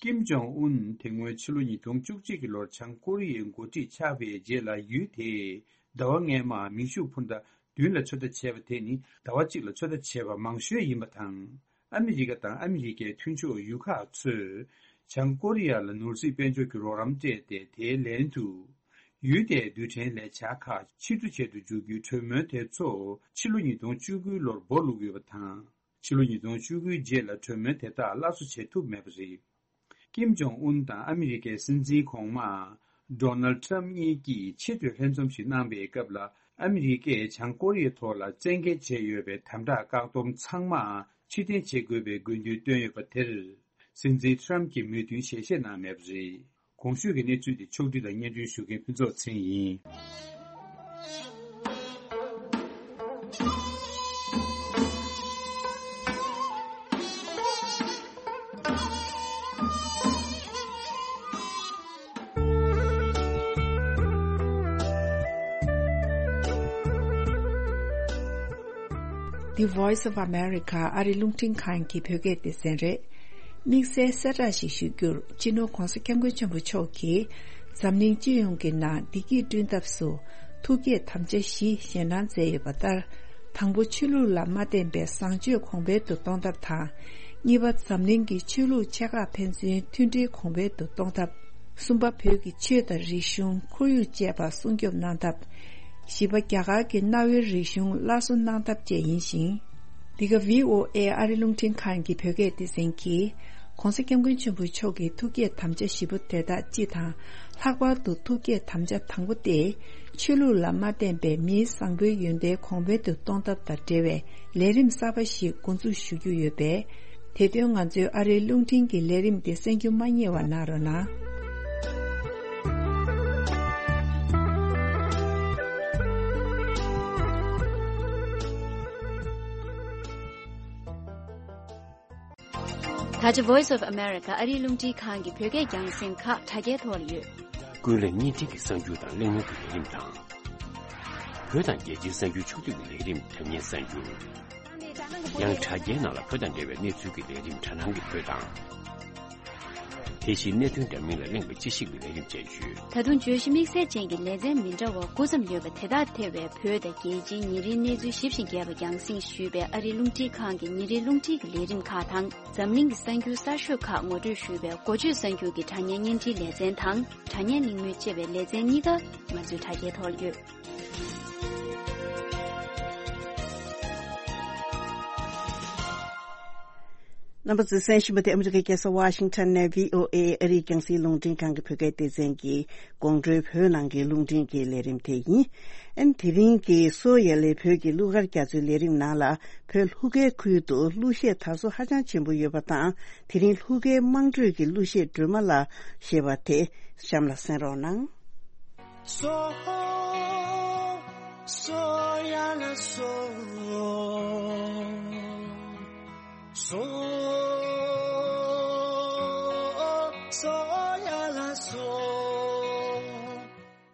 ཀིམ་ཇོང་ཨུན་དེ་སྔོན་ཕྱི་ལོ་ཉིས་སྟོང་བཅུ་གཅིག་གི་ལོར་བྱང་ཀོ་རི་ཡའི་འགོ་ཁྲིད་ཆགས་པའི་རྗེས་ལ། ཡུལ་དེས་ཟླ་བ་སྔས་མར་མེ་ཤུགས་འཕུར་མདའ་བདུན་ལ་ཚོད་ལྟ་བྱས་པ་དེ་ནི་ཟླ་བ་གཅིག་ལ་ཚོད་ལྟ་བྱས་པ་མང་ཤོས་ཡིན་པ་དང་། ཨ་མི་རི་ཀ་དང་ཨ་མི་རི་ཀའི་མཐུན་ཕྱོགས་ཡུལ་ཁག་ཚོས་བྱང་ཀོ་རི་ཡ་ལ་ནོར་སྲིད་དཔལ་འབྱོར་གྱི་རོགས་རམ་སྤྲད་དེ། དེའི་ལན་དུ་ཡུལ་དེའི་རྡུལ་ཕྲན་ལས་འཆར་ཁག་ཕྱིར་བསྡུ་བྱེད་དུ་འཇུག་རྒྱུའི་གྲོས་མོལ་དེ་ཚོ་ཕྱི་ལོ་ཉིས་སྟོང་བཅུ་དགུའི་ལོར་སྦོ་ལུག་ཡོད་པ་དང་། ཕྱི་ལོ་ཉིས་སྟོང་བཅུ་དགུའི་རྗེས་ལ་གྲོས་མོལ་དེ་དག་སླར་གསོ་བྱེད་ཐུབ་མེད་པ་རེད། ཀིམ་ཇོང་ཨུན་དང་ཨ་མི་རི་ཀའི་སྲིད་འཛིན་གོང་མ་ཌོ་ནལ་ཊམ་གཉིས་ཀྱིས་ཆེས་མཐོའི་ལྷན་འཛོམས་ཤིག་གནང་པའི་སྐབས་ལ། ཨ་མི་རི་ཀས་བྱང་ཀོ་རི་ཡའི་ཐོག་ལ་བཙན་འགེལ་བྱས་ཡོད་པའི་དམ་དྲག་བཀག་སྡོམ་ཚང་མ་ ཕྱིར་འཐེན་བྱེད་དགོས་པའི་དགོས་འདུན་བཏོན་ཡོད་པ་དེར། སྲིད་འཛིན་ཊམ་གྱིས་མོས་མཐུན་ཞལ་བཞེས་གནང་མེད་པ་རེད། གོང་ཞུས་ཀྱི་གནས་ཚུལ་དེ་ཕྱོགས་བསྒྲིགས་དང་སྙན་སྒྲོན་ཞུ་མཁན་ཕུན་ཚོགས་ཚེ་རིང་ཡིན། The Voice of America ཨ་རིའི་རླུང་འཕྲིན་ཁང་གི་བོད་སྐད་སྡེ་ཚན་རེད། དམིགས་བསལ་གསལ་བསྒྲགས་ཤིག་ཞུ་རྒྱུར། སྤྱི་ནོར་༧གོང་ས་༧སྐྱབས་མགོན་ཆེན་པོ་མཆོག་གིས་འཛམ་གླིང་སྤྱི་ཡོངས་ཀྱི་ནང་བདེ་སྐྱིད་བསྐྲུན་ཐབས་སུ་ཐུགས་བསྐྱེད་དམ་བཅའ་བཞི་བཞེས་གནང་མཛད་ཡོད་པ་ལྟར། དང་པོ། ཆོས་ལུགས་ལ་མ་བརྟེན་པའི་བཟང་སྤྱོད་གོང་འཕེལ་དུ་གཏོང་ཐབས་དང་། གཉིས་པ། འཛམ་གླིང་གི་ཆོས་ལུགས་ཆེ་ཁག་ཕན་ཚུན་མཐུན་སྒྲིལ་གོང་འཕེལ་དུ་གཏོང་ཐབས། གསུམ་པ། བོད་ཀྱི་ཆོས་དང་རིག་གཞུང་། ཁོར་ཡུག་བཅས་པ་སྲུང་སྐྱོབ་གནང་ཐབས། བཞི་པ། རྒྱ་གར་གྱི་གནའ་བོའི་རིག་གཞུང་སླར་གསོ་གནང་ཐབས་བཅས་ཡིན་ཞིང་། འདི་ག་བྷི་ཨོ་ཨེ་ཨ་རིའི་རླུང་འཕྲིན་ཁང་གི་བོད་སྐད་སྡེ་ཚན་གྱིས། ྋགོང་ས་ྋསྐྱབས་མགོན་ཆེན་པོ་མཆོག་གི་ཐུགས་བསྐྱེད་དམ་བཅའ་བཞི་པོ་དེ་དག་སྤྱི་དང་། ལྷག་པར་དུ་ཐུགས་བསྐྱེད་དམ་བཅའ་དང་པོ་སྟེ། ཆོས་ལུགས་ལ་མ་བརྟེན་པའི་མིའི་བཟང་པོའི་ཡོན་ཏན་གོང་འཕེལ་དུ་གཏོང་ཐབས་དང་འབྲེལ་བའི་ལས་རིམ་གསར་པ་ཞིག་འགོ་འཛུགས་ཞུ་རྒྱུ་ཡོད་པས། དེ་དོན་ང་ཚོའི་ཨ་རིའི་རླུང་འཕྲིན་གྱི་ལས་རིམ་དེ་གསན་རྒྱུ་མ་བསྙེལ་བ་གནང་རོགས་གནང་། ད་ཆ་Voice of America ཨ་རིའི་རླུང་འཕྲིན་ཁང་གི་བོད་སྐད་རྒྱང་སྲིང་ཁག་དྲ་རྒྱའི་ཐོག་ལ་ཡོད། ཀུན་གླེང་བརྙན་འཕྲིན་གྱི་གསར་འགྱུར་དང་གླེང་མོལ་གྱི་ལས་རིམ་དང་། བོད་དང་རྒྱལ་སྤྱིའི་གསར་འགྱུར་ཕྱོགས་བསྡུས་ཀྱི་ལས་རིམ་དྲ་བརྙན་གསར་འགྱུར། ཡང་དྲ་རྒྱའི་ནང་ལ་བོད་དང་འབྲེལ་བའི་གནས་ཚུལ་གྱི་ལས་རིམ་དྲ་སྣང་གི་བོད་དང་། དེ་བཞིན་གནད་དོན་འདྲ་མིན་ལ་གླེང་བའི་དཔྱད་ཞིབ་ཀྱི་ལས་རིམ་བཅས་ཡོད། ད་དུང་བརྗོད་གཞི་དམིགས་བསལ་ཅན་གྱི་ལེ་ཚན་མི་འདྲ་བ་དགུ་ཙམ་ཡོད་པ་དེ་དག་ཐེ་བའི་བོད་དང་རྒྱལ་སྤྱིའི་ཉིན་རེའི་གནས་ཚུལ་ཞིབ་ཅིང་རྒྱས་པ་རྒྱང་སྲིང་ཞུས་པའི་ཨ་རིའི་རླུང་འཕྲིན་ཁང་གི་ཉིན་རེའི་རླུང་འཕྲིན་གྱི་ལས་རིམ་ཁག་དང་། འཛམ་གླིང་གི་གསར་འགྱུར་གསར་ཤོས་ཁག་ངོ་སྤྲོད་ཞུས་པའི་འགོ་བརྗོད་གསར་འགྱུར་གྱི་དྲ་བརྙན་བརྙན་འཕྲིན་ལེ་ཚན་དང་། དྲ་བརྙན་གླེང་མོལ་ཅེས་པའི་ལེ་ཚན་གཉིས་ཀ་ང་ཚོའི་དྲ་རྒྱའི་ཐོག་ལ་ཡོད། རྣམ་པ་ཚོས་གསན་བཞིན་པ་དེ་ཨ་མི་རི་ཀའི་རྒྱལ་ས་ཝ་ཤིང་ཊོན་ནས་བྷི་ཨོ་ཨེ་ཨ་རིའི་རྒྱང་སྲིང་རླུང་འཕྲིན་ཁང་གི་བོད་སྐད་སྡེ་ཚན་གྱི་དགོང་དྲོའི་བོད་ནང་གི་རླུང་འཕྲིན་གྱི་ལས་རིམ་དེ་ཡིན། ཨན་དེ་རིང་གི་སོ་ཡ་ལེ་བོད་ཀྱི་གླུ་གར་རྒྱ་མཚོའི་ལས་རིམ་ནང་ལ། བོད་ལྷུ་ཁའི་ཁུལ་དུ་གླུ་གཞས་དར་སོ་ཧ་ཅང་ཆེན་པོ་ཡོད་པ་དང་། དེ་རིང་ལྷུ་ཁའི་དམངས་ཁྲོད་ཀྱི་གླུ་གཞས་སྒྲོལ་མ་ལ་ཞེས་པ་དེ་གཤམ་ལ་གསན་རོགས་གནང་། སོ། སོ་ཡ་ལ་སོ། སོ། སོ་ཡ་ལ་སོ།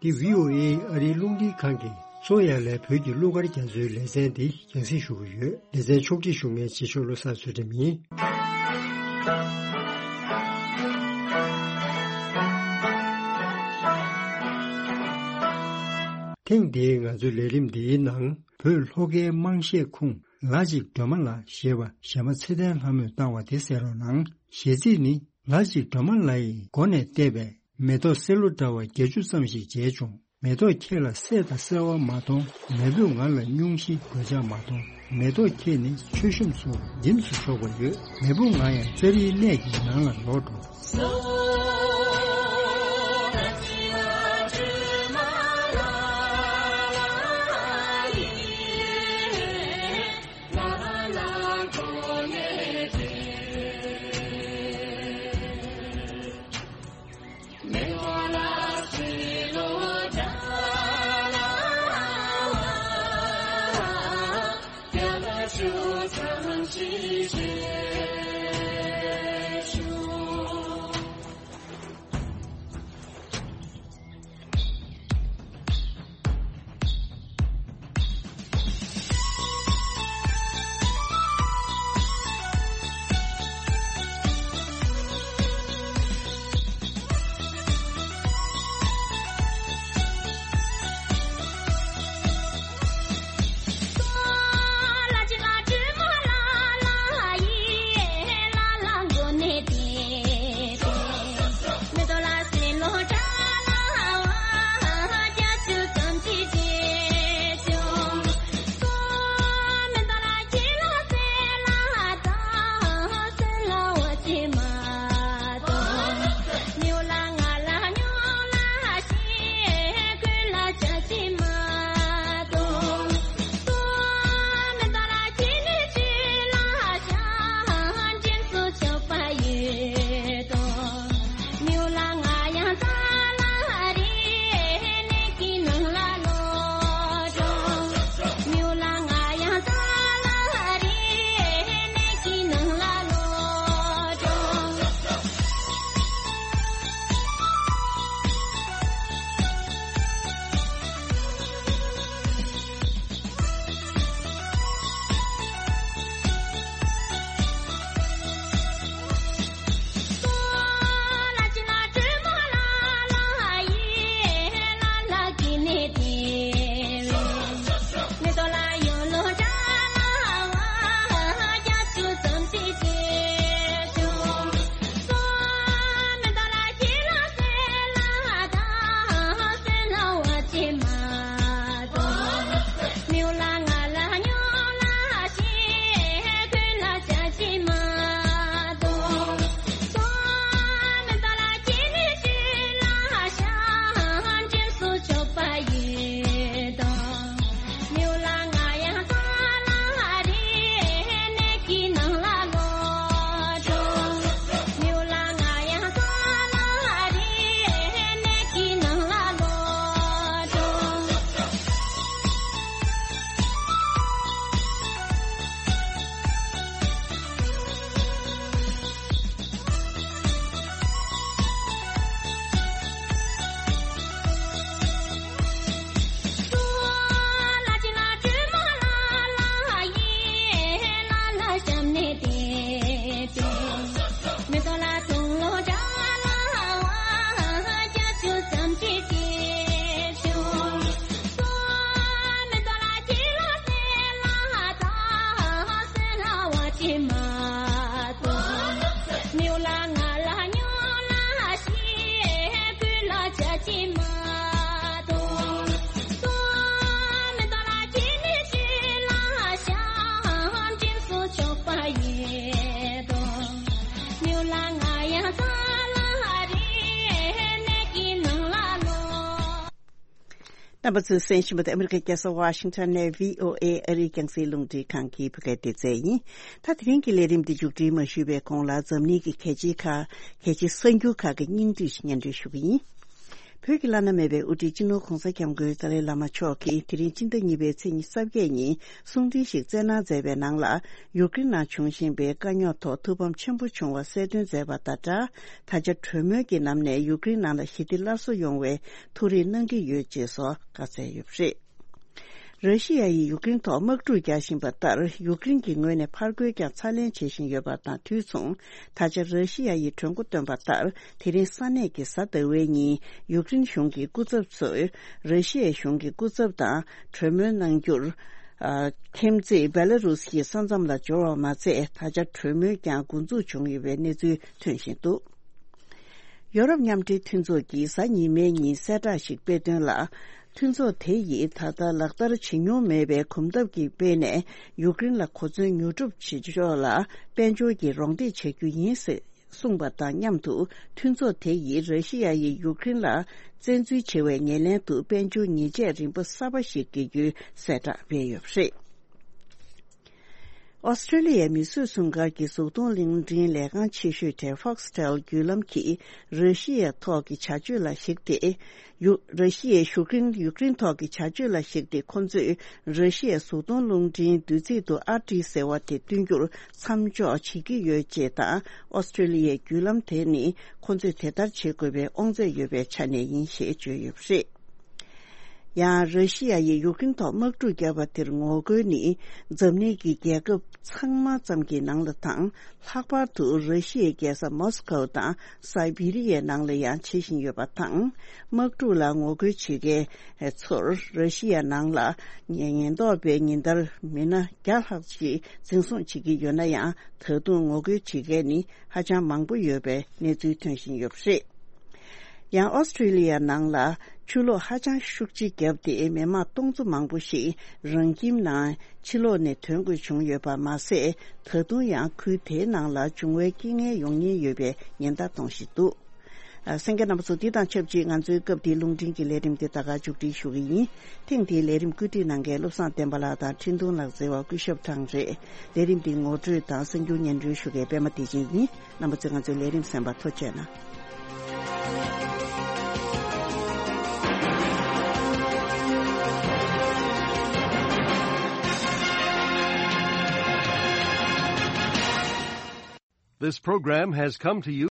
འདི་བྷི་ཨོ་ཨེ་ཨ་རིའི་རླུང་འཕྲིན་ཁང་གི་སོ་ཡ་ལའི་བོད་ཀྱི་གླུ་གར་རྒྱ་མཚོའི་ལེ་ཚན་འདི་རྒྱང་སྲིང་ཞུ་གི་ཡོད། ལེ་ཚན་ཕྱོགས་སྒྲིག་ཞུ་མཁན་རྗེས་ཕྱོགས་བློ་བཟང་ཚུལ་ཁྲིམས་ཡིན། ཐེངས་འདིའི་ང་ཚོའི་ལས་རིམ་འདིའི་ནང་བོད་ལྷོ་ཁའི་དམངས་གཞས་ཁུངས་ལ་ཅིག་སྒྲོལ་མ་ལ་ཞེས་པ་གཞས་མ་ཚེ་བརྟན་ལྷ་མོས་བཏང་བ་དེ་གསན་རོགས་གནང་། གཞས་ཚིག་ནི། ལ་ཅིག་སྒྲོལ་མ་ལ་ཡི་སྒོ་ནས་བལྟས་པས། མེ་ཏོག་སེར་ལོ་འདྲ་བ་བརྒྱད་ཅུ་ཙམ་ཞིག་མཇལ་བྱུང་། མེ་ཏོག་ཁྱེད་ལ་སད་དང་སེར་བ་མ་མཐོང་། མེ་བུས་ང་ལ་སྙུང་གཞི་གོད་ཆག་མ་མཐོང་། མེ་ཏོག་ཁྱེད་ནི་མཆོད་གཤོམ་སོགས་རྒྱུན་དུ་འཇོག་པ་ཡོད། མེ་བུ་ང་ཡང་ཙཱ་རིའི་གནས་ཀྱི་ནང་ལ་ལོག་འགྲོ། རྣམ་པ་ཚོས་གསན་བཞིན་པ་དེ་ཨ་མི་རི་ཀའི་རྒྱལ་ས་ཝ་ཤིང་ཊོན་ནས་བྷི་ཨོ་ཨེ་ཨ་རིའི་རྒྱང་སྲིང་རླུང་འཕྲིན་ཁང་གི་བོད་སྐད་སྡེ་ཚན་ཡིན། ད་དེ་རིང་གི་ལས་རིམ་འདི་མཇུག་སྒྲིལ་མ་ཞུས་པའི་གོང་ལ་འཛམ་གླིང་གི་གལ་ཆེའི་ཁག་གལ་ཆེའི་གསར་འགྱུར་ཁག་གི་སྙིང་བསྡུས་ཤིག་སྙན་སྒྲོན་ཞུ་གི་ཡིན། བོད་ཀྱི་བླ་ན་མེད་པའི་དབུ་ཁྲིད་སྤྱི་ནོར་༧གོང་ས་༧སྐྱབས་མགོན་ཏཱ་ལའི་བླ་མ་མཆོག་གིས་དེ་རིང་སྤྱི་ཟླ་གཉིས་པའི་ཚེས་ཉི་ཤུ་རྩ་བརྒྱད་ཉིན་གསུང་འཕྲིན་ཞིག་བསྩལ་གནང་མཛད་པའི་ནང་ལ། ཡུཀ་རེན་ནང་འབྱུང་བཞིན་པའི་དཀའ་རྙོག་ཐོག་ཐུགས་ཕམ་ཆེན་པོ་བྱུང་བ་གསལ་སྟོན་མཛད་པ་དང་སྦྲགས། ད་ཆ་གྲོས་མོལ་གྱི་ལམ་ནས་ཡུཀ་རེན་ནང་ལ་ཞི་བདེ་སླར་གསོ་ཡོང་བའི་ཐུགས་རེ་གནང་གི་ཡོད་ཅེས་སོགས་བཀའ་སྩལ་ཡོད་པ་རེད། ར་ཤི་ཡ་ཡིས་ཡུཀ་རེན་ཐོག་དམག་འཁྲུག་རྒྱག་བཞིན་པ་ལྟར། ཡུཀ་རེན་གྱི་ངོས་ནས་ཕར་རྒོལ་ཀྱང་ཚ་ལན་བྱེད་བཞིན་ཡོད་པ་དང་དུས་མཚུངས། ད་ཆ་ར་ཤི་ཡ་ཡིས་གྲོས་འགོ་བཏོན་པ་ལྟར། དེ་རིང་ས་གནས་ཀྱི་གཟའ་ཟླ་བའི་ཉིན་ཡུཀ་རེན་གཞུང་གི་སྐུ་ཚབ་ཚོས་ར་ཤི་ཡའི་གཞུང་གི་སྐུ་ཚབ་དང་གྲོས་མོལ་གནང་རྒྱུར། ཨ། ཁྱིམ་མཚེས་བེ་ལ་རུ་སི་ཡི་ས་མཚམས་ལ་འབྱོར་བ་མ་ཚད། ད་ཆ་གྲོས་མོལ་ཀྱང་འགོ་འཛུགས་བྱུང་ཡོད་པའི་གནས་ཚུལ་ཐོན་བཞིན་འདུག་ཡོ་རོབ་མཉམ་འབྲེལ་མཐུན་ཚོགས་ཀྱིས་གཟའ་ཉི་མའི་ཉིན་གསལ་བསྒྲགས་ཤིག་སྤེལ་དོན་ལ། མཐུན་ཚོགས་དེ་ཡིས་ད་ལྟ་ལག་བསྟར་བྱེད་མྱོང་མེད་པའི་གོམ་སྟབས་ཀྱི་སྤེལ་ནས་ཡུཀ་རེན་ལ་གོ་མཚོན་ཉོ་སྒྲུབ་བྱེད་ཕྱོགས་ལ་དཔལ་འབྱོར་གྱི་རོགས་འདེགས་བྱ་རྒྱུ་ཡིན་ཟེར་གསུངས་པ་དང་མཉམ་དུ། མཐུན་ཚོགས་དེ་ཡིས་ར་ཤི་ཡ་ཡིས་ཡུཀ་རེན་ལ་བཙན་འཛུལ་བྱེད་པའི་ཉེར་ལེན་དུ་དཔལ་འབྱོར་ཉེས་ཆད་རིམ་པ་གསར་པ་ཞིག་འགེལ་རྒྱུའི་གསལ་བསྒྲགས་སྤེལ་ཡོད་པ་རེད། ཨོ་སི་ཀྲི་ལི་ཡའི་མིས་བཟོས་སྲུང་སྐར་གྱི་གཟུགས་མཐོང་གླིང་ཕྲན་ལས་ཁང་ཆེ་ཤོས་གྲས་Foxtel་བརྒྱུད་ལམ་གྱིས་ར་ཤི་ཡའི་ཐོག་གི་བྱ་སྤྱོད་ལ་གཞིགས་ཏེ། ཡུ། ར་ཤི་ཡའི་ཡུཀ་རེན་ཡུཀ་རེན་ཐོག་གི་བྱ་སྤྱོད་ལ་གཞིགས་ཏེ། ཁོ་ཚོས་ར་ཤི་ཡའི་གཟུགས་མཐོང་རླུང་འཕྲིན་བསྡུས་ཚིག་ཏུ་ཨར་ཊི་ཟེར་བ་དེ་བསྟུན་རྒྱུར་མཚམས་འཇོག་བྱེད་ཀྱི་ཡོད་ཅེས་དང་། ཨོ་སི་ཀྲི་ལི་ཡའི་བརྒྱུད་ལམ་དེ་ནི་ཁོ་ཚོས་དེ་ལྟར་བྱེད་དགོས་པའི་དབང་ཚད་ཡོད་པའི་ཆ་ནས་ཡིན་ཞེས་བརྗོད་ཡོད་པ་རེད། ཡང་། ར་ཤི་ཡ་ཡིས་ཡུཀ་རེན་ཐོག་དམག་འཁྲུག་བརྒྱབ་པ་དེར་ངོ་རྒོལ་ནི། འཛམ་གླིང་གི་རྒྱལ་ཁབ་ཚང་མ་ཙམ་གྱི་ནང་ལ་དང་། ལྷག་པར་དུ་ར་ཤི་ཡའི་རྒྱལ་ས་མོ་སི་ཁོ་དང་སའི་བྷི་རི་ཡའི་ནང་ལ་ཡང་བྱེད་བཞིན་ཡོད་པ་དང་། དམག་འཁྲུག་ལ་ངོ་རྒོལ་བྱེད་མཁན་ཚོར་ར་ཤི་ཡ་ནང་ལ་ཉེན་ཉེན་རྟོག་པས་ཉིན་ལྟར་མི་སྣ་བརྒྱ་ལྷག་ཅིག་འཛིན་བཟུང་བྱེད་ཀྱི་ཡོད་ན་ཡང་། ད་དུང་ངོ་རྒོལ་བྱེད་མཁན་ནི་ཧ་ཅང་མང་པོ་ཡོད་པའི་གནས་ཚུལ་ཐོན་བཞིན་ཡོད་པ་རེད། ཡང་། ཨོ་སི་ཀྲི་ལི་ཡ་ནང་ལ་ཆུ་ལོག་ཧ་ཅང་ཤུགས་ཆེ་བརྒྱབ་སྟེ། མི་མང་སྟོང་ཚོ་མང་པོ་ཞིག་རང་ཁྱིམ་ནང་ཕྱི་ལོགས་ནས་ཐོན་དགོས་བྱུང་ཡོད་པ་མ་ཟད། ད་དུང་ཡང་ཁུལ་དེའི་ནང་ལ་འབྱུང་བའི་རྐྱེན་ངན་ཡོང་ཉེན་ཡོད་པའི་ཉེན་བརྡ་གཏོང་བཞིན་འདུག་ཨ། གསན་མཁན་རྣམ་པ་ཚོ། འདི་དང་ཆབས་ཅིག་ང་ཚོའི་སྐབས་འདིའི་རླུང་འཕྲིན་གྱི་ལས་རིམ་དེ་ད་ག་མཇུག་སྒྲིལ་ཞུ་གི་ཡིན། ཐེངས་འདིའི་ལས་རིམ་བཀོད་སྒྲིག་གནང་མཁན་བློ་བཟང་བསྟན་པ་ལགས་དང་། འཕྲིན་གཏོང་ལག་རྩལ་བ་སྐུ་ཞབས་ཐང་རེད། ལས་རིམ་འདི་ངོ་སྤྲོད་དང་གསར་འགྱུར་སྙན་སྒྲོན་ཞུ་མཁན་པད་མ་བདེ་ཆེན་ཡིན། རྣམ་པ་ཚོས་ང་ཚོའི་ལས་རིམ་གསན་པར་ཐུགས་རྗེ་གནང་། This program has come to you